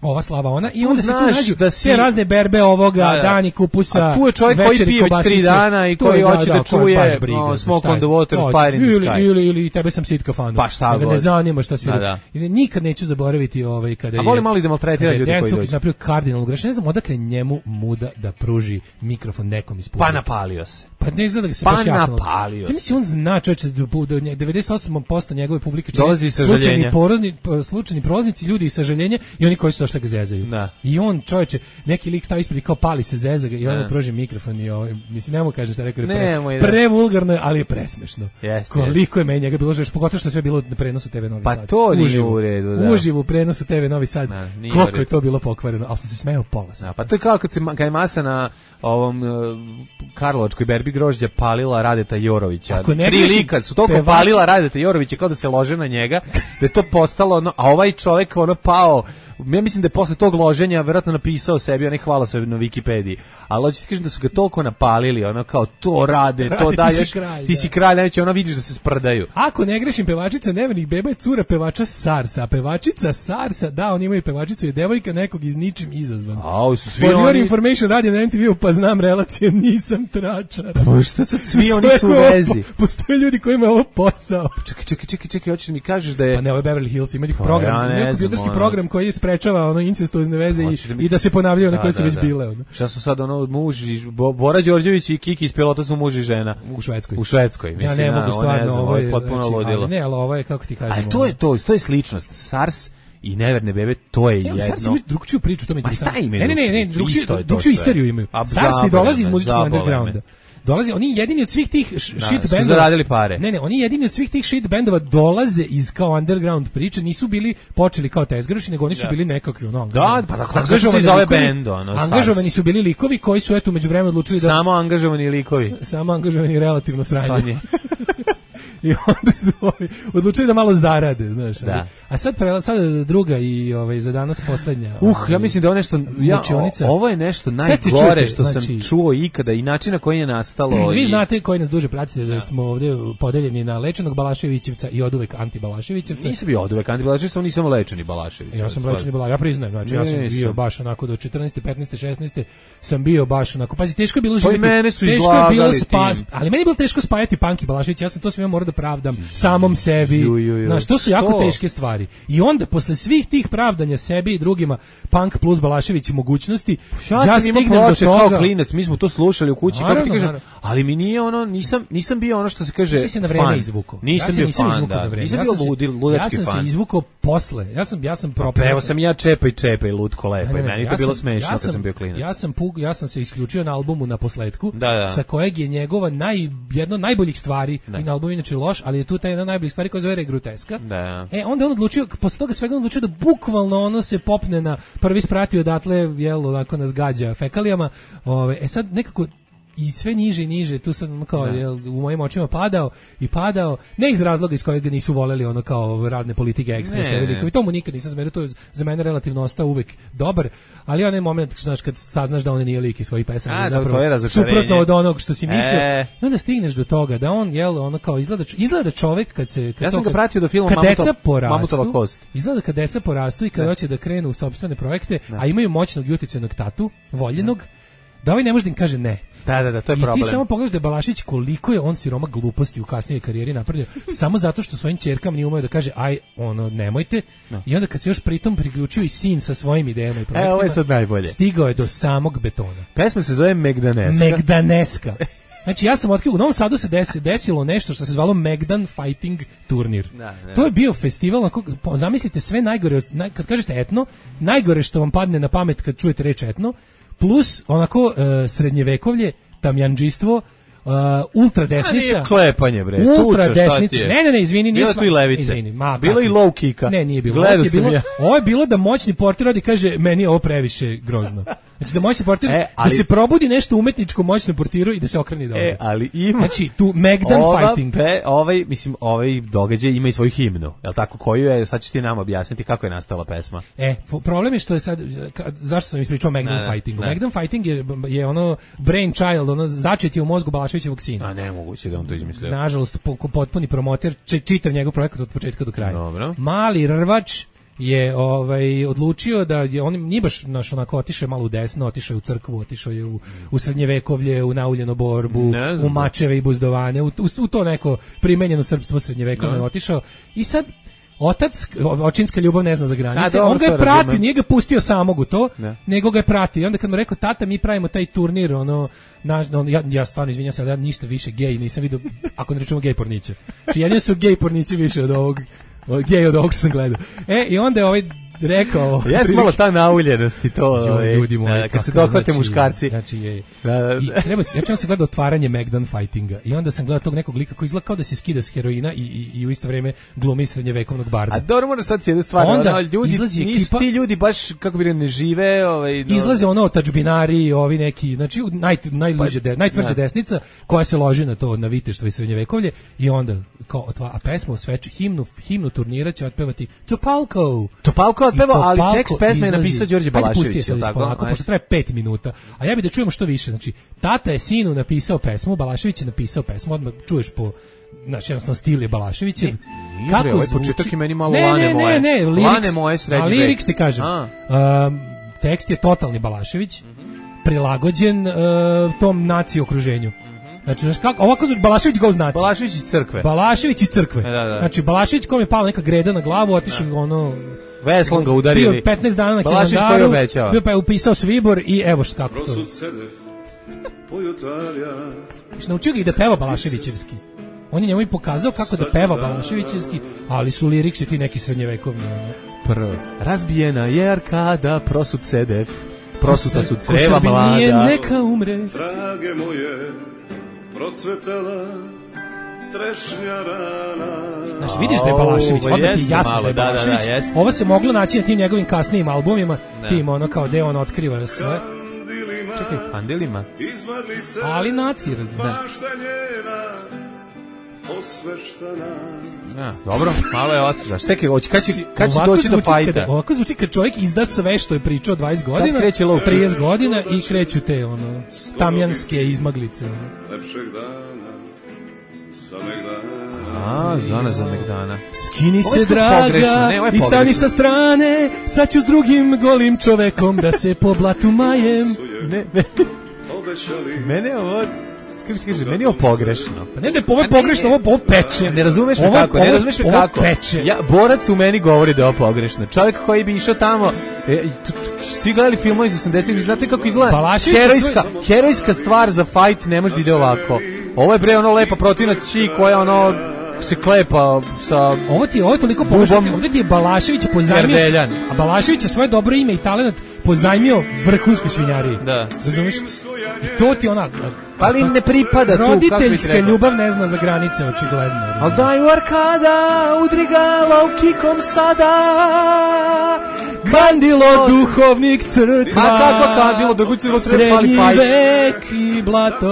Ova slava ona i onda se tu nađu da si... sve razne berbe ovoga, da, da. dani kupusa, a tu je čovjek koji pije već tri dana i koji hoće da, da, da čuje no, Smoke on the Water, Fire in the ili, Sky. Ili, ili tebe sam sit kafanu. Pa šta god. Ne zanima šta svira. Da, da. I nikad neću zaboraviti ovaj, kada je... A volim mali da maltretira ljudi koji dođu. Napravio kardinalnu grešku. Ne znam odakle njemu muda da pruži mikrofon nekom iz publike. Pa napalio se. Pa ne izgleda da se pa baš jaknulo. napalio se. Mislim, on zna čovječe da devedeset osam posto njegove publike čini slučajni porozni, slučajni prolaznici, ljudi iz sažaljenja i oni koji su došli ga zezaju. Da. I on, čovječe, neki lik stavi ispred i kao pali se zeza ga i on mu pruži mikrofon i ovaj, mislim, ne mogu kažem šta rekao, pre, pre vulgarno, ali je presmešno. Yes, Koliko yes. je meni njega bilo žeš, pogotovo što je sve bilo na prenosu te ve Novi pa Sad. Pa to nije u redu, da. Uživo u prenosu te ve Novi Sad. Da, koliko je to bilo pokvareno, ali sam se smejao pola sata. Da, pa to je kao kad, se, kad je masa na ovom uh, Karlovačkoj berbi grožđa palila Radeta Jorovića. Tri lika su toliko pevači... palila Radeta Jorovića kao da se lože na njega, da je to postalo, ono, a ovaj čovjek ono pao. Ja mislim da je posle tog loženja verovatno napisao sebi, on je hvala se na Wikipediji. Ali hoćete kažem da su ga toliko napalili, ono kao to rade, rade to daje. Ti si kralj, ti si kralj, najveće, ona vidiš da se sprdaju. Ako ne grešim, pevačica Nevernih beba je cura pevača Sarsa, a pevačica Sarsa, da, oni imaju pevačicu, je devojka nekog iz ničim izazvan. A, su svi For oni... your information, radim na em te ve-u, pa znam relacije, nisam tračar. Pa što sad svi oni su u vezi? Postoje ljudi koji imaju ovo posao. Čekaj, čekaj, čekaj, čekaj, hoćeš da mi kažeš da je... Pa ne, ovo je Beverly Hills, ima njih program, ja kompjuterski program koji je sprečava ono incestuozne veze i, da mi... i da se ponavljaju na koje su već da. bile. Ono. Šta su sad ono muž i Bora Đorđević i Kiki iz Pilota su muž i žena u Švedskoj. U Švedskoj, mislim. Ja ne mogu stvarno, ovo je potpuno znači, ludilo. Ne, ali ovo je kako ti kažemo. Ali to je to, to je sličnost. SARS i Neverne bebe, to je jedno. Ja, SARS imaju drugčiju priču, to mi pa šta imaju? Ne, ne, ne, ne, drugčiju isteriju imaju. SARS ne dolazi iz muzičkog undergrounda. Dolazi, oni jedini od svih tih shit bendova. Su zaradili pare. Ne, ne, oni jedini od svih tih shit bendova dolaze iz kao underground priče, nisu bili počeli kao tezgaroši, nego oni su bili nekakvi ono. Da, pa tako se zove bend, ono. Angažovani su bili likovi koji su eto međuvremenu odlučili da samo angažovani likovi. Samo angažovani relativno sranje. I onda su ovaj, odlučili da malo zarade, znaš. Da. A sad prela, sad druga i ovaj za danas poslednja. Uh, ovaj, ja mislim da je nešto ja, o, ovo je nešto najgore što znači, sam čuo ikada i način na koji je nastalo. Vi i... znate koji nas duže pratite da smo ovdje podeljeni na lečenog Balaševićevca i oduvek anti-Balaševićevca. Nisam bio oduvek anti-Balaševićevca, nisam lečeni Balaševićevac. Ja sam lečeni Balaševićevac, ja priznajem, znači ja sam bio baš onako do četrnaeste, petnaeste, šesnaeste sam bio baš onako. Pazi, teško je bilo živjeti. Teško je bilo spasti, ali meni je bilo teško spajati Punk i Balašević. Ja sam to sve morao da pravdam samom sebi. Znaš, to su jako teške stvari. I onda posle svih tih pravdanja sebi i drugima, Punk plus Balašević i mogućnosti, ja, ja sam imao ploče kao klinac, mi smo to slušali u kući, naravno, kako ti kažem, ali mi nije ono, nisam, nisam bio ono što se kaže fan. Ti si na vreme izvukao. Nisam ja bio nisam fan, da. vreme. Nisam ja bio ludi, ludački fan. Ja sam se izvukao posle. Ja sam, ja sam propao. Pa evo sam ja čepaj, čepaj, lutko lepo. I meni to bilo smešno kad sam bio klinac. Ja sam pug, ja sam se isključio na albumu na posletku, da, da. sa kojeg je njegova naj, jedno od najboljih stvari, da. I na albumu inače loš, ali je tu taj jedna od najboljih stvari koja zove Groteska. Da. E, onda on odlučio, posle toga svega on odlučio da bukvalno ono se popne na prvi spratio odatle, jel, onako nas gađa fekalijama. Ove, e sad nekako i sve niže i niže, tu sam kao, jel, u mojim očima padao i padao, ne iz razloga iz kojeg ga nisu voleli ono kao razne politike ekspresije, i tomu nikad nisam zmerio, to je za mene relativno ostao uvek dobar, ali onaj moment, znaš, kad saznaš da on nije lik iz svojih pesama, je zapravo suprotno od onog što si mislio, e. I onda stigneš do toga da on, jel, ono kao izgleda, izgleda čovek kad se... Kad ja sam to, ga pratio do filma Mamutova kost. Izgleda kad deca porastu i kad hoće da krenu u sopstvene projekte, da. A imaju moćnog i uticajnog tatu, voljenog, da. Da ovaj ne može da im kaže ne. Da, da, da, to je I problem. I ti samo pogledaš da je Balašić koliko je on siroma gluposti u kasnijoj karijeri napravio, samo zato što svojim ćerkama nije umeo da kaže aj, ono, nemojte. No. I onda kad se još pritom priključio i sin sa svojim idejama i projektima, e, ovo je sad najbolje. Stigao je do samog betona. Pesma se zove Megdaneska. Megdaneska. Znači ja sam otkrio, u Novom Sadu se desi, desilo nešto što se zvalo Megdan Fighting turnir. Da, da. To je bio festival, onako, zamislite sve najgore, naj, kad kažete etno, najgore što vam padne na pamet kad čujete reč etno, plus onako uh, srednjevekovlje, tamjandžistvo, Uh, ultra desnica. Nije klepanje, bre. Ultra Tuča, desnica. Ne, ne, ne, izvini, bilo nisam. tu i levice. Izvini, ma, bilo i low kicka. Ne, nije bilo. Gledao je sam bilo, ja. ovo je bilo da moćni portir radi kaže meni je ovo previše grozno. Znači da moćni portir e, ali, da se probudi nešto umetničko moćnom portiru i da se okrene dobro. E, ali ima. Znači tu Megdan ova Fighting. Pe, ovaj mislim ovaj događaj ima i svoju himnu. Jel tako, koju je, sad ćeš ti nam objasniti kako je nastala pesma. E, problem je što je sad ka, zašto sam ispričao Megdan ne, Fightingu. Ne. Megdan Fighting je je ono brain child, ono začet je u mozgu Balaševićevog sina. A ne moguće da on to izmislio. Nažalost po, potpuni promoter, čitav njegov projekat od početka do kraja. Dobro. Mali rvač je ovaj odlučio da je on nije baš naš onako otišao malo u desno, otišao je u crkvu, otišao je u, u srednjevekovlje, u nauljenu borbu, u mačeve i buzdovane, u, u, u to neko primenjeno srpstvo srednjevekovno je otišao. I sad otac, očinska ljubav ne zna za granice, A, dobro, on ga je pratio, nije ga pustio samog u to, ne. nego ga je pratio. I onda kad mu rekao, tata, mi pravimo taj turnir, ono, na, on, ja, ja stvarno izvinjam se, ali ja ništa više gej nisam vidio, ako ne rečemo gej porniće. Znači, jedino su gej pornići više od ovog, gej od ovog što sam gledao. E, i onda je ovaj rekao... Jes malo ta nauljenost i to, jo, ovaj, ljudi moji, kad se dohvate znači, muškarci. Znači je, i treba se, ja sam gledao otvaranje Megdan Fightinga i onda sam gledao tog nekog lika koji izgleda kao da se skida s heroina i, i, i u isto vrijeme glumi srednjevekovnog barda. A dobro, možda sad se jednu stvar, onda ono, ljudi, nisu ekipa, ti ljudi baš, kako bi ne žive... Ovaj, no. Izlaze ono tačbinari, ovi neki, znači naj, najluđe, de, najtvrđa da. desnica koja se loži na to, na viteštvo i srednjevekovlje i onda, kao, otva, a pesma u sveću, himnu, himnu turnira će otpevati Topalko. Topalko otpeva, ali tekst pesme je napisao Đorđe Balašević, je tako? Polako, pošto traje pet minuta. A ja bih da čujemo što više. Znači, tata je sinu napisao pesmu, Balašević je napisao pesmu, odmah čuješ po, znači, jednostavno stil je Balaševićev. Ne, kako ovaj početak je meni malo ne, lane ne, moje. Ne, ne, ne, lane moje srednje. A liriks ti kažem. Um, tekst je totalni Balašević, mm-hmm. prilagođen uh, tom naciji okruženju. Znači, znaš kako, ovako zvuči Balašević goes naci. Balašević iz crkve. Balašević iz crkve. E, da, da. Znači, Balašević kom je pala neka greda na glavu, otišao ono... Veslom ga udarili. Bio petnaest dana na Hilandaru, bio pa je upisao svibor i evo što kako to. Znači, naučio ga i da peva Balaševićevski. On je njemu i pokazao kako da peva Balaševićevski, ali su liriksi ti neki srednjevekovni. Prvo. Razbijena je arkada, prosut sedef, prosuta su creva mlada. Ko Srbi nije, neka umre. Drage moje, procvetala trešnja rana. Znaš, vidiš da je Balašević, odmah ti je jasno malo, da je Balašević. Da, da, da, ovo se moglo naći na tim njegovim kasnijim albumima, ne. tim ono kao gde on otkriva sve. Čekaj, kandilima. Ali naci, razumiješ. Ja, dobro, malo je osjećaš. Čekaj, kad će, kad će doći do fajta? Ovako zvuči kad čovjek izda sve što je pričao dvadeset godina, trideset godina i kreću te ono, tamjanske izmaglice. Ono. Lepšeg dana, sameg dana. A, Zona za Megdana. Skini se, draga, ne, i stani sa strane, sad ću s drugim golim čovekom da se po blatu majem. Ne, ne. Mene ovo... Kako ti kaže, meni je ovo pogrešno. Pa ne da je ovo pogrešno, ovo, ovo peče. Ne razumeš me kako, ne razumeš me kako. Peče. Ja, borac u meni govori da je ovo pogrešno. Čovjek koji bi išao tamo, e, svi gledali filmove iz osamdesetih, znate kako izgleda? Herojska, herojska stvar za fight ne može da ide ovako. Ovo je bre ono lepa protivna či koja ono se klepa sa... Ovo ti je, ovo je toliko pogrešno, ovdje ti je Balašević pozajmio, a Balašević je svoje dobro ime i talent pozajmio vrhunskoj svinjariji. Da. Razumiješ? I to ti ona... Pa ali ne pripada tu, roditeljska ljubav ne zna za granice, očigledno. Al daj u arkada, udri ga laukikom sada. Kandilo duhovnik crkva. Ma kako kandilo, da gući treba fali fajt. Srednji vek i blato.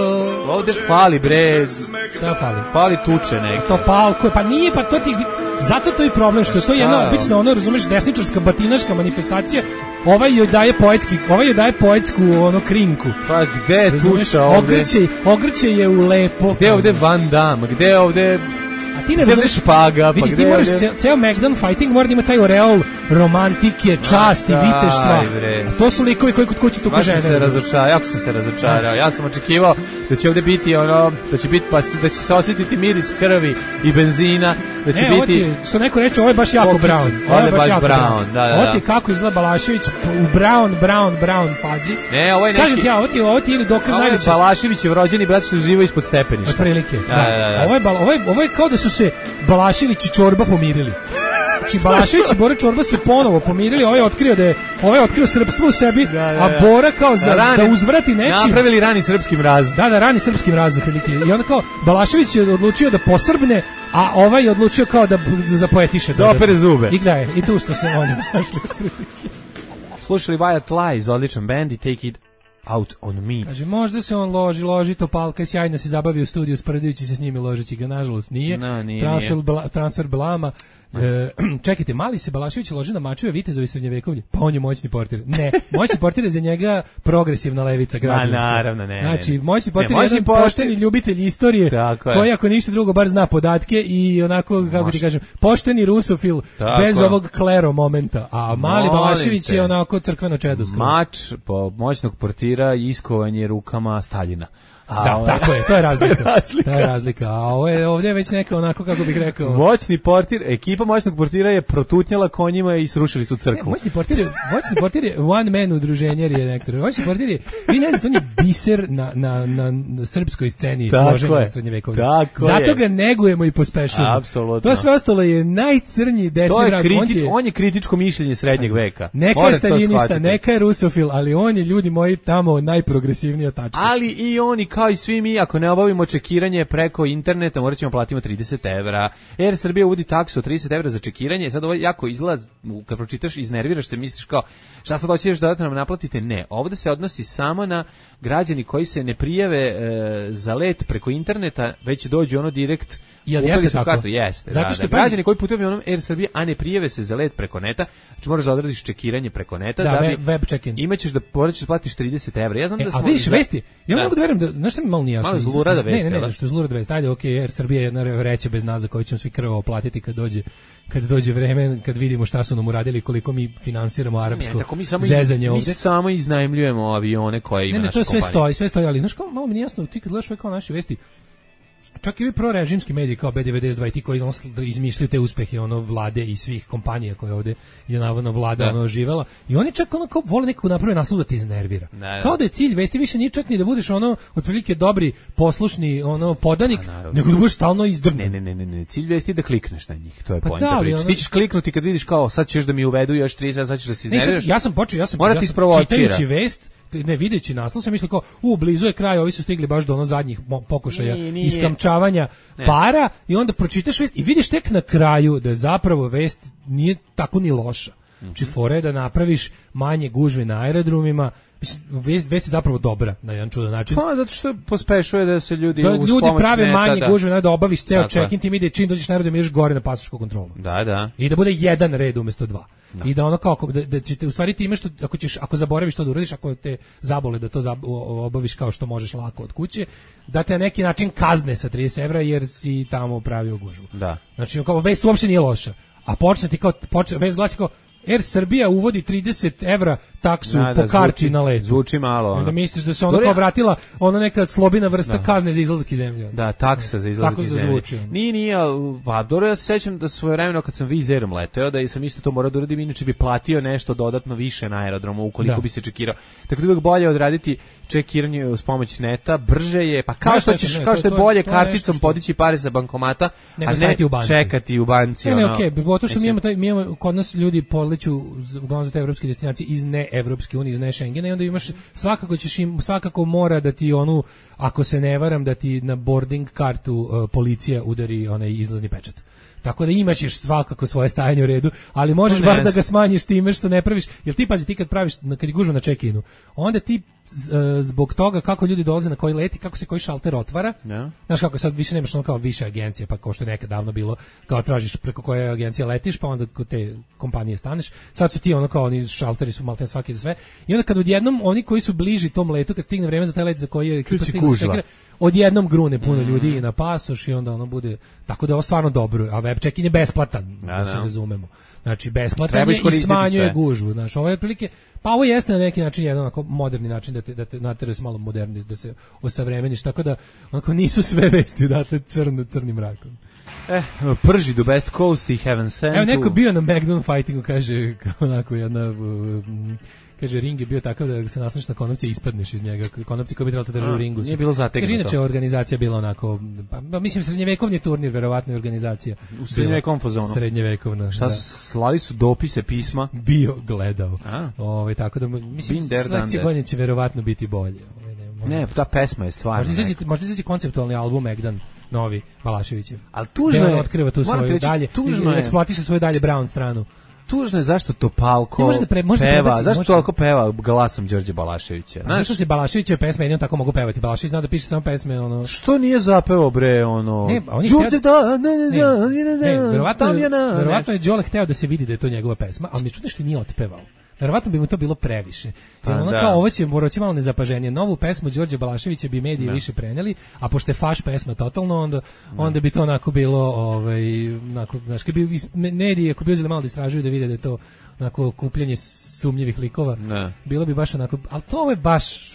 Ovdje fali brez. Šta fali? Fali tuče neki. To palko, pa nije, pa to ti... Zato to je problem, što je to jedna obična, ono, razumeš, desničarska, batinaška manifestacija. Ovaj joj daje poetski, ovaj joj daje poetsku, ono, krinku. Pa gde je tuča ovdje? Ogrće, ogrće je u lepo. Gde je ovdje Van Damme? Gde je ovdje... Ti ne razumeš špaga, vidi, pa ti moraš ceo, ceo Megdan Fighting mora da ima taj oreol romantike, časti, da, viteštva. A to su likovi koji kod kuće tuku žene. Se razočarao, jako sam se razočarao. Ja sam očekivao da će ovdje biti ono, da će biti pa da će se osjetiti miris krvi i benzina, da će e, biti... Ovo ti, što neko reče, ovo je baš jako Pokicu. Brown. Ovo je baš Brown, da, da, da. Ovo ti kako izgleda Balašević u Brown, Brown, Brown fazi. Ne, ovo je neki... Kažem ti ja, ovo ti, ovo ti ili dokaz ovo je najveće. Balaševićev rođeni brat što živo ispod stepeništa. Otprilike, da. Da, da, da. Ovo, je, ovo, je, ovo je kao da su se Balašević i Čorba pomirili. Znači Balašević i Bora Čorba se ponovo pomirili, ovaj je otkrio da je ovaj je otkrio srpstvo u sebi, da, da, da. A Bora kao za rani, da uzvrati nečim. Napravili rani srpski mraz. Da, da, rani srpski mraz otprilike. I onda kao Balašević je odlučio da posrbne, a ovaj je odlučio kao da zapoetiše. Da opere zube. I gde je? I tu što se oni našli. Slušali Wyatt Lies, odličan band i Take It Out on Me. Kaže, možda se on loži, loži Topalka, sjajno se zabavi u studiju sprdajući se s njimi, ložeći ga, nažalost nije. No, nije, transfer, nije. Bla, transfer Blama. E, čekajte, mali se Balašević loži na mačeve vitezovi srednjevekovlje, pa on je moćni portir. Ne, moćni portir je za njega progresivna levica građanska. Ma, naravno, ne. Znači, moćni portir ne, je jedan portir... pošteni ljubitelj istorije, koji ako ništa drugo bar zna podatke i onako, kako Moš... ti kažem, pošteni rusofil, tako. Bez ovog klero momenta. A mali Molim Balašević te. Je onako crkveno čedo. Mač po moćnog portira i iskovanje rukama Staljina. A da, ovo je, tako je, to je razlika. razlika. To je razlika. A ovo je ovdje je već neka onako, kako bih rekao. Moćni portir, ekipa moćnog portira je protutnjala konjima i srušili su crkvu. Ne, moćni portir je, moćni portir je one man udruženje je nektor. Moćni portir je, vi ne znate, on je biser na, na, na, na srpskoj sceni loženja srednjevekovne. Zato je. Ga negujemo i pospešujemo. Apsolutno. To sve ostalo je najcrnji desni vrag. On, on je kritičko mišljenje srednjeg veka. Neka je staljinista, neka je rusofil, ali on je, ljudi moji, tamo najprogresivnija tačka. Ali i oni kao i svi mi, ako ne obavimo čekiranje preko interneta, morat ćemo platiti trideset evra. Air Srbija uvodi taksu od trideset evra za čekiranje. Sad ovo jako izgleda, kad pročitaš, iznerviraš se, misliš kao, šta sad hoćeš da nam naplatite? Ne, ovdje se odnosi samo na građani koji se ne prijave e, za let preko interneta, već dođu ono direkt. Jel jeste tako? Kartu. Jeste, zato što da, da. Građani koji putuju avionom Air Srbije, a ne prijave se za let preko neta, znači moraš da odradiš čekiranje preko neta, da, da bi web check-in. Imaćeš da moraš da platiš trideset evra. Ja znam e, da smo. A vidiš za... vesti? Ja da. Mogu da verujem da, znaš šta mi malo nije jasno. Malo zlurada vesti. Ne, ne, ne, što je zlurada vesti. Ajde, okej, okay, Air Srbija je jedna reče bez nas za koju ćemo svi krvavo platiti kad dođe kad dođe vreme, kad vidimo šta su nam uradili, koliko mi finansiramo arapsko ne, tako mi samo zezanje ovdje. Mi samo iznajmljujemo avione koje ima ne, ne, naša to sve kompanija. stoji, sve stoji, ali znaš kao, malo mi nije jasno, ti kad gledaš ove kao naše vesti, čak i ovi prorežimski mediji kao B devedeset dva i ti koji izmišljaju te uspehe ono vlade i svih kompanija koje ovdje je navodno vlada da. Ono živela i oni čak ono kao vole nekako naprave naslov da te iznervira. Ne, kao da je cilj vesti više nije čak ni da budeš ono otprilike dobri, poslušni ono podanik, nego da budeš stalno izdrnen. Ne, ne, ne, ne, cilj vesti je da klikneš na njih, to je pa poenta priče. Ono... Ti ćeš kliknuti kad vidiš kao sad ćeš da mi uvedu još trideset, sad ćeš da se iznerviraš. Ja sam počeo, ja sam, ja sam čitajući vest ne videći naslov sam mislio kao u blizu je kraj, ovi su stigli baš do ono zadnjih pokušaja nije, nije. iskamčavanja ne. para i onda pročitaš vest i vidiš tek na kraju da zapravo vest nije tako ni loša. Mm-hmm. Či fora je da napraviš manje gužve na aerodromima. Mislim, vest, vest je zapravo dobra na jedan čudan način. Pa, zato što pospešuje da se ljudi da ljudi prave neta, manje da. gužve, da obaviš ceo check-in, ti ide čim dođeš na aerodrom ideš gore na pasošku kontrolu. Da, da. I da bude jedan red umjesto dva. Da. I da ono kao da, da ćete u stvari ti imaš što ako ćeš ako zaboraviš to da uradiš, ako te zabole da to zab, obaviš kao što možeš lako od kuće, da te na neki način kazne sa trideset evra jer si tamo pravio gužvu. Da. Znači kao vest uopšte nije loša. A počne ti kao počne vest glasi kao Air Srbija uvodi trideset evra taksu da, po da, karti zvuči, na letu. Zvuči malo. Ono. Da misliš da se ona kao vratila ona neka slobina vrsta da. kazne za izlazak iz zemlje. Da, taksa za izlazak iz zemlje. Nije, nije, pa dobro, ja se sećam da svojevremeno kad sam Vizerom leteo, da sam isto to morao da uradim, inače bi platio nešto dodatno više na aerodromu ukoliko da. bi se čekirao. Tako da uvijek bolje odraditi čekiranje uz pomoć neta, brže je, pa kao što ćeš, kao što je bolje karticom podići pare sa bankomata, a ne čekati u banci. Ne, ne, okej, pogotovo što mi imamo, taj, mi imamo, kod nas ljudi podleću uglavnom za te evropske destinacije iz ne Evropske unije, iz ne Schengena i onda imaš, svakako ćeš im, svakako mora da ti onu, ako se ne varam, da ti na boarding kartu uh, policija udari onaj izlazni pečat. Tako da imaš svakako svoje stajanje u redu, ali možeš bar da ga smanjiš time što ne praviš, jer ti pazi, ti kad praviš, kad je gužva na check-inu, onda ti zbog toga kako ljudi dolaze na koji leti, kako se koji šalter otvara. Yeah. Znaš kako sad više nemaš ono kao više agencije, pa kao što je nekad davno bilo, kao tražiš preko koje agencije letiš, pa onda kod te kompanije staneš. Sad su ti ono kao oni šalteri su maltene svaki za sve. I onda kad odjednom oni koji su bliži tom letu, kad stigne vreme za taj let za koji je ekipa stigla, odjednom grune puno mm. ljudi na pasoš i onda ono bude, tako da je ovo stvarno dobro, a web check-in je besplatan, da, da se razumemo. Znači besplatan je i smanjuje sve. Gužvu. Znači ovo je prilike, pa ovo jeste na neki način jedan onako moderni način da te da te natera se malo moderni, da se osavremeniš, tako da onako nisu sve vesti odatle crno crnim mrakom. Eh, prži do Best Coast i Heaven Sent. Evo neko bio na Magnum Fightingu, kaže, onako jedna... Kaže, ring je bio takav da se nasloniš na konopci i ispadneš iz njega. Konopci koji bi trebalo da drže u ringu. Nije bilo zategnuto. Kaže, inače organizacija bila onako, pa, mislim, srednjevekovni turnir, verovatno je organizacija. U srednjevekovnom fazonu. Srednjevekovna, šta da. Su, slali su dopise, pisma? Bio, gledao. Ove, tako da, mislim, sledeće godine će verovatno biti bolje. Ove, ne, ne, ta pesma je stvarno. Možda izađe, možda izađe konceptualni album Megdan, novi, Balaševićev. Ali tužno je. Otkriva tu svoju reći, dalje, tužno je. Eksploatiše svoju dalje Brown stranu. Tužno je zašto Topalko može da pre, može peva, prebaci, zašto može... toliko peva glasom Đorđe Balaševića. Znaš što se Balaševićeve pesme jedino tako mogu pevati. Balašević zna da piše samo pesme ono. Što nije zapevao bre ono? Ne, on je Đorđe hteo... da, ne, ne, ne, ne, ne, verovatno, Tamjana, verovatno je Đole hteo da se vidi da je to njegova pesma, ali mi čudno što nije otpevao. Verovatno bi mu to bilo previše. Pa, Jer ono da. kao ovo će morati malo nezapaženije. Novu pesmu Đorđe Balaševića bi mediji da. više preneli, a pošto je faš pesma totalno, onda, onda bi to onako bilo, ovaj, onako, znaš, kad bi mediji, ako bi uzeli malo da istražuju da vide da je to onako kupljanje sumnjivih likova, da. bilo bi baš onako, ali to je baš...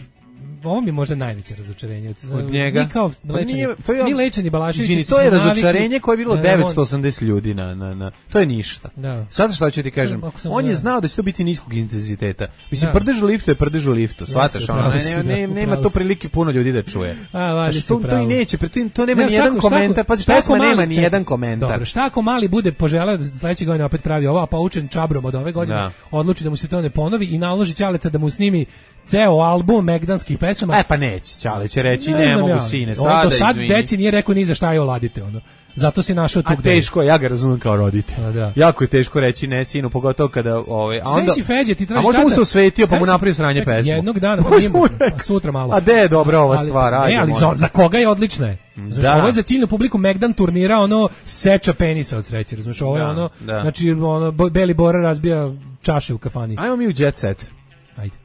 Ovo mi je možda najveće razočarenje od, od njega. Mi kao lečeni, nije, to je, mi lečeni Balašević. Izvini, to je razočarenje koje je bilo devetsto osamdeset ljudi na, na, na, to je ništa. Da. Sad šta ću ti kažem, sam, on da. je znao da će to biti niskog intenziteta. Mislim, da. Prdež u liftu je prdež u liftu, shvataš, ono, ne, ne, nema to prilike puno ljudi da čuje. A, valjda to, to i neće, to, to nema ni jedan komentar, pazi, pesma nema ni jedan komentar. Dobro, šta ako mali bude poželeo da sledeće godine opet pravi ovo, a poučen čabrom od ove godine, odluči da mu se to ne ponovi i naloži Ćaleta da mu snimi ceo album megdanskih pesama. E pa neće, Ćale će reći ne, ne mogu ja. Sine, sada, do sad izvini. deci nije rekao ni za šta je oladite, ono. Zato si našao tu. A teško je, ja ga razumem kao roditelj. Da. Jako je teško reći ne sinu, pogotovo kada ovaj a onda si Feđe, ti tražiš. A možda mu se osvetio pa mu napravio sranje pesmu. Jednog dana, pa njemu, sutra malo. A de je dobra ova ali, stvar, ajde. Ne, ali za, za koga je odlična je? Znaš, ovo je za ciljnu publiku Megdan turnira, ono seča penisa od sreće, znaš, ovo je ono, da. znači ono Beli Bora razbija čaše u kafani. Ajmo mi u jet set. Ajde.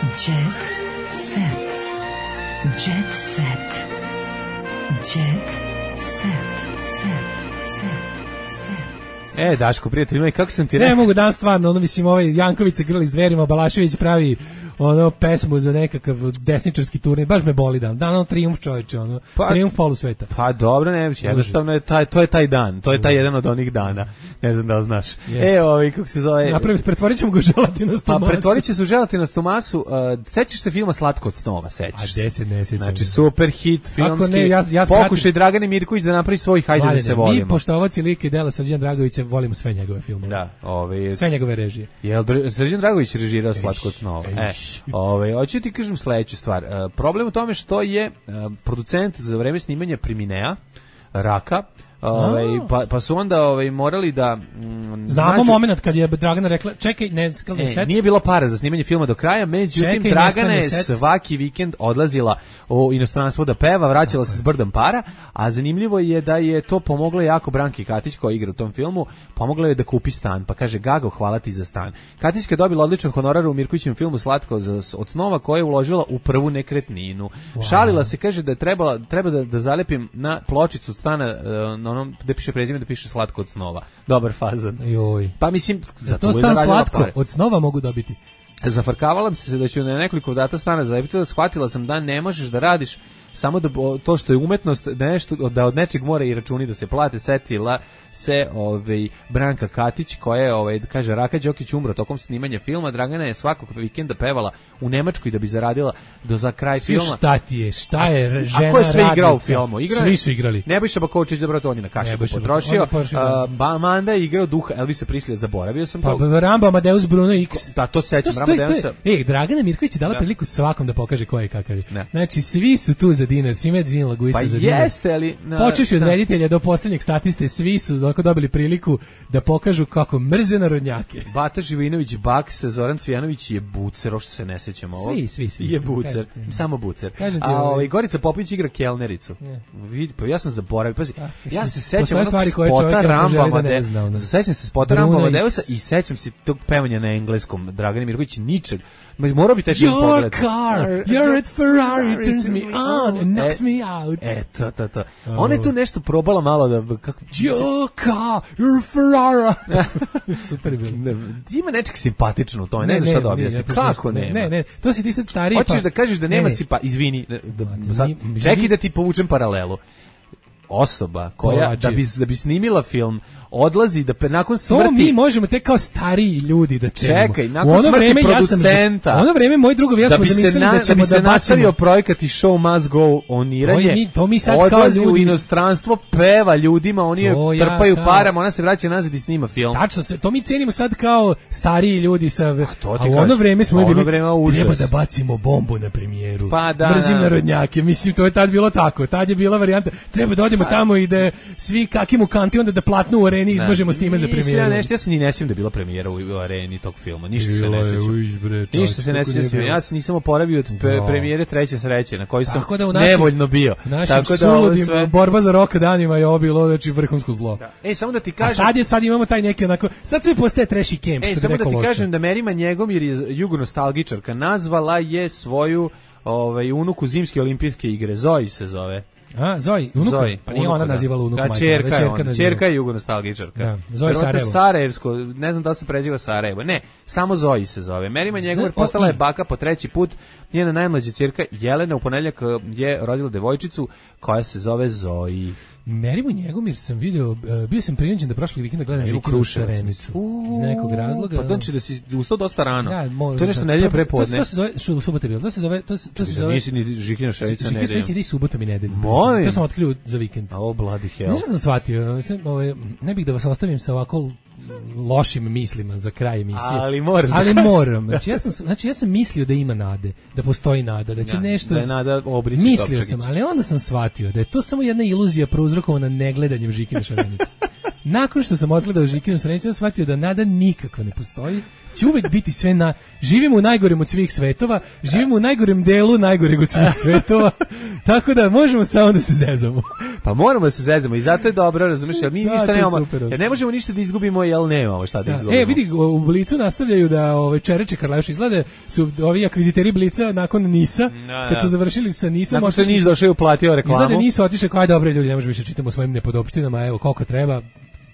Jet set. Jet set. Jet set. Set. Set. E, Daško, prijatelj, kako sam ti rekao? Ne mogu dan stvarno, ono mislim, ovaj Janković se grli s dverima, Balašević pravi ono pesmu za nekakav desničarski turnir, baš me boli dan. Dan ono trijumf čovječe, ono, pa, trijumf polusveta. Pa dobro, ne, jednostavno je taj, to je taj dan, to je taj jedan od onih dana, ne znam da li znaš. Jeste. E, ovaj, kako se zove... Napravi, pretvorit ćemo ga u želatinastu masu. Pa pretvorit će se u želatinastu masu, uh, sećaš se filma Slatko od snova, sećaš se? A deset ne sećam. Znači, super hit, filmski, ne, ja, ja pokušaj Dragane Mirković da napravi svoj Hajde Valjene, da se volimo. Mi, poštovaci lika i dela Srđan Dragovića, volimo sve njegove filmove. Da, ovaj... Sve njegove režije. Jel Srđan Dragović režirao Slatko od snova? E, ovaj, hoću ti kažem sledeću stvar. Uh, problem u tome što je uh, producent za vreme snimanja Priminea, Raka, Ovaj pa pa su onda ovaj morali da mm, znamo nađu... momenat kad je Dragana rekla čekaj ne skalni set. Nije bilo para za snimanje filma do kraja, međutim čekaj, Dragana je svaki vikend odlazila u inostranstvo da peva, vraćala se s brdom para, a zanimljivo je da je to pomogla jako Branki Katić koja igra u tom filmu, pomogla je da kupi stan, pa kaže Gago hvala ti za stan. Katićka je dobila odličan honorar u Mirkovićevom filmu Slatko za, od snova koje je uložila u prvu nekretninu. Wow. Šalila se, kaže da je trebala treba da, da zalepim na pločicu od stana na onom gde piše prezime da piše Slatko od snova. Dobar fazan. Joj. Pa mislim za to stan Slatko pare. Od snova mogu dobiti. Zafarkavala se da ću na nekoliko data stana zalepiti, da shvatila sam da ne možeš da radiš samo da to što je umetnost da nešto da od nečeg mora i računi da se plate. Setila se ovaj Branka Katić koja je ovaj kaže Raka Đokić umro tokom snimanja filma. Dragana je svakog vikenda pevala u Nemačkoj da bi zaradila do za kraj Svi filma. Šta ti je? Šta je žena? A ko je sve igrao u filmu? Igra, Svi su igrali. Nebojša Baković za brato on je na kašiku potrošio. Uh, Manda je igrao duha Elvisa Prislija, zaboravio sam to. Pa Rambo Amadeus Bruno X. Da, to sećam Amadeus. Ej, Dragana Mirković je dala priliku svakom da pokaže ko je kakav je. Znači svi su tu za dinar, svi med zin laguista pa za dinar. Jeste, ali počeši od reditelja do poslednjeg statiste, svi su dok dobili priliku da pokažu kako mrze narodnjake. Bata Živinović Baks, Zoran Cvijanović je bucer, što se ne sećamo ovo. Svi, svi, svi. Je bucer, kažete. Samo bucer. Kažete, a ovaj Gorica Popović igra kelnericu. Vidi, pa ja sam zaboravio, pazi. Ja se sećam onog spota Ramba Amadeus. Sećam se spota Ramba Amadeusa i sećam se tog pevanja na engleskom. Dragana Mirković ničeg. Morao bi taj film pogledati. Your car, you're at Ferrari, turns me on on knocks e, me out. E, to, to, to. Ona je tu nešto probala malo da... Kako, Joka, you're Ferrara. Super je bilo. Ima nečeg simpatično u tome, ne, ne znaš šta da objasni. Kako nema? Ne, ne, to si ti sad stariji. Hoćeš pa... da kažeš da nema si pa, izvini, da, da, sad, čekaj da ti povučem paralelu. Osoba koja, da bi, da bi snimila film, odlazi da nakon smrti... To mi možemo tek kao stariji ljudi da cenimo. Čekaj, nakon smrti vreme, producenta... Ja sam, u ono vreme, moji drugovi, ja da smo zamislili na, da ćemo da bi se da bacimo... nastavio projekat i show must go oniranje, to mi, to mi sad odlazi kao ljudi... u inostranstvo, peva ljudima, oni je trpaju ja, parama, ona se vraća nazad i snima film. Tačno, to mi cenimo sad kao stariji ljudi sa... A, to a u ono vreme smo bili, vreme treba da bacimo bombu na premijeru. Pa da, Mrzim da. narodnjake, mislim, to je tad bilo tako. Tad je bila varijanta, treba da odemo pa. tamo i da svi kakim u kanti, onda da platnu u areni izmažemo s time za premijeru. Ja nešto, ja se ni ne sjećam da je bila premijera u, u areni tog filma, ništa se ne sjećam. Ništa se ne sjećam. Ja se nisam oporavio od pre, premijere Treće sreće, na kojoj sam da naši, nevoljno bio. Tako da ovo sve borba za rok danima je ovo bilo znači vrhunsko zlo. Da. Ej, samo da ti kažem. A sad je sad imamo taj neki onako, sad sve postaje trashy camp, Ej, što samo bi rekao. Da ti loše. kažem da Merima Njegomir je jugonostalgičarka, nazvala je svoju ovaj unuku zimske olimpijske igre, Zoji se zove. A, Zoji, unuka? Zoji, pa nije ona nazivala unuku majka. Čerka je ona, čerka je jugonostalgičarka. Da, Zoji Sarajevo. Sarajevsko, ne znam da li se preziva Sarajevo. Ne, samo Zoji se zove. Merima Njegomir postala je baka po treći put. Njena najmlađa ćerka Jelena u ponedjeljak je rodila devojčicu koja se zove Zoji. Merimu Njegomir sam video, uh, bio sam prinuđen da prošli vikenda gledam Žikinu Šarenicu. Iz nekog razloga. Pa znači da si ustao dosta rano. Da, mo, to je nešto nedelje prepodne. To se zove, što u subota bilo, to se zove, to se, to se zove... Nisi ni Žikina Šarenica nedelje. Žikina Šarenica i subota mi nedelje. Molim. To sam otkrio za vikend. A oh, bloody hell. Znaš sam shvatio, ovaj, ne bih da vas ostavim sa ovako lošim mislima za kraj emisije. Ali moram. Ali moram. Znači ja sam znači ja sam mislio da ima nade, da postoji nada, da će ja, nešto da je nada obrići. Mislio sam, ali onda sam shvatio da je to samo jedna iluzija prouzrokovana negledanjem Žikine Šarenice. Nakon što sam odgledao Žikinu Šarenicu, sam shvatio da nada nikakva ne postoji. Će uvek biti sve na... Živimo u najgorem od svih svetova, živimo u najgorem delu najgoreg od svih svetova, tako da možemo samo da se zezamo. Pa moramo da se zezamo i zato je dobro, razumiješ, jer mi da, ništa nemamo, super, jer ne možemo ništa da izgubimo, jer nemamo šta da, da izgubimo. E, vidi, u Blicu nastavljaju da ove Čereče Karleuša izglede, su ovi akviziteri Blica nakon Nisa, da, kad su završili sa Nisom... Nakon što Nis došao i uplatio reklamu. Izglede Nis otišao, kao je dobre ljudi, ne možemo više čitamo o svojim nepodopštinama, evo koliko treba,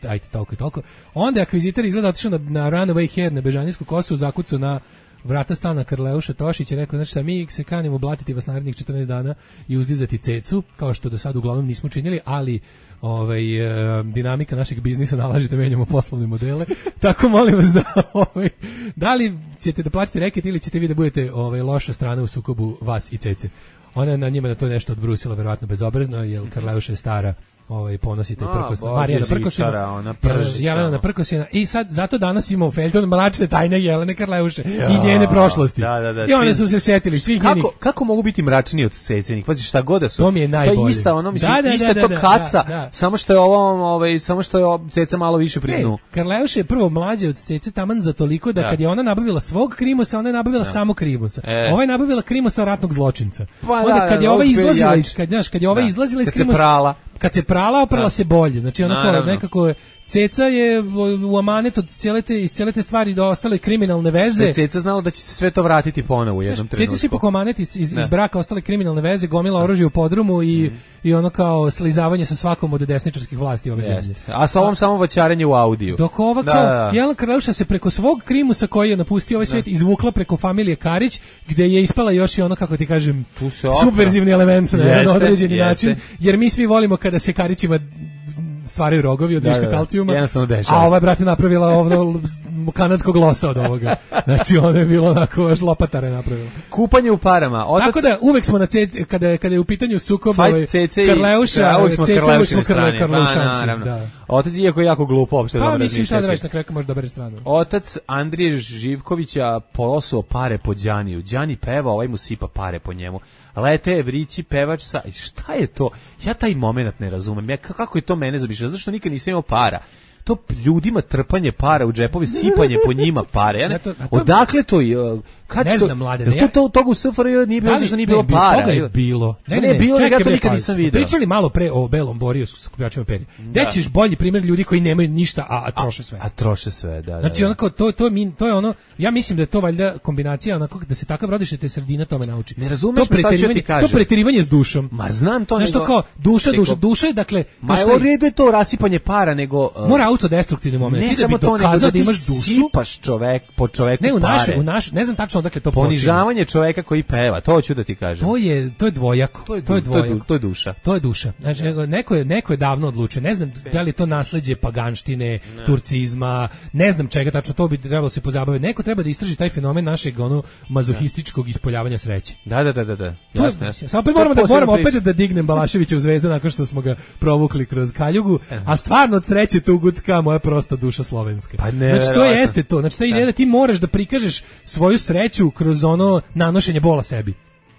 ajte toliko i toliko. Onda je akvizitor izgleda otišao na, na Runaway Head, na Bežanijsku kosu, zakucao na vrata stana Karleuša Tošić i rekao, znači šta, mi se kanimo blatiti vas narednih četrnaest dana i uzdizati cecu, kao što do sad uglavnom nismo činili, ali ovaj, e, dinamika našeg biznisa nalaže da menjamo poslovne modele, tako molim vas da, ovaj, da li ćete da platite reket ili ćete vi da budete ovaj, loša strana u sukobu vas i cece. Ona na njima da to nešto odbrusila, verovatno bezobrazno, jer Karleuša je stara, ovaj ponosite prkosna Marijana Prkosina, ona Jelena Prkosina i sad zato danas imamo feljton mračne tajne Jelene Karleuše ja, i njene prošlosti. Da, da, da, I one su se setili svih kako, njenih. Kako mogu biti mračniji od cecenih? Pazi šta god da su. To mi je najbolje. To je ista, ono mislim, da, da, ista da, to da, kaca, da, da. samo što je ovo, ovaj, samo što je ceca malo više pri dnu. Karleuša je prvo mlađa od cece taman za toliko da, da kad je ona nabavila svog krimosa, ona je nabavila da. samo krimosa. E. Ova je nabavila krimosa ratnog zločinca. Pa, onda da, kad je ova izlazila iz kad znaš, kad je ova izlazila iz krimosa, kad se prala, oprala da. se bolje. Znači onako nekako ceca je u amanet od cijele te, iz cijele te stvari do ostale kriminalne veze. Ceca znala da će se sve to vratiti ponovo u jednom trenutku. Ceca se ipak amanet iz, iz, iz braka ostale kriminalne veze, gomila oružje u podrumu i, mm. i ono kao slizavanje sa svakom od desničarskih vlasti ove zemlje. A sa ovom samo vaćarenje u audiju. Dok ova kao, da, da. Jelena Karleuša se preko svog krimusa koji je napustio ovaj svijet da. izvukla preko familije Karić, gde je ispala još i ono, kako ti kažem, subverzivni element na jedan određeni jeste. način, jer mi svi volimo kada se Karićima stvaraju rogovi od viška da, da, kalcijuma, a ova je, brate, napravila ovdje kanadskog losa od ovoga. Znači, ona je bilo onako, baš lopatara je napravila. Kupanje u parama. Otac... Tako da, uvek smo na cece, kada, kada je u pitanju sukob ovaj, Karleuša, uvek smo Karleušine strane. Karleušanci. Da. Otac, iako je jako glupo, uopšte pa, dobro mislim, razmišljati. šta da reći, na kraju može da bere stranu. Otac Andrije Živkovića polosuo pare po Đaniju. Đani peva, ovaj mu sipa pare po njemu. Lete Evrići, pevač sa... Šta je to? Ja taj moment ne razumem. Ja, kako je to mene zabišao? Zato što nikad nisam imao para. To ljudima trpanje para u džepovi, sipanje po njima pare. Ja ne, to, to, odakle to? Kad ne to, znam, mlade. To to toga u S F R J nije bilo, zašto nije bilo para. Toga je bilo. Ne, ne, ne, bilo, čekaj, ja to nikad nisam video. Pričali malo pre o belom boriju s skupljačima perja. Gde ćeš bolji primjer ljudi koji nemaju ništa, a, a troše sve. A, a troše sve, da, da. Znači, onako, to, to, je, to je ono, ja mislim da je to valjda kombinacija, onako, da se takav rodiš, da te sredina tome nauči. Ne razumeš me šta ću ti kažem. To preterivanje s dušom. Ma znam to, nešto kao, duša, duša, duša je, dakle... Ma je u redu je to rasipanje para, nego... Uh, mora autodestruktivni moment. Ne ti samo da bi to, nego da ti imaš dušu, sipaš čovek, po čoveku ne, u pare. naše, u naš, ne znam tačno odakle to počinje. Ponižavanje čoveka koji peva, to hoću da ti kažem. To je, to je dvojako. To je, to je dvojako. To je duša. To je duša. Znači, ja. neko, je, neko je davno odlučio. Ne znam da li je to nasleđe paganštine, ne. turcizma, ne znam čega, tačno to bi trebalo se pozabaviti. Neko treba da istraži taj fenomen našeg ono mazohističkog ispoljavanja sreće. Da, da, da, da, da. Jasno, jasno. Samo opet moramo da moramo opet da dignem Balaševića u Zvezdu nakon što smo ga provukli kroz kaljugu, a stvarno od sreće tu gutka moja prosta duša slovenska. Pa ne, znači to jeste to. Znači ta ideja da ti moraš da prikažeš svoju sreću kroz ono nanošenje bola sebi.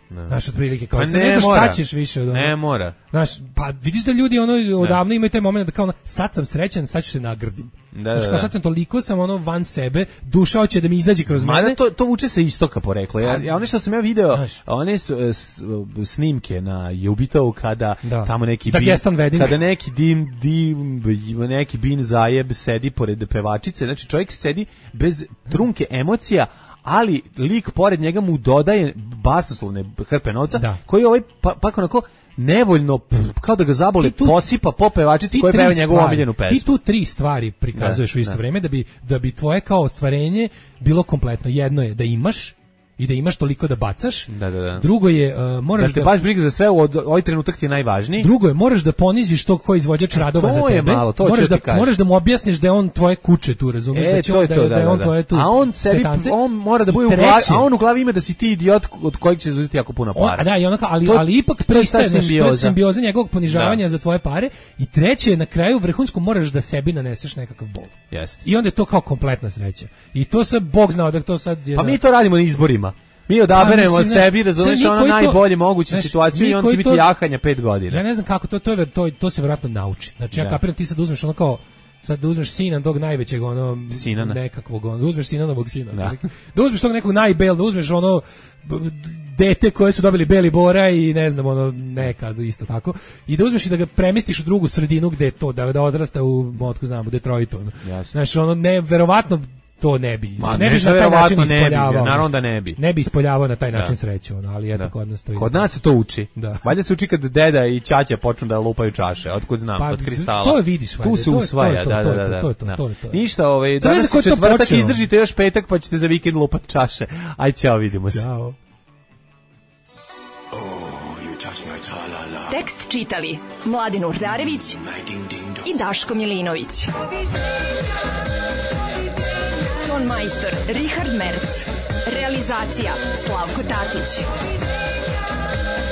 Ne. Znaš, otprilike, kao pa ne, ne ne znaš mora. šta ćeš više od ono. Ne mora. Znaš, pa vidiš da ljudi ono odavno imaju taj moment da kao ono, sad sam srećan, sad ću se nagrdim. Da, znači, da, kao sad sam toliko sam ono van sebe, duša hoće da mi izađe kroz mene. mene. To, to vuče se istoka poreklo. Ja, ja ono što sam ja video, znaš, one su, s, snimke na Jubitovu kada da. tamo neki da bin, kada neki dim, dim, neki bin zajeb sedi pored pevačice, znači čovjek sedi bez trunke emocija, ali lik pored njega mu dodaje basnoslovne hrpe novca, da. Koji ovaj pa, pa onako nevoljno, kao da ga zabole, tu, posipa po pevačici koja peva njegovu omiljenu pesmu. Ti tu tri stvari prikazuješ da, u isto da. Vreme da bi, da bi tvoje kao ostvarenje bilo kompletno. Jedno je da imaš i da imaš toliko da bacaš. Da, da, da. Drugo je uh, moraš da te da baš briga za sve, od ovaj trenutak ti je najvažniji. Drugo je moraš da poniziš tog ko izvođač radova to za tebe. Je malo, to moraš da kažem. moraš da mu objasniš da je on tvoje kuće tu, razumeš, e, da će to on, je to, da, da, da je on da, tvoje tu. A on sebi on mora da bude u glavi, a on u glavi ima da si ti idiot od kojeg će uzeti jako puno para. On, da, i onako, ali to, ali ipak pristaje na što simbioza njegovog ponižavanja da. Za tvoje pare. I treće, na kraju vrhunsko moraš da sebi naneseš nekakav bol. Jeste. I onda je to kao kompletna sreća. I to se Bog zna da to sad je. Pa mi to radimo na izborima. Mi odaberemo pa, sebi, razumiješ, ono najbolje moguću znaš, situaciju i on će biti to, jahanja pet godina. Ja ne znam kako, to, to, je, to, to se vjerojatno nauči. Znači ja, ja kapiram, ti sad uzmeš ono kao, sad da uzmeš sina tog najvećeg, ono, Sinana. nekakvog, ono, da uzmeš Sinanovog sina. Da. da uzmeš tog nekog najbel, da uzmeš ono, dete koje su dobili beli bora i ne znam, ono, nekad isto tako. I da uzmeš i da ga premestiš u drugu sredinu gde je to, da, da odrasta u, otko znam, u Detroitu. Ono. Znači, ono, ne, verovatno, to ne bi, Ma, ne bi na taj način ispoljavao. Naravno da ne bi. Ne bi ispoljavao na taj način da. Sreću, ono, ali eto da. Kod nas to Kod nas se to uči. Da. Valjda se uči kad deda i ćaća počnu da lupaju čaše, otkud znam, pa, od kristala. To vidiš, valjda. Tu se usvaja, da, da, da. To je to, to je to. Ništa, ovaj, danas je četvrtak, izdržite još petak, pa ćete za vikend lupat čaše. Aj, ćao, vidimo se. Ćao. Tekst čitali Mladin Urdarević i Daško Milinović. Ton majstor Richard Merc. Realizacija Slavko Tatić.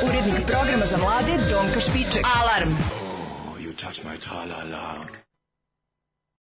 Urednik programa za mlade Donka Špiček. Alarm! Oh, you touch my tra-la-la.